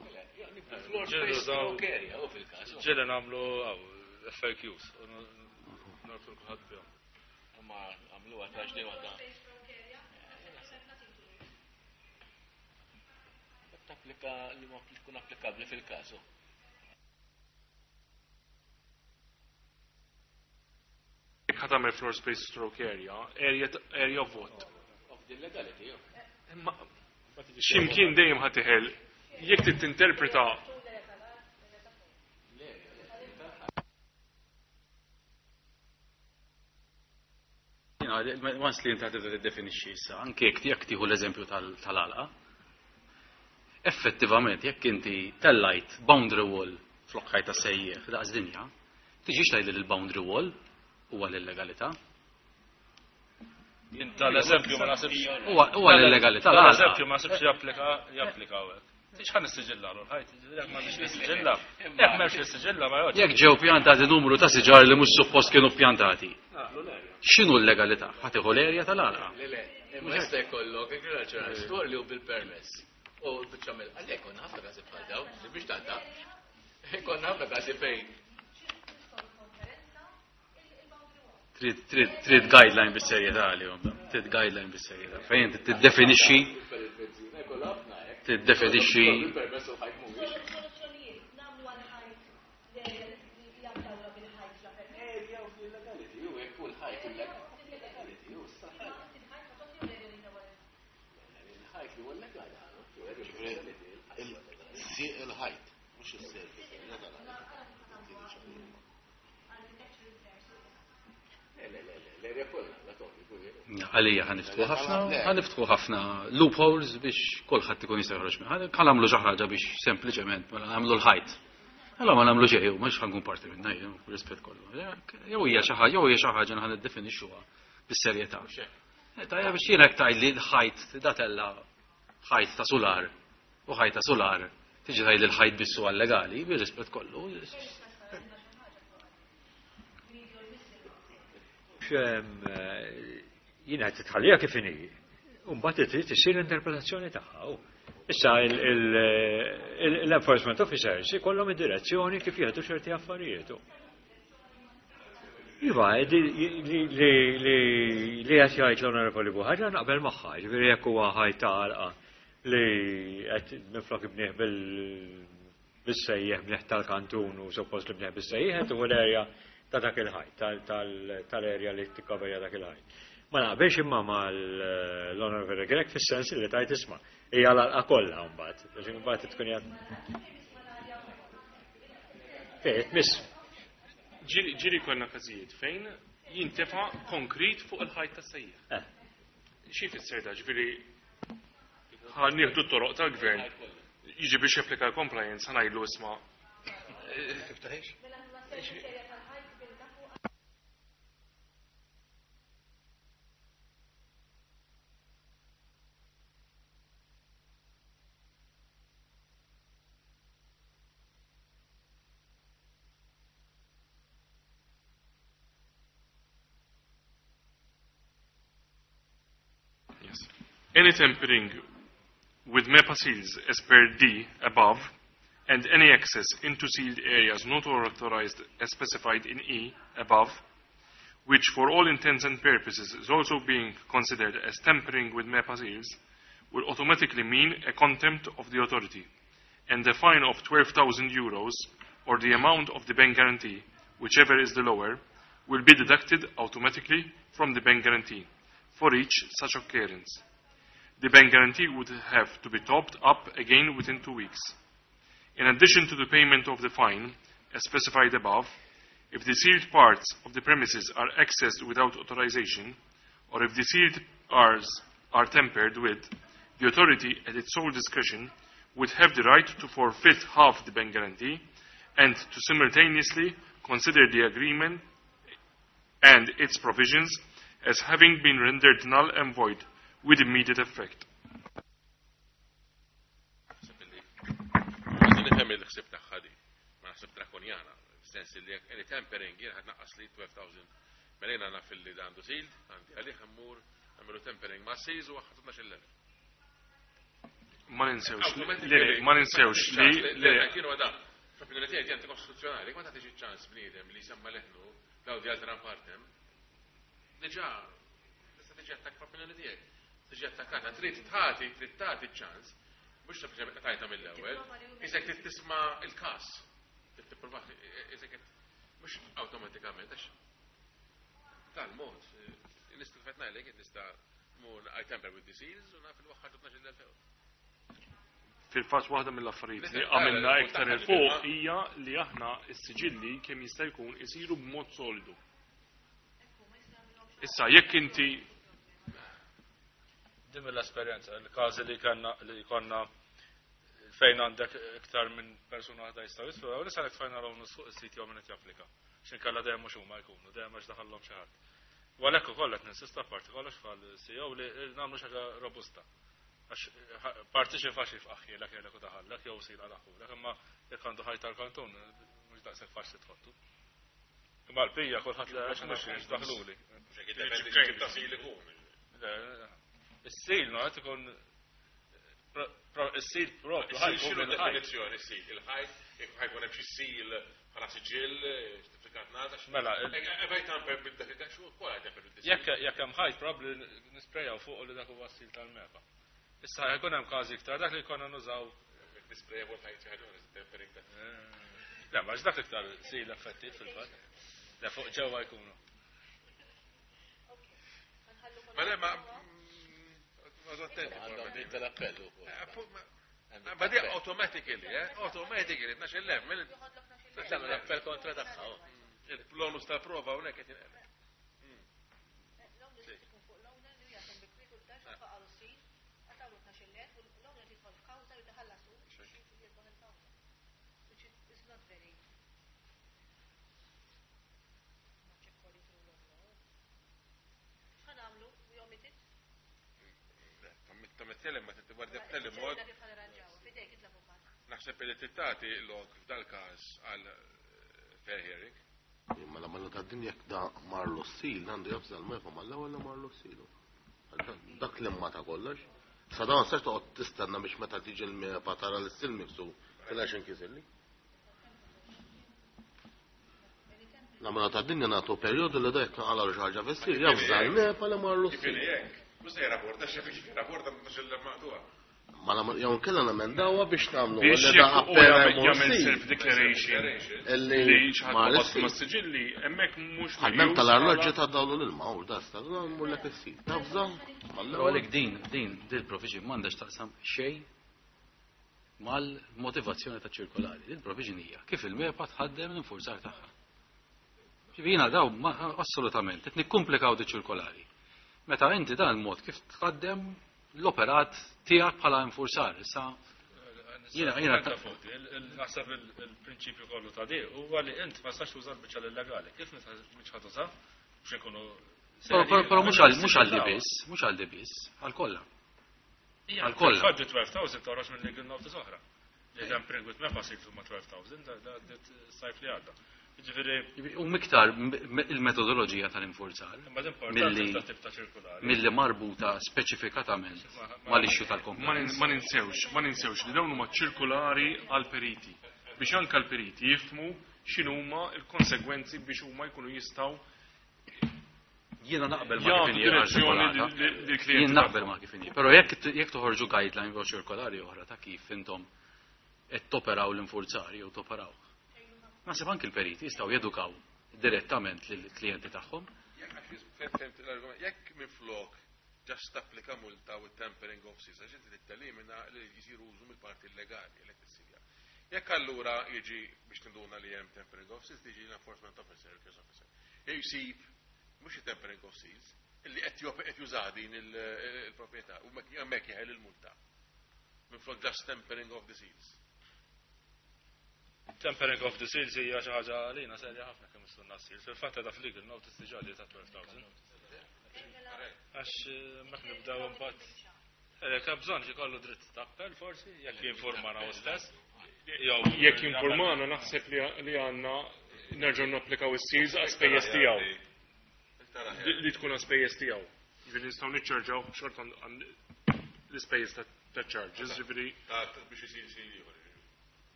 Floor space stroke area, u fil-każ. Ġieli nagħmlu FAQs, u norbtu kulħadd bihom. Ma għamluha ta' ġdej waħda. Tapplika li ma tkun applikabbli fil-każ. Jekk ħa tagħmel floor space stroke area, area of what? Of the illegality, jo. Imma x'imkien dejjem ħa tiħel jekk trid tinterpreta Once li inti tibda tiddefinixxi issa, anke jekk tieħu l-eżempju tal-għalqa, effettivament jekk inti tellajt boundary wall flok ħajta sejjeħ daqs dinja, tiġix tgħidli li l-boundary wall huwa l-illegalità. Tal-eżempju ma nasibx. Huwa l-illegalità. Tal-eżempju ma nasibx japplika hawnhekk. Tix ħan nissiġilla l-ħajt, jekk ma nix nissiġilla, jekk m'hemmx nissiġilla ma jgħodx. Jekk ġew pjantati numru ta' siġar li mhux suppost kienu pjantati. X'inhu l-legalità? Ħa tieħu l-erja tal-għalqa. Le, le, imma jista' jkollok agricultural store li hu bil-permess. U biċċa mill għalhekk konna ħafna każi bħal dawn, biex tgħadda. Konna ħafna każi fejn. Trid guideline bis-serjetà għalihom, trid guideline bis-serjetà. Fejn inti tiddefinixxi. Kollha ħafna hekk. tiddefinixxi Il-permess u l-ħajt mhuwiex. Soluzzjonijiet nagħmlu għal ħajt l-area li hija mdawra bil-ħajt la permess. Area of illegality, u jekk hu l-ħajt illegality, u issa il-ħajt li huwa illegali. Il-sieq il-ħajt, mhux is-service area tal-ħajt. Le, le, le, l-area kollha, la togħli, Għalija ħa niftħu ħafna, ħa niftħu ħafna loopholes biex kulħadd ikun jista' joħroġ minn. Ħa nagħmlu xi ħaġa biex sempliċement mela nagħmlu l-ħajt. Allora ma nagħmlu xejn, mhux ħa nkun parti minna, jien, rispett kollu. Jew hija xi ħaġa, jew hija xi ħaġa ħa niddefinixxuha bis-serjetà. Tajja biex jiena hekk tgħidli l-ħajt datella ħajt ta' sular u ħajt ta' sular tiġi tgħidli l-ħajt bissu legali, bir-rispett kollu. Jiena qed titħallija kif inhi. U mbagħad trid issir l-interpretazzjoni tagħha. Issa l-enforcement officers ikollhom id-direzzjoni kif jieħdu ċerti affarijiet. Iva, li qed jgħid l-Onorevoli Buhaġar naqbel magħha, ġifieri jekk huwa ħajt ta' għalqa li qed minflok ibnieh bis-sejjeħ bnieh tal-kantun u suppost li bnieh bis-sejjeħ qed tuħu l-erja ta' dak il-ħajt, tal-erja li tikkoverja dak il-ħajt. Ma naqbilx imma mal-Onorevoli Grech fis-sens li tajt isma' hija l-għalqa kollha mbagħad, biex imbagħad tkun hija Fejn tmiss. Ġieli konna każijiet fejn jintefa' konkrit fuq il-ħajt tas-sejjeħ. Xi jfisser da, ġifieri ħa nieħdu t-toroq tal-gvern, jiġi biex japplika l-compliance, ħa ngħidlu isma'. Tiftaħix? Yes. Any tampering with MEPA seals as per D above and any access into sealed areas not authorized as specified in E above, which for all intents and purposes is also being considered as tampering with MEPA seals, will automatically mean a contempt of the authority and a fine of 12,000 euros or the amount of the bank guarantee, whichever is the lower, will be deducted automatically from the bank guarantee for each such occurrence. The bank guarantee would have to be topped up again within 2 weeks. In addition to the payment of the fine, as specified above, if the sealed parts of the premises are accessed without authorization, or if the sealed parts are tampered with, the authority, at its sole discretion, would have the right to forfeit half the bank guarantee and to simultaneously consider the agreement and its provisions as having been rendered null and void with immediate effect. Nifhem il-ħsieb tagħha di, ma naħseb drakonjana, sens li jekk any tampering jien ħadd naqqas li 12,000. Mela jiena naf li għandu sealed, għandi għalih immur nagħmlu tampering ma' seals u ħadd 12,000. Ma ninsewx li, ma ninsewx li, li kienu għada. Fl-opinjoni tiegħi di kostituzzjonali, ma tagħtix iċ-ċans bniedem li jsemma leħnu daw di alteram partem. Diġà tista' tiġi attakk fl-opinjoni tiegħek. Tiġi attakkata, trid tagħti, trid tagħti ċans, mhux sempliċement tajta mill-ewwel, isek trid tisma' il-każ. Trid tipprova isek mhux awtomatikament għax tal-mod. Nista' kif qed ngħidlek, nista' mur I tamper with the seals u naf il-waħħar 12,000 euro. Fil-fatt waħda mill-affarijiet li għamilna iktar il fuq hija li aħna s-siġilli kemm jista' jkun isiru b'mod solidu. Issa jekk inti Din mill-esperjenza, il-każi li kellna li konna fejn għandek iktar minn persuna waħda jistgħu jisfru, u nisa tfajna l fuq is-sit jew min qed japplika. X'inkella dejjem mhux huma jkunu, dejjem għax daħallhom xi ħadd. U għalhekk ukoll qed ninsista parti kollox bħal CEO li nagħmlu xi ħaġa robusta. Għax parti xi faċli f'aħħielek jgħidlek u daħallek jew sila daħħulek, imma jekk għandu ħajt tal-kantun mhux daqshekk faċli tħottu. Imma l-pija kulħadd li għax mhux daħluli. Is-sil no qed ikun is-sil propju. X'inhu definizzjoni is-sil? Il-ħajt, jekk ħajkun hemm xi sil bħala siġill, ċertifikat nasa. Mela, Ebej tamper bil-dak il-dak, xu wkoll tamper bil-dak. Jekk hemm ħajt probabbli nisprejaw fuq li dak huwa s-sil tal-MEPA. Issa jkun hemm każi iktar dak li konna nużaw. Le, ma dak iktar seal effettiv fil-fatt. Le fuq ġewwa jkunu. Ma le ma ma attenti. Għandhom dritt tal-appell ukoll. Ma di automatically, eh? Automatically, 12,000. Tagħmel l-appell kontra tagħha. Il-bonus ta' prova hawnhekk qed jinqeleb. L-owner ikun fuq l-owner li jaħdem bi kwiet u d-dar faqalu s-sil, għatawlu 12,000 u l-owner jidħol f'kawża jitħallasu biex jirbaħ il-kawża. Which is not very much according to rule of law. X'ħa nagħmlu? We omit it? Ta' mitkellem ma titibgħat b'tali mod. Kif ħa nirranġaw? Fidejk int l-avukat. Naħseb li tittati lok f'dal każ għal fair hearing. Imma la mela ta' dinja jekk da marlu s-seal, għandu jafża l-MEPA mal-ewwel li marlu s-seal. Dak li ma ta' kollox. Sa dawn sax toqgħod tistenna biex meta tiġi l-MEPA tara l-seal miksu tilax inkisirli. La mela ta' dinja nagħtu perjodu li dak naqala xi ħaġa fis-seal, jafża l-MEPA li marlu s-seal. Ġifieri hekk, mhux se jirrapporta xi kif jirrapporta mhux il-maqtuha. Ma la jew kellha namendawha biex nagħmlu Biex li da jekk u appena jagħmel jmur jagħmel seal. self-declaration Illi li xi ħadd ma qabad l-seal. ma' siġilli, hemmhekk mhux Għal-mem meqjus tal-arloġġi bħala- ta' dawlu l-ilma, u da sta' mur lek is-seal. Tafża, Però mal-ewwel. għalhekk din il-provision m'għandax taqsam xejn mal-motivazzjoni ta' ċirkolari. Din il-provision hija kif il-MEPA tħaddem l-infurzar tagħha. Ġifieri jiena daw assolutament qed nikkumplikaw di ċirkolari. Meta inti dan il-mod kif tħaddem l-operat tiegħek bħala infurzar. Issa jiena fuq naħseb il-prinċipju kollu ta' di huwa li int ma stax tuża l-biċċa illegali. Kif mhux ħa tuża biex ikunu Però mhux għal di biss, mhux għal di biss, għal kollha. Għal kollha. Faġġi 12,000 toħroġ minn legal notice oħra. Li tampering with MEPA sirtu ma' 12,000 da sajf li għadda. Ġifieri U miktar il-metodoloġija tal-infurzar imma l-importanza ta' tip ta' ċirkulari. milli marbuta speċifikatament mal-issue tal-compliance. Ma ninsewx li dawn huma ċirkulari għal periti biex anke l-periti jifhmu x'inhuma l-konsegwenzi biex huma jkunu jistgħu Jiena naqbel ma' jagħtu kif inhi direzzjoni artikolata. lill-klijenti Jien naqbel tagħhom. ma' kif inhi. Però jekk toħorġu guideline jew ċirkolari oħra ta' kif intom qed toperaw l-infurzar jew toperaw. Naħseb anke l-periti jistgħu jedukaw direttament lill-klijenti tagħhom. Jekk minn flok just tapplika multa u tampering of seals, għax inti tittelimina li jisiru użu mill-parti illegali li tissilja. Jekk allura jiġi biex tinduna li hemm tampering of seals, tiġi l-enforcement officer, il-case officer. Jsib mhux tampering of seals, illi qed juża din il-proprjetà u hemmhekk jeħel il-multa. Minn flok just tampering of the seals. Tampering of the seals hija xi ħaġa għalina serja ħafna kemm istunna s-seals. Fil-fatt ta' f'legal notice diġà li ta' 12,000. Għax mek nibdew imbagħad. Jekk hemm bżonn ikollu dritt ta' appell forsi, jekk jinformana hu stess. Jew Jekk jinformana naħseb li għandna nerġgħu napplikaw is-seals għal spejjeż tiegħu. Li tkun għal spejjeż tiegħu. Ġifieri nistgħu niċċarġaw xorta l-ispejjeż ta' charges, ġifieri Biex isir seal ieħor.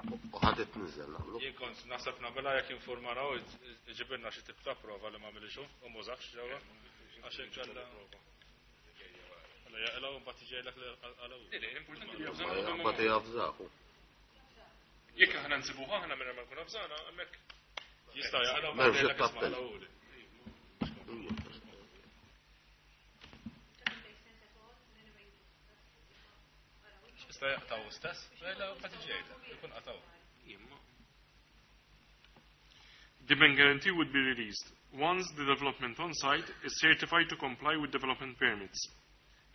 U ħadd itniżel nagħmlu. Jien kont naħseb nagħmilha jekk jinformana u iġibilna xi tip ta' prova li ma għamilix hu u mużax ġewwa. Għax inkella. Mela jaqilgħu mbagħad jiġejlek li qalgħu. Importanti li jafżana Ma jafżahu. Jekk aħna nsibuh aħna minn ma nkun afżana, hemmhekk Jista' jaqilgħu M'hemmx mbagħad jgħidlek isma' appell. qalgħuli. Jista' jaqtaw stess, jgħidlek mbagħad jiġi jgħidlek, ikun qataw. The bank guarantee would be released once the development on site is certified to comply with development permits,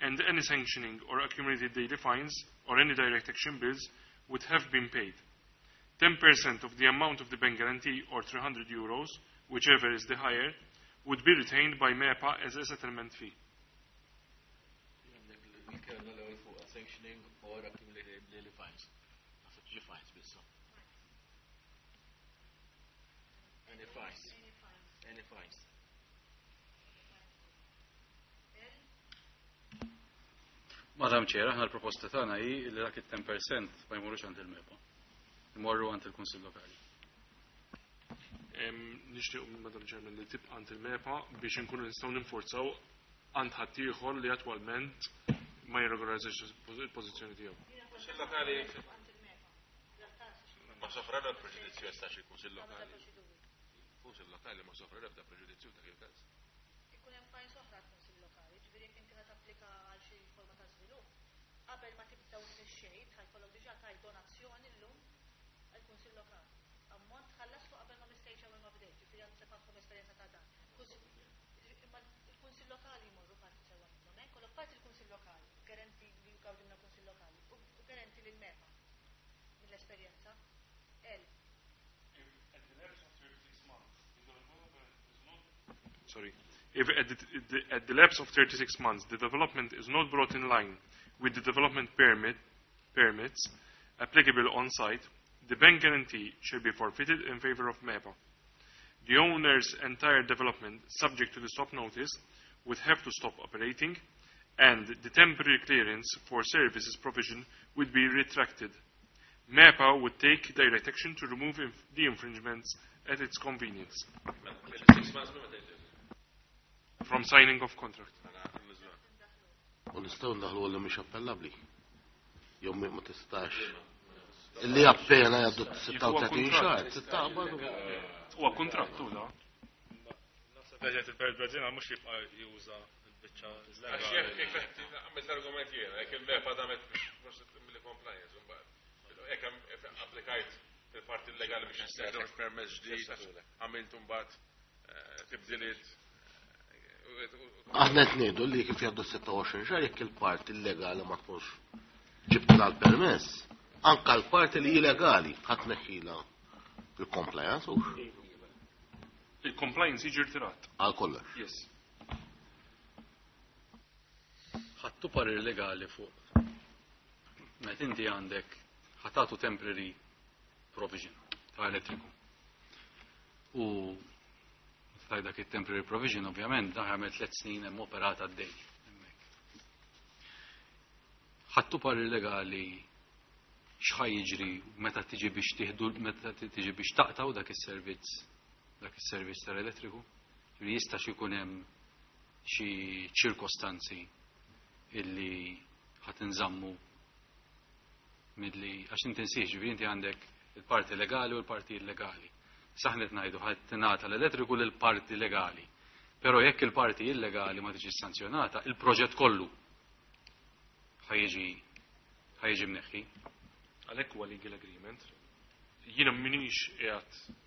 and any sanctioning or accumulated daily fines or any direct action bills would have been paid. 10% of the amount of the bank guarantee, or €300, whichever is the higher, would be retained by MEPA as a settlement fee. Il-kelma l-ewwel fuq sanctioning or accumulated daily fines. Naħseb ġi fines bissa. Any fines. Any fines. Madam Chair, aħna l-proposta tagħna hi li dak it-10% ma jmorrux għand il-MEPA. Imorru għand il-Kunsill Lokali. Nixtieq Madam Chairman li tibqa' għand il-MEPA biex inkunu nistgħu ninforzaw għand ħaddieħor li attwalment ma jirregolarizzax il-pożizzjoni tiegħu. Kunsill Lokali ma sofra l preġudizzju jistax il-Kunsill Lokali. Kunsill Lokali ma sofra l-ebda preġudizzju ta' il-każ. Ikun hemm fines oħra għall-Kunsill Lokali, ġifieri jekk inti qed tapplika għal xi forma ta' żvilupp, qabel ma tibda u tmexxejt ħa jkollok diġà tajt donazzjoni llum għall-Kunsill Lokali. Ammont tħallaslu qabel ma mistejtx ewwel ma bdejt, ġifieri għandu għandkom esperjenza ta' dan. Imma il-Kunsill Lokali jmorru parti sewwa minnhom, eh? Kollok parti il-Kunsill Lokali, guarantee li jgawdi minna Kunsill Lokali, u guarantee lil MEPA mill-esperjenza. El. At the lapse of 36 months, the development is not sorry. If at the lapse of 36 months the development is not brought in line with the development permits applicable on site, the bank guarantee shall be forfeited in favor of MEPA. The owner's entire development, subject to the stop notice, would have to stop operating, and the temporary clearance for services provision would be retracted. MEPA would take direct action to remove the infringements at its convenience. 36 months minn meta jibdew. From signing of contract. U nistgħu ndaħlu li mhix appellabbli. Jew ma tistax. Illi appena jgħaddu 36 xahar, tistaqbad u Huwa kontrattu da. Naħseb qed il-Bert mhux jibqa' juża l-biċċa Għax jekk għamilt l-argument jiena, jekk il-MEPA damet biex mill-compliance, mbagħad. Jekk applikajt fil-parti legali biex toħroġ permess ġdid, għamilt mbagħad tibdiliet. Aħna qed ngħidu li kif jgħaddu 26 xahar jekk il-parti illegali ma tkunx ġibt l-permess, anka l-parti li illegali ħadd neħħila il-compliance u Il-compliance jiġi rtirat. għal kollox. Yes. Ħattu parir legali fuq. Meta inti għandek ħatatu temporary provision ta' elettriku. U meta dak il-temporary provision ovvjament dan għamel 3 snin hemm operata għaddej. Hemmhekk. Ħattu parir legali x'ħa jiġri meta tiġi biex tieħdu meta tiġi biex taqtaw dak is-servizz tal-elettriku. Ġifieri jista' xi jkun hemm xi ċirkostanzi illi ħat inżammu milli għax inti nsiex, ġifieri inti għandek il-parti legali u l-parti illegali. Saħnet ngħidu ħadd tingħata l-elettriku lil parti legali. Però jekk il-parti illegali ma tiġi sanzjonata, il-proġett kollu ħa jiġi mneħħi. Għalhekk huwa legal agreement. Jiena m'iniex qiegħed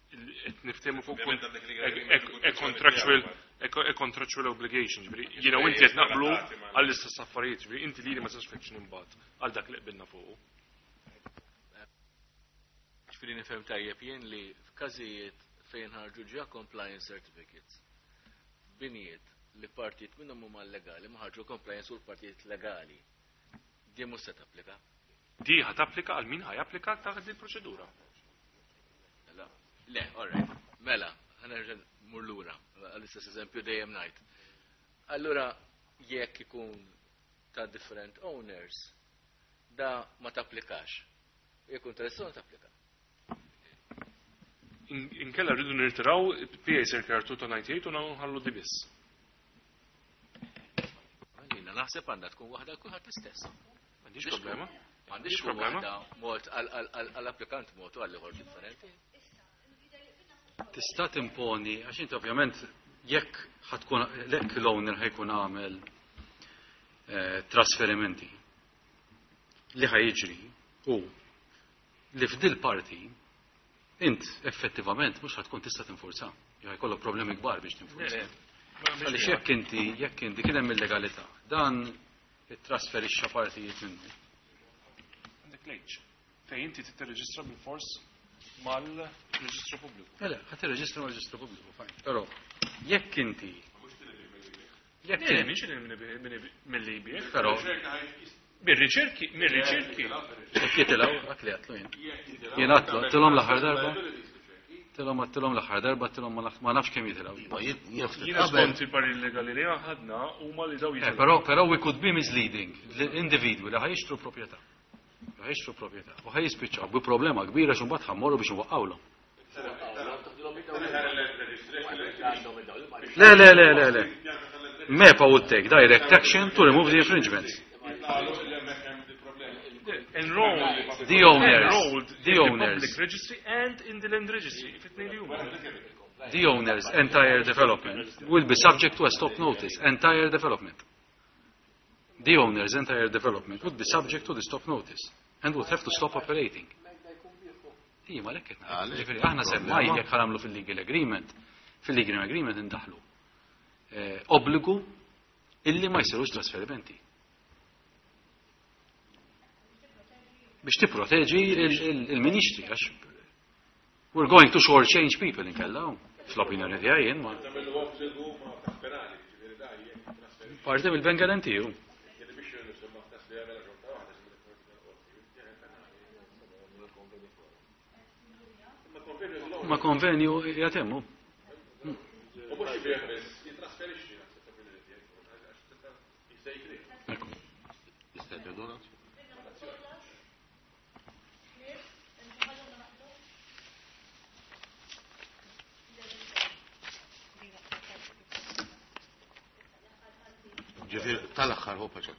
qed niftehmu fuq Ovvjament għandek legal agreement a contractual obligation, ġifieri jiena u inti qed naqblu għall-istess affarijiet, ġifieri inti lili ma tistax tfittxni imbagħad għal dak li qbilna fuqu. Ġifieri nifhem tajjeb jien li f'każijiet fejn ħarġu ġa compliance certificates, binijiet li partijiet minnhom huma legali ma ħarġu compliance u l-partijiet legali. Di mhux se tapplika. Di ħa tapplika għal min ħa japplika taħt il-proċedura. Mela, le, all right. Mela, ħa nerġa' mmur lura, għall-istess eżempju dejjem ngħid. Allura, jekk ikun ta' different owners, da ma tapplikax. Jekk ikun tal tapplika. Inkella rridu nirtiraw PA Circular 298 u nħallu di biss. Jiena naħseb għandha tkun waħda kulħadd l-istess. M'għandix problema. M'għandix tkun problema. waħda mod għall-applikant mod u għall-ieħor differenti. Tista' timponi, għax inti ovvjament jekk ħa tkun jekk l-owner ħa jkun għamel trasferimenti li ħa jiġri u li f'dil parti int effettivament mhux ħa tkun tista' tinfurza. Jew jkollok problemi kbar biex tinfurza. Għaliex jekk inti kien hemm illegalità, dan it-trasferixxa partijiet minnu. Għandek leġ. Fejn inti tirreġistra bil-fors mal-reġistru pubbliku. Le, ħa tirreġistra mal-reġistru pubbliku, fine. Però jekk inti jekk Le, inti mhix mill-li jbieħ. Però Mir-riċerki, mir-riċerki. Jekk jitilgħu, dak li għatlu jien. Jien għatlu, għattilhom l-aħħar darba. Għattilhom għattilhom l-aħħar darba, għattilhom ma nafx kemm jitilgħu. Ma jien ftit Jiena qabel skont il-parir legali li ħadna huma li daw jitilgħu. Però we could be misleading l-individwi li ħa jixtru proprjetà. Li ħa jixtru proprjetà. U ħa jispiċċaw bi problema kbira x'imbagħad ħa mmorru biex nwaqqawlhom. Le, le, le, le, le. MEPA would take direct action to remove the infringements. Enrolled. The owners. Enrolled The in the owners. public registry and in the land registry. If it li huma. The owner's entire development will be subject to a stop notice. Entire development. The owner's entire development would be subject to the stop notice and would have to stop operating. Ija, ma lekket. Għalek, Ġifieri, aħna semmaj problema. jekk ħa nagħmlu fil-legal agreement, fil-legal agreement indaħlu obbligu illi ma jsirux trasferimenti. Biex tipproteġi il-ministri, għax we're going to short change people inkella, fl-opinjoni tiegħi jien ma. Parti mill-bank guarantee hu. Ma konvenju jatemmu. Ekku. Jista' jgħidulna? Ġifieri tal-aħħar hu paċet.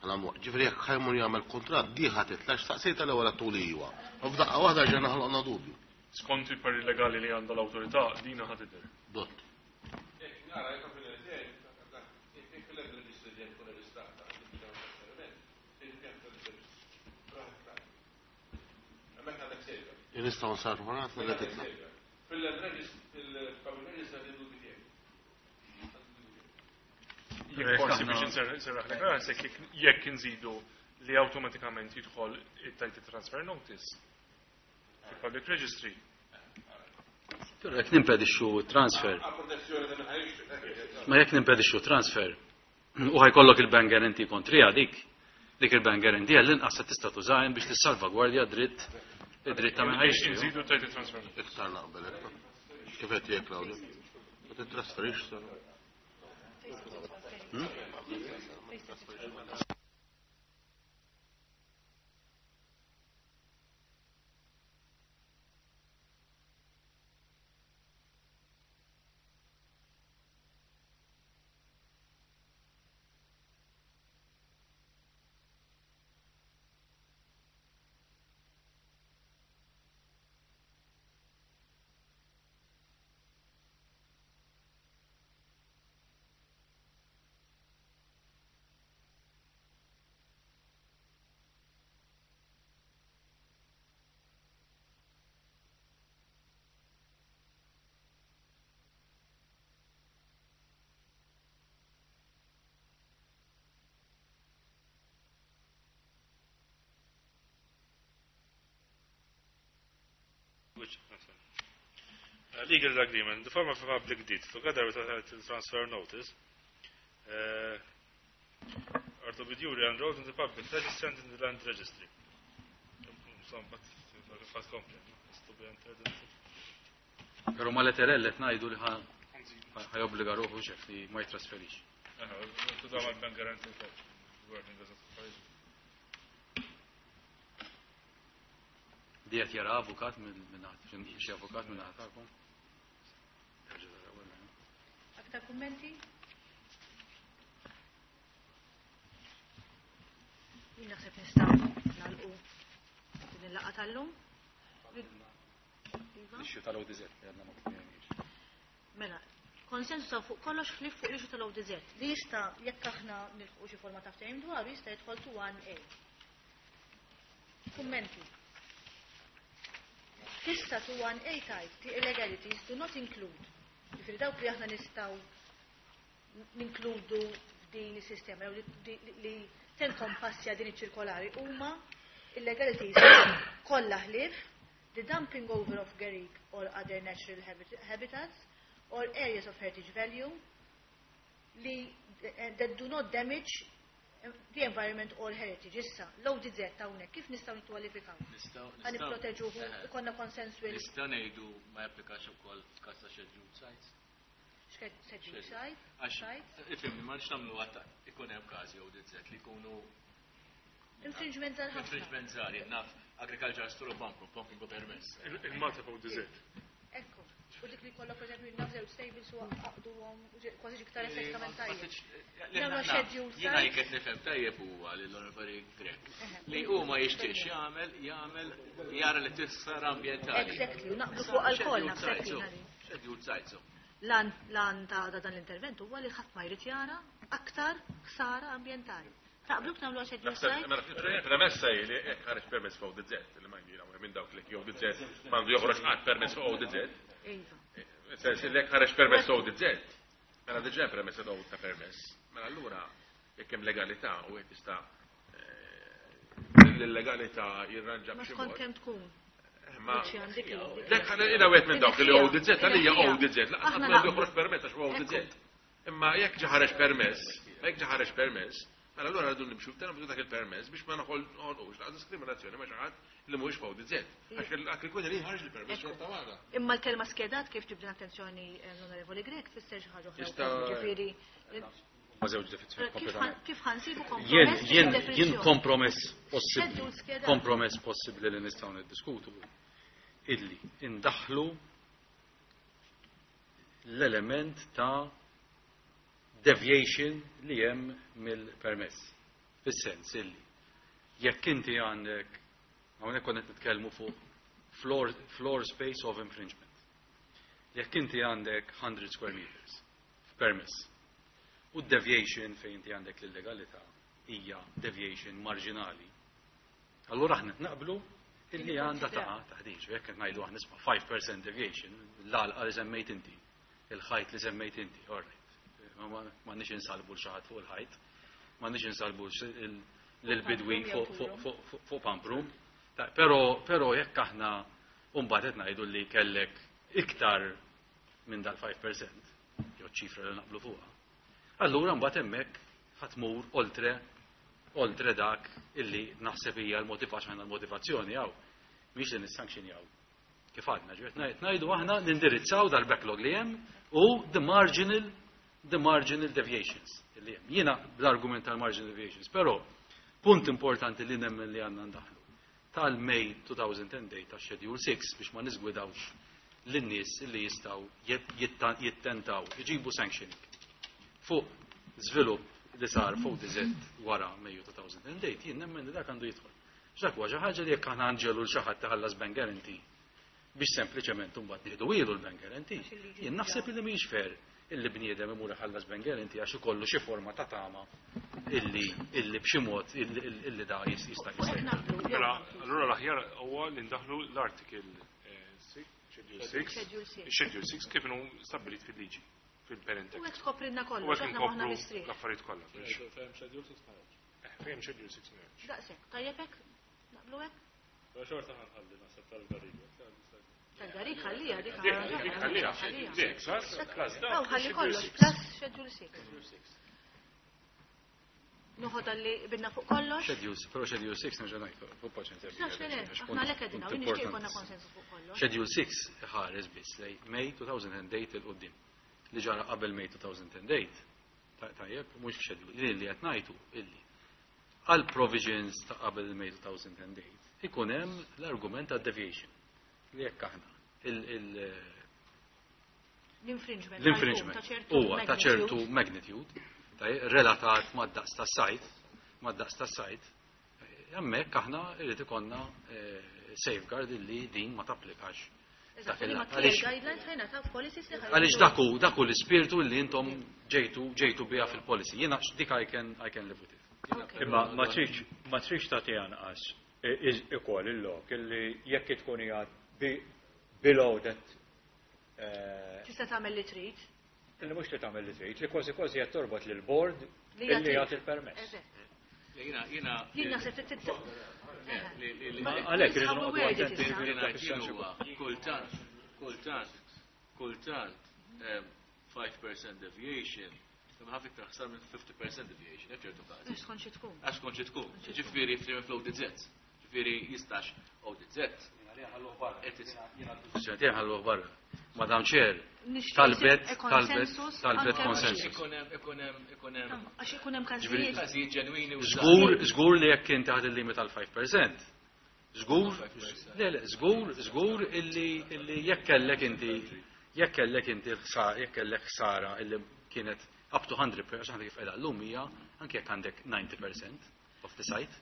Ġifieri jekk ħa jmur jagħmel kuntratt diħa titlax staqsejta l-ewwel tuli iwa. U f'daqqa waħda ġejna ħloqna dubju. Skont il-parri legali li għandha l-awtorità, dina ħa tidher. Dott. Nistgħu nsarfu ħafna li titla'. Jekk forsi biex nserraħ rasek jekk nżidu li awtomatikament jidħol it-title transfer notice fil-public registry. Però jekk nimpedixxu transfer. Ma jekk nimpedixxu transfer u ħa jkollok il-bank guarantee kontrija dik, dik il-bank guarantee għall-inqas se tista' tużahem biex tissalvagwardja dritt id-dritt ta' min ħa jixtri. Nżidu title transfer notice. Iktar naqbel hekk. Kif qed jgħid Claudio? Ma titrasferix sa. Which, I'm sorry. Legal agreement, the form of a public deed, together with a title transfer notice, are to be duly enrolled in the public register and in the land registry. Insomma, fat komplet, no? It's to be entered into. Però ma leterell qed ngħidu li ħa jobbliga ruħu xef li ma jitrasferix. Tużaw mal-bank guarantee wkoll. Wording doesn't suffice. Di qed jara avukat minn xi avukat minn tagħkom. Aktar kummenti? Jien naħseb nistgħu nagħlqu din il-laqgħa tal-lum. Iva? L-issue tal-ODZ li għadna ma tkellimniex. Mela, konsensus fuq kollox ħlief fuq l-issue tal-ODZ li jista' jekk aħna nilħqu xi forma ta' ftehim dwaru jista' jidħol to 1A. Kummenti. Tista' to 1A type the illegalities do not include. Ġifieri dawk li aħna nistgħu ninkludu f'din is-sistema jew li tenkompassja din iċ-ċirkolari huma illegalities kollha ħlief the dumping over of garrigue or other natural habitats or areas of heritage value li that do not damage the environment or heritage. Issa, l-ODZ hawnhekk kif nistgħu nikkwalifikaw? Ħa nipproteġuhu, ikollna konsensu Nistgħu ngħidu ma japplikax ukoll f'każ ta' scheduled sites. Scheduled site? Għax, Sites? ifhimni, ma rridx nagħmlu għatta ikun hemm każi ODZ li jkunu Infringement żgħar ħafna. Infringement żgħar, jien naf agriculture store pumping pumping permess. Il-Malta ODZ. Ekku. U dik li kollok pereżempju naf żewġ stables u għaqduhom kważi iktar estetikament tajjeb. Nagħmlu schedule Jiena jekk qed nifhem tajjeb huwa lil Onorevoli Grech li hu ma jixtieqx jagħmel jagħmel jara li tissar ambjentali. Exactly, u naqblu fuq alkohol naħseb jiena li. Schedule sites. L-għan ta' dan l-intervent huwa li ħadd ma jrid jara aktar ħsara ambjentali. Taqblu nagħmlu schedule site? Mela, premessa hi li jekk ħareġ permess fuq ODZ, li ma jiena minn dawk li ODZ m'għandu joħroġ qatt permess fuq ODZ. Iva. Sens li jekk ħareġ permess ODZ, mela diġà premessa ta' permess. Mela allura jekk hemm legalità u qed tista' l-legalità jirranġa Ma b'xi skont mod. kemm tkun. Ma Lucian, dik li- Dek ħana ila wieħed minn dawk li ODZ għalija ODZ, laqas Aħna għandu naqblu. joħroġ permess għax huwa ODZ. Imma jekk ġa ħareġ permess, jekk ġa ħareġ permess, mela allura rridu nimxu f'terminu dak il-permess biex ma noħolqux laqas diskriminazzjoni ma' xi ħadd li mhuwiex f'ODZ. Għax dak ikun li ħareġ il-permess xorta waħda. Imma l-kelma skedat kif ġibdin attenzjoni l-Onorevoli Grech tfisser xi ħaġa oħra. Jista' wkoll, Ġifieri Ma żewġ definizzjoni kif kompletament. kif ħansibu Jien kompromess jien jien fid-definizzjoni? kompromess possibbli, Schedule skedat. kompromess possibbli li nistgħu niddiskutu illi indaħlu l-element ta' deviation li hemm mill-permess. Fis-sens illi jekk inti għandek hawnhekk konna qed nitkellmu fuq floor space of infringement. Jekk inti għandek 100 square meters f'permess u deviation fejn inti għandek l-illegalità hija deviation marġinali. Allura aħna naqblu illi għandha taqa' taħdiġ, jekk qed ngħidu aħna nisma' 5% deviation, l-għalqa li semmejt inti, il-ħajt li semmejt inti, all right. M'għandniex insalbu l xi ħadd fuq il-ħajt, m'għandniex insalbu l-bidwi fuq pump room. Però jekk aħna mbagħad qed ngħidu li kellek iktar minn dal-5%, jew ċifra li naqblu fuqha. Allura mbagħad hemmhekk ħatmur oltre dak illi naħseb hija l-motivazzjoni l-motivazzjoni hawn mhix li nissanzjonjaw. Kif għadna, ġifieri ngħidu aħna nindirizzaw dal-backlog li hemm u the marginal deviations illi hemm. Jiena bl-argument tal-marginal deviations, però punt importanti li nemmen li għandna ndaħlu tal-May 2008 ta' Schedule 6 biex ma niżgwidawx lin-nies li jistgħu jittentaw, iġibu sanctioning fuq żvilupp li sar fuq DZ wara Mejju 2008, jien nemmen li dak għandu jidħol. X'dak huwa xi ħaġa li jekk aħna nġelu l xi ħadd taħallas bank guarantee biex sempliċement imbagħad nieħdu ilu l-bank guarantee. Jien naħseb illi mhix fair illi bniedem imur iħallas bank guarantee għax ikollu xi forma ta' tama illi b'xi mod illi da jista' jista'. Mela, allura l-aħjar huwa li ndaħlu l-article 6, Schedule 6, Schedule 6. Schedule 6 kif inhu stabbilit fil-liġi, fil-parent U act. hekk tkoprilna U kollox, hekk aħna maħna inkopru mistrieħ. l-affarijiet kollha. Fejn schedule 6 ma hemmx. Fejn Schedule 6 ma hemmx. Daqshekk, tajjeb hekk? Naqblu hekk? Però xorta ħanħalli naħseb tal-gariga. Tal-garik ħallija dik Dik ħallija, dik, plus dak, Aw, ħalli Schedule kollox, 6. plus Schedule 6. Noħod għalli bidna fuq kollox. Schedule, però Schedule 6 nerġa' ngħid, fuq paċenzja. Nax le, le, aħna lek għedina, u nixtieq konna konsensus fuq kollox. Schedule 6 ħares biss lej May 2008 il-qoddim. Li ġara qabel May 2008. Tajjeb, mhux f'schedule, li li qed ngħidu illi għal provisions ta' qabel May 2008 ikun hemm l-argument ta' deviation li jekk aħna L-infringement. l-infringement huwa ta' ċertu magnitude tajjeb, relatat mad-daqs tas-sajt, mad-daqs tas-sajt, hemmhekk aħna irid ikollna safeguard illi din ma tapplikax. Eżatt, dak il- li ma clear għaliex- guidelines ħajna ta' policies li ħajna. Għaliex daku l-ispirtu li intom ġejtu biha fil-policy. Jiena dik I can live with it. Imma ma tridx tagħti anqas ikoll il-lok illi jekk tkun hija below that Tista' tagħmel li trid. Illi mhux li tagħmel li trid, li kważi kważi qed torbot lil board Li illi jagħti. jagħti l-permess. Eżatt. Jiena jiena Jien naħseb li trid Ma għalhekk irridu noqogħdu attenti li dak ngħid is-sens jien huwa kultant, kultant, kultant 5% deviation, imma ħafna iktar ħsar minn 50% deviation, hekk ċertu każi. Skont xi tkun. Għax kont xi tkun. Ġifieri f'termin fl-ODZ. Ġifieri jistax ODZ. Ġentil ħalluh barra. Madam Chair, Nixtieq talbet, e talbet, konsensus talbet anke konsensus. Ikun hemm, ikun hemm, ikun hemm Għax ikun hemm Ġifieri- każijiet. każijiet ġenwini u Żgur, żgur li jekk inti ħad il-limit tal 5%. Żgur, le, le, żgur, żgur illi jekk kellek inti, Jekk kellek inti l-ħsara, jekk kellek ħsara illi kienet up to 100%, għax aħna kif qiegħda llum hija anke jekk għandek 90% of the site,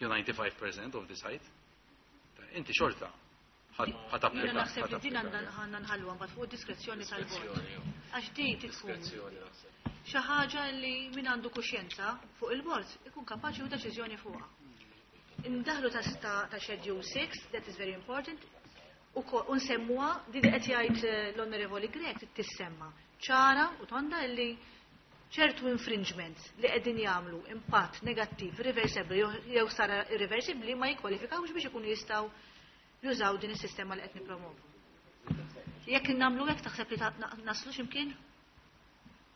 jew 95% of the site, inti xorta ħa Jiena tapplika. naħseb li din għandna nħalluha mbagħad fuq diskrezzjoni tal-bord. Għax din tkun xi ħaġa li min għandu kuxjenza fuq il-bord ikun kapaċi jieħu deċiżjoni fuqha. Indaħlu ta' Schedule 6, that is very important, u nsemmuha din li qed jgħid l-Onorevoli Grech tissemma ċara u tonda li ċertu infringements li qegħdin jagħmlu impatt negattiv irreversibbli jew sara irreversibbli ma jikkwalifikawx biex ikunu jistgħu jużaw din is-sistema li qed nippromovu. Jekk nagħmlu hekk taħseb li naslu x'imkien?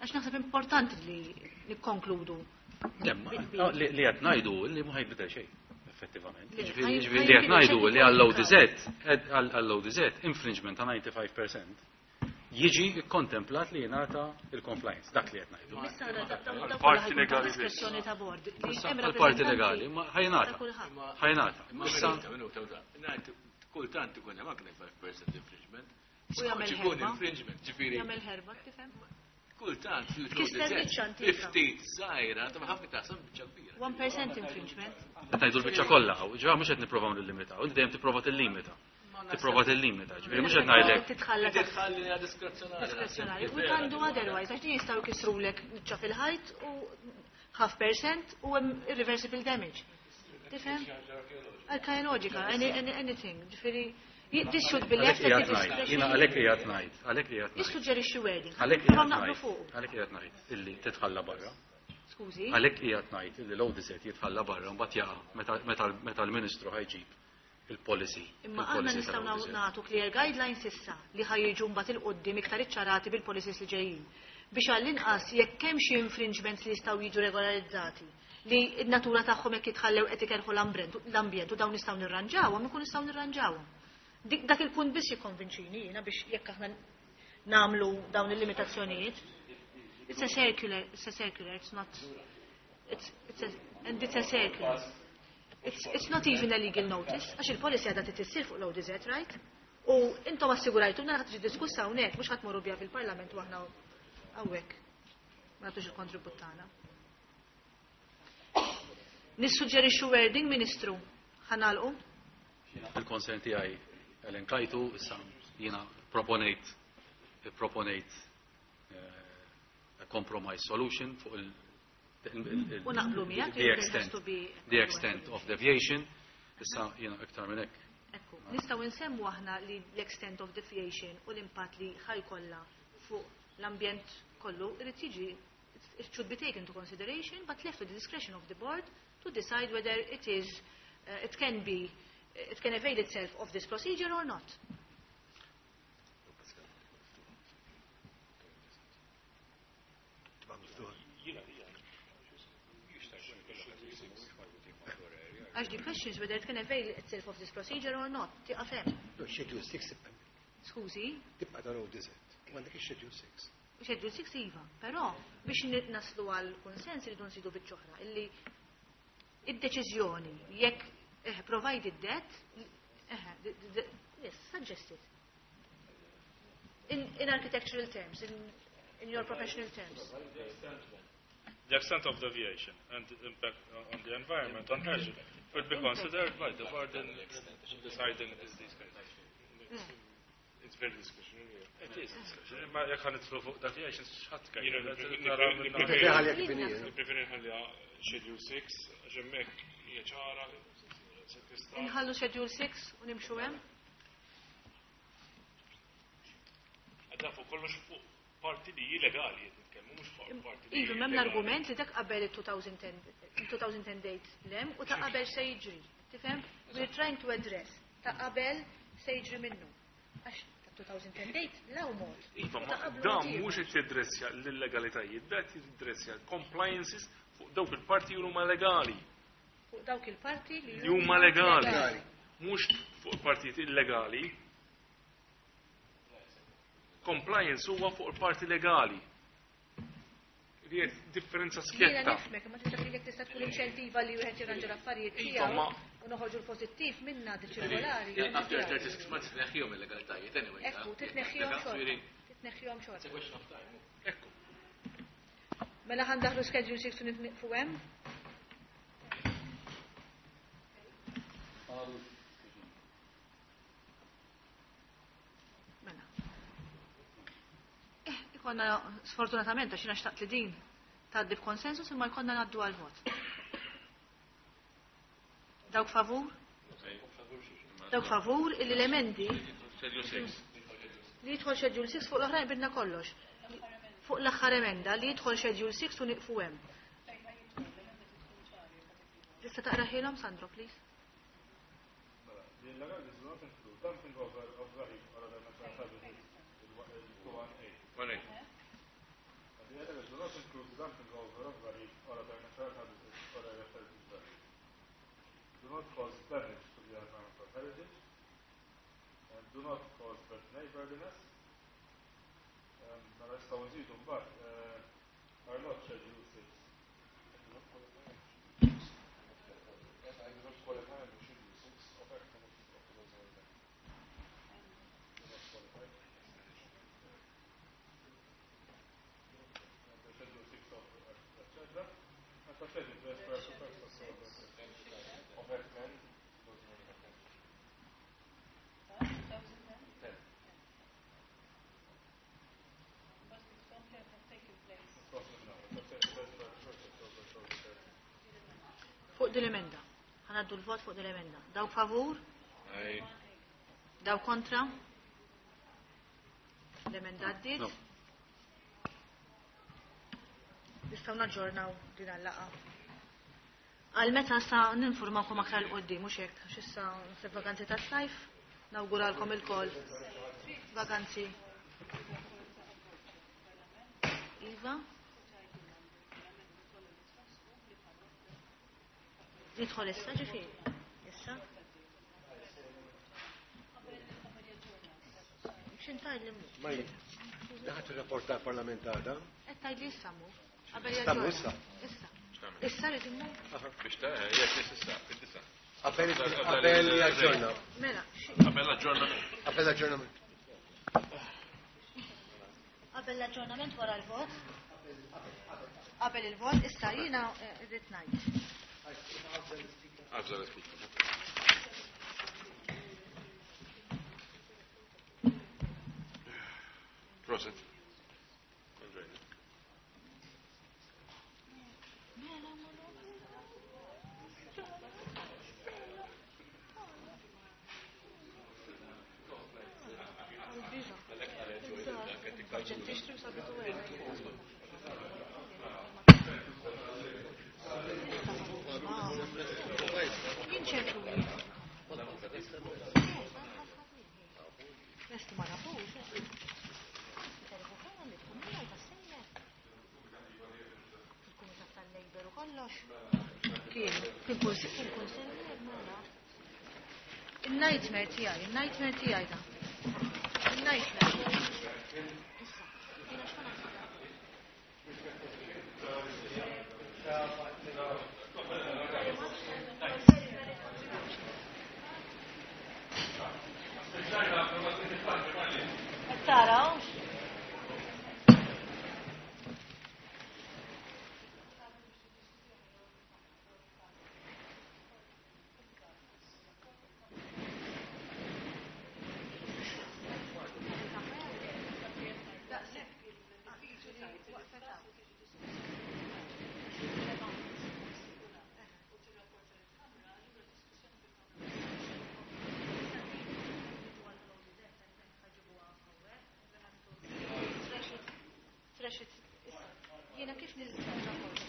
Għax naħseb importanti li nikkonkludu. Li qed ngħidu li ma ħajbidel xejn, effettivament. Le, Ġifieri li qed ngħidu li għall-ODZ infringement ta' 95% jiġi kontemplat li jingħata il-compliance, dak li qed ngħidu. Issa għandna Għal-parti legali biss. diskrezzjoni ta' bord. Li Issa hemm għal-parti rappreżentanti legali, ma ħajnata. ta' kulħadd. Ħajnata. Imma Issa minuta, minuta, minuta. Ngħid, kultant ikun hemm anke 5% infringement. U jagħmel Skont ikun ħerba. infringement, ġifieri. Jagħmel ħerba, tifhem? Kultant Tkisser biċċa antika. ftit żgħira, ta' ħafna taħseb biċċa kbira. 1% infringement. Qed ngħidu l-biċċa kollha, ġifieri mhux qed nippruvaw nillimitaw, inti dejjem tipprova tillimita. Tipprova tillimita, ġifieri mhux qed ngħidlek. Titħalla taħt Titħalli diskrezzjonali. diskrezzjonali. We can do otherwise, għax din jistgħu jkissrulek niċċa fil-ħajt u half percent u hemm irreversible damage. Tifhem? Arkeoloġika, anything. Ġifieri, this should be left Għalhekk at the qiegħed ngħid, jiena discretion. għalhekk qiegħed ngħid, għalhekk qiegħed ngħid. Nissuġġerixxi wording. Għalhekk Nipprovaw qiegħed naqblu ngħid, fuq. għalhekk qiegħed ngħid illi titħalla barra. Skużi. Għalhekk qiegħed ngħid illi l-ODZ jitħalla barra mbagħad jaqa' meta l-Ministru ħajġib il-policy. Imma aħna il-policy nistgħu tal-ODZ. nagħtu clear guidelines issa li ħajjiġu mbagħad il-qoddim iktar iċċarati bil-policies li ġejjin. Biex għall-inqas jekk hemm xi infringements li jistgħu jiġu regolarizzati li n-natura tagħhom jekk jitħallew qed ikerħu l-ambjent u dawn nistgħu nirranġawhom, ikun nistgħu nirranġawhom. Dak il-punt biss jikkonvinċini jiena biex jekk aħna nagħmlu dawn il-limitazzjonijiet. It's a circular, it's a circular, it's not, it's a, and it's a circular. It's not even a legal notice, għax il-policy għadha titissir fuq l-ODZ, right? U intom assigurajtu ħadd tiġi diskussa hawnhekk, mhux ħadd morru biha fil-Parlament u aħna hawnhekk. Ma nagħtux il-kontribut tagħna. Nissuġġerixxu wording, Ministru. Ħa nagħlqu? Il-concern tiegħi elenkajtu, issa jiena proponejt a compromise solution fuq U naqblu miegħek the li it has extent, to be the extent of deviation. Issa jiena iktar minn hekk. Ekku, nistgħu nsemmu aħna li l-extent of deviation u l-impatt li ħajkollha fuq l-ambjent kollu irid jiġi it should be taken into consideration but left to the discretion of the board to decide whether it is it can be it can avail itself of this procedure or not. Tibqa' miftuħa. Għax the question is whether it can avail itself of this procedure or not. Tieqaf hemm. No, Schedule 6 tibqa' Skużi, tibqa' tal-ODZ. Għandek il-Schedule 6. Schedule 6 iva, però biex naslu għal konsens irridu nsidu biċċ'oħra illi id-deċiżjoni jekk provided that yes, suggested. In architectural terms, in your professional terms. The extent of deviation and the impact on the environment on hazard will be considered by the board in deciding these cases. It's very discretionary. It is discretionary. Ma jekk ħa nidħlu fuq deviations, x'ħadd Jiena Nippreferi ħalli kif inhi, eh. Nippreferi nħalliha Schedule 6, għax hemmhekk hija ċara, se tista' Inħallu Schedule 6 u nimxu hemm? Għadda fuq kollox fuq parti li hi legali qed nitkellmu, mhux fuq parti li Iva, hi m'hemm illegali. l-argument li dak qabel il-2010 date lem u ta' qabel se jiġri. Tifhem? We're trying to address ta' qabel se jiġri minnu. Għax ta' 2010 date law mod. Iva, U ma ta' qablu dan mod ieħor. mhux qed jiddressja l-illegalitajiet, da qed jiddressja compliances fuq dawk il-parti li huma legali. Fuq dawk il-parti li Li huma legali. Legali. Mhux fuq il-partijiet illegali. Compliance huwa fuq il-parti legali. Li qed differenza Jiena skjetta. nifhmek, ma tista' jekk tista' tkun inċentiva li wieħed jirranġa l-affarijiet Iva, tiegħu ma- u noħorġu l-pożittiv minna di ċirkolari. After 36 months tneħħihom il-legalitajiet anyway. Ekku, titneħħihom xorta. Tneħħihom It's a xorta. question of time. Ekku. Mela ħa ndaħlu schedule 6 u nitniqfu hemm? Mela. Ikonna sfortunatament għax jiena xtaqt li din tgħaddi b'konsensus imma jkollna ngħaddu għal vot. Dawk favur? Dawk favur illi l-emendi Schedule 6. li jidħol schedule 6 fuq l-oħrajn bidna kollox. Fuq l-aħħar emenda li jidħol schedule 6 u nieqfu hemm. Tista' taqrahielhom Sandro, please? Mela, the illegalities do not include dumping over of rubbish or other natural habitats, il-218. 1A. The illegalities do not include the dumping over of rubbish or other natural habitats or other heritage value. Do not cause damage to the environment or heritage, and do not cause bad neighborliness. Mela nistgħu nżidu mbagħad are not schedule 6. Do not qualify under schedule 6. Yes, I do not qualify under schedule 6 of Act of 2010. Do not qualify. Under schedule 6 of Act, etc. And for schedule 12, first of of Act 10, 2010. 10. Fuq din l-emenda. Ħa ngħaddu l-vot fuq din l-emenda. Dawk favur? Aye. Dawk kontra? L-emenda għaddiet? No. Nistgħu naġġornaw din għal-laqgħa. Għal meta sa ninformakom aktar 'l quddiem mhux hekk, għax issa se vakanzi tas-sajf, nawguralkom ilkoll. Vakanzi. Iva? Nidħol issa ġifieri. Issa? X'intajli mhu? Maj, daħat il-rapport tal-Parlament għada. Qed tgħidli issa mhu. Qabel Issa mhu jaġġorna. issa? Issa. Issa rrid immur. Biex ta' jekk issa, fid-disa. Qabel qabel jaġġorna. Mela, Qabel l-aġġornament. Qabel l-aġġornament. Qabel l-aġġornament wara l-vot. Qabel il-vot, issa jiena rrid ngħid. Għabża l-speaker. Prosit. Enjoy. Ġen tixtri u sabitu għek. Min ċemplu li? Lestu ma nafux. Il-Kumitat tal-Labor u kollox. Kien, fil-kunsill, mela. Il-nightmare tiegħi, il-nightmare tiegħi da. Il-nightmare. Issa, jiena x'ma nafx. Qed tara hux? Trash it. Issa, jiena kif niżżewġ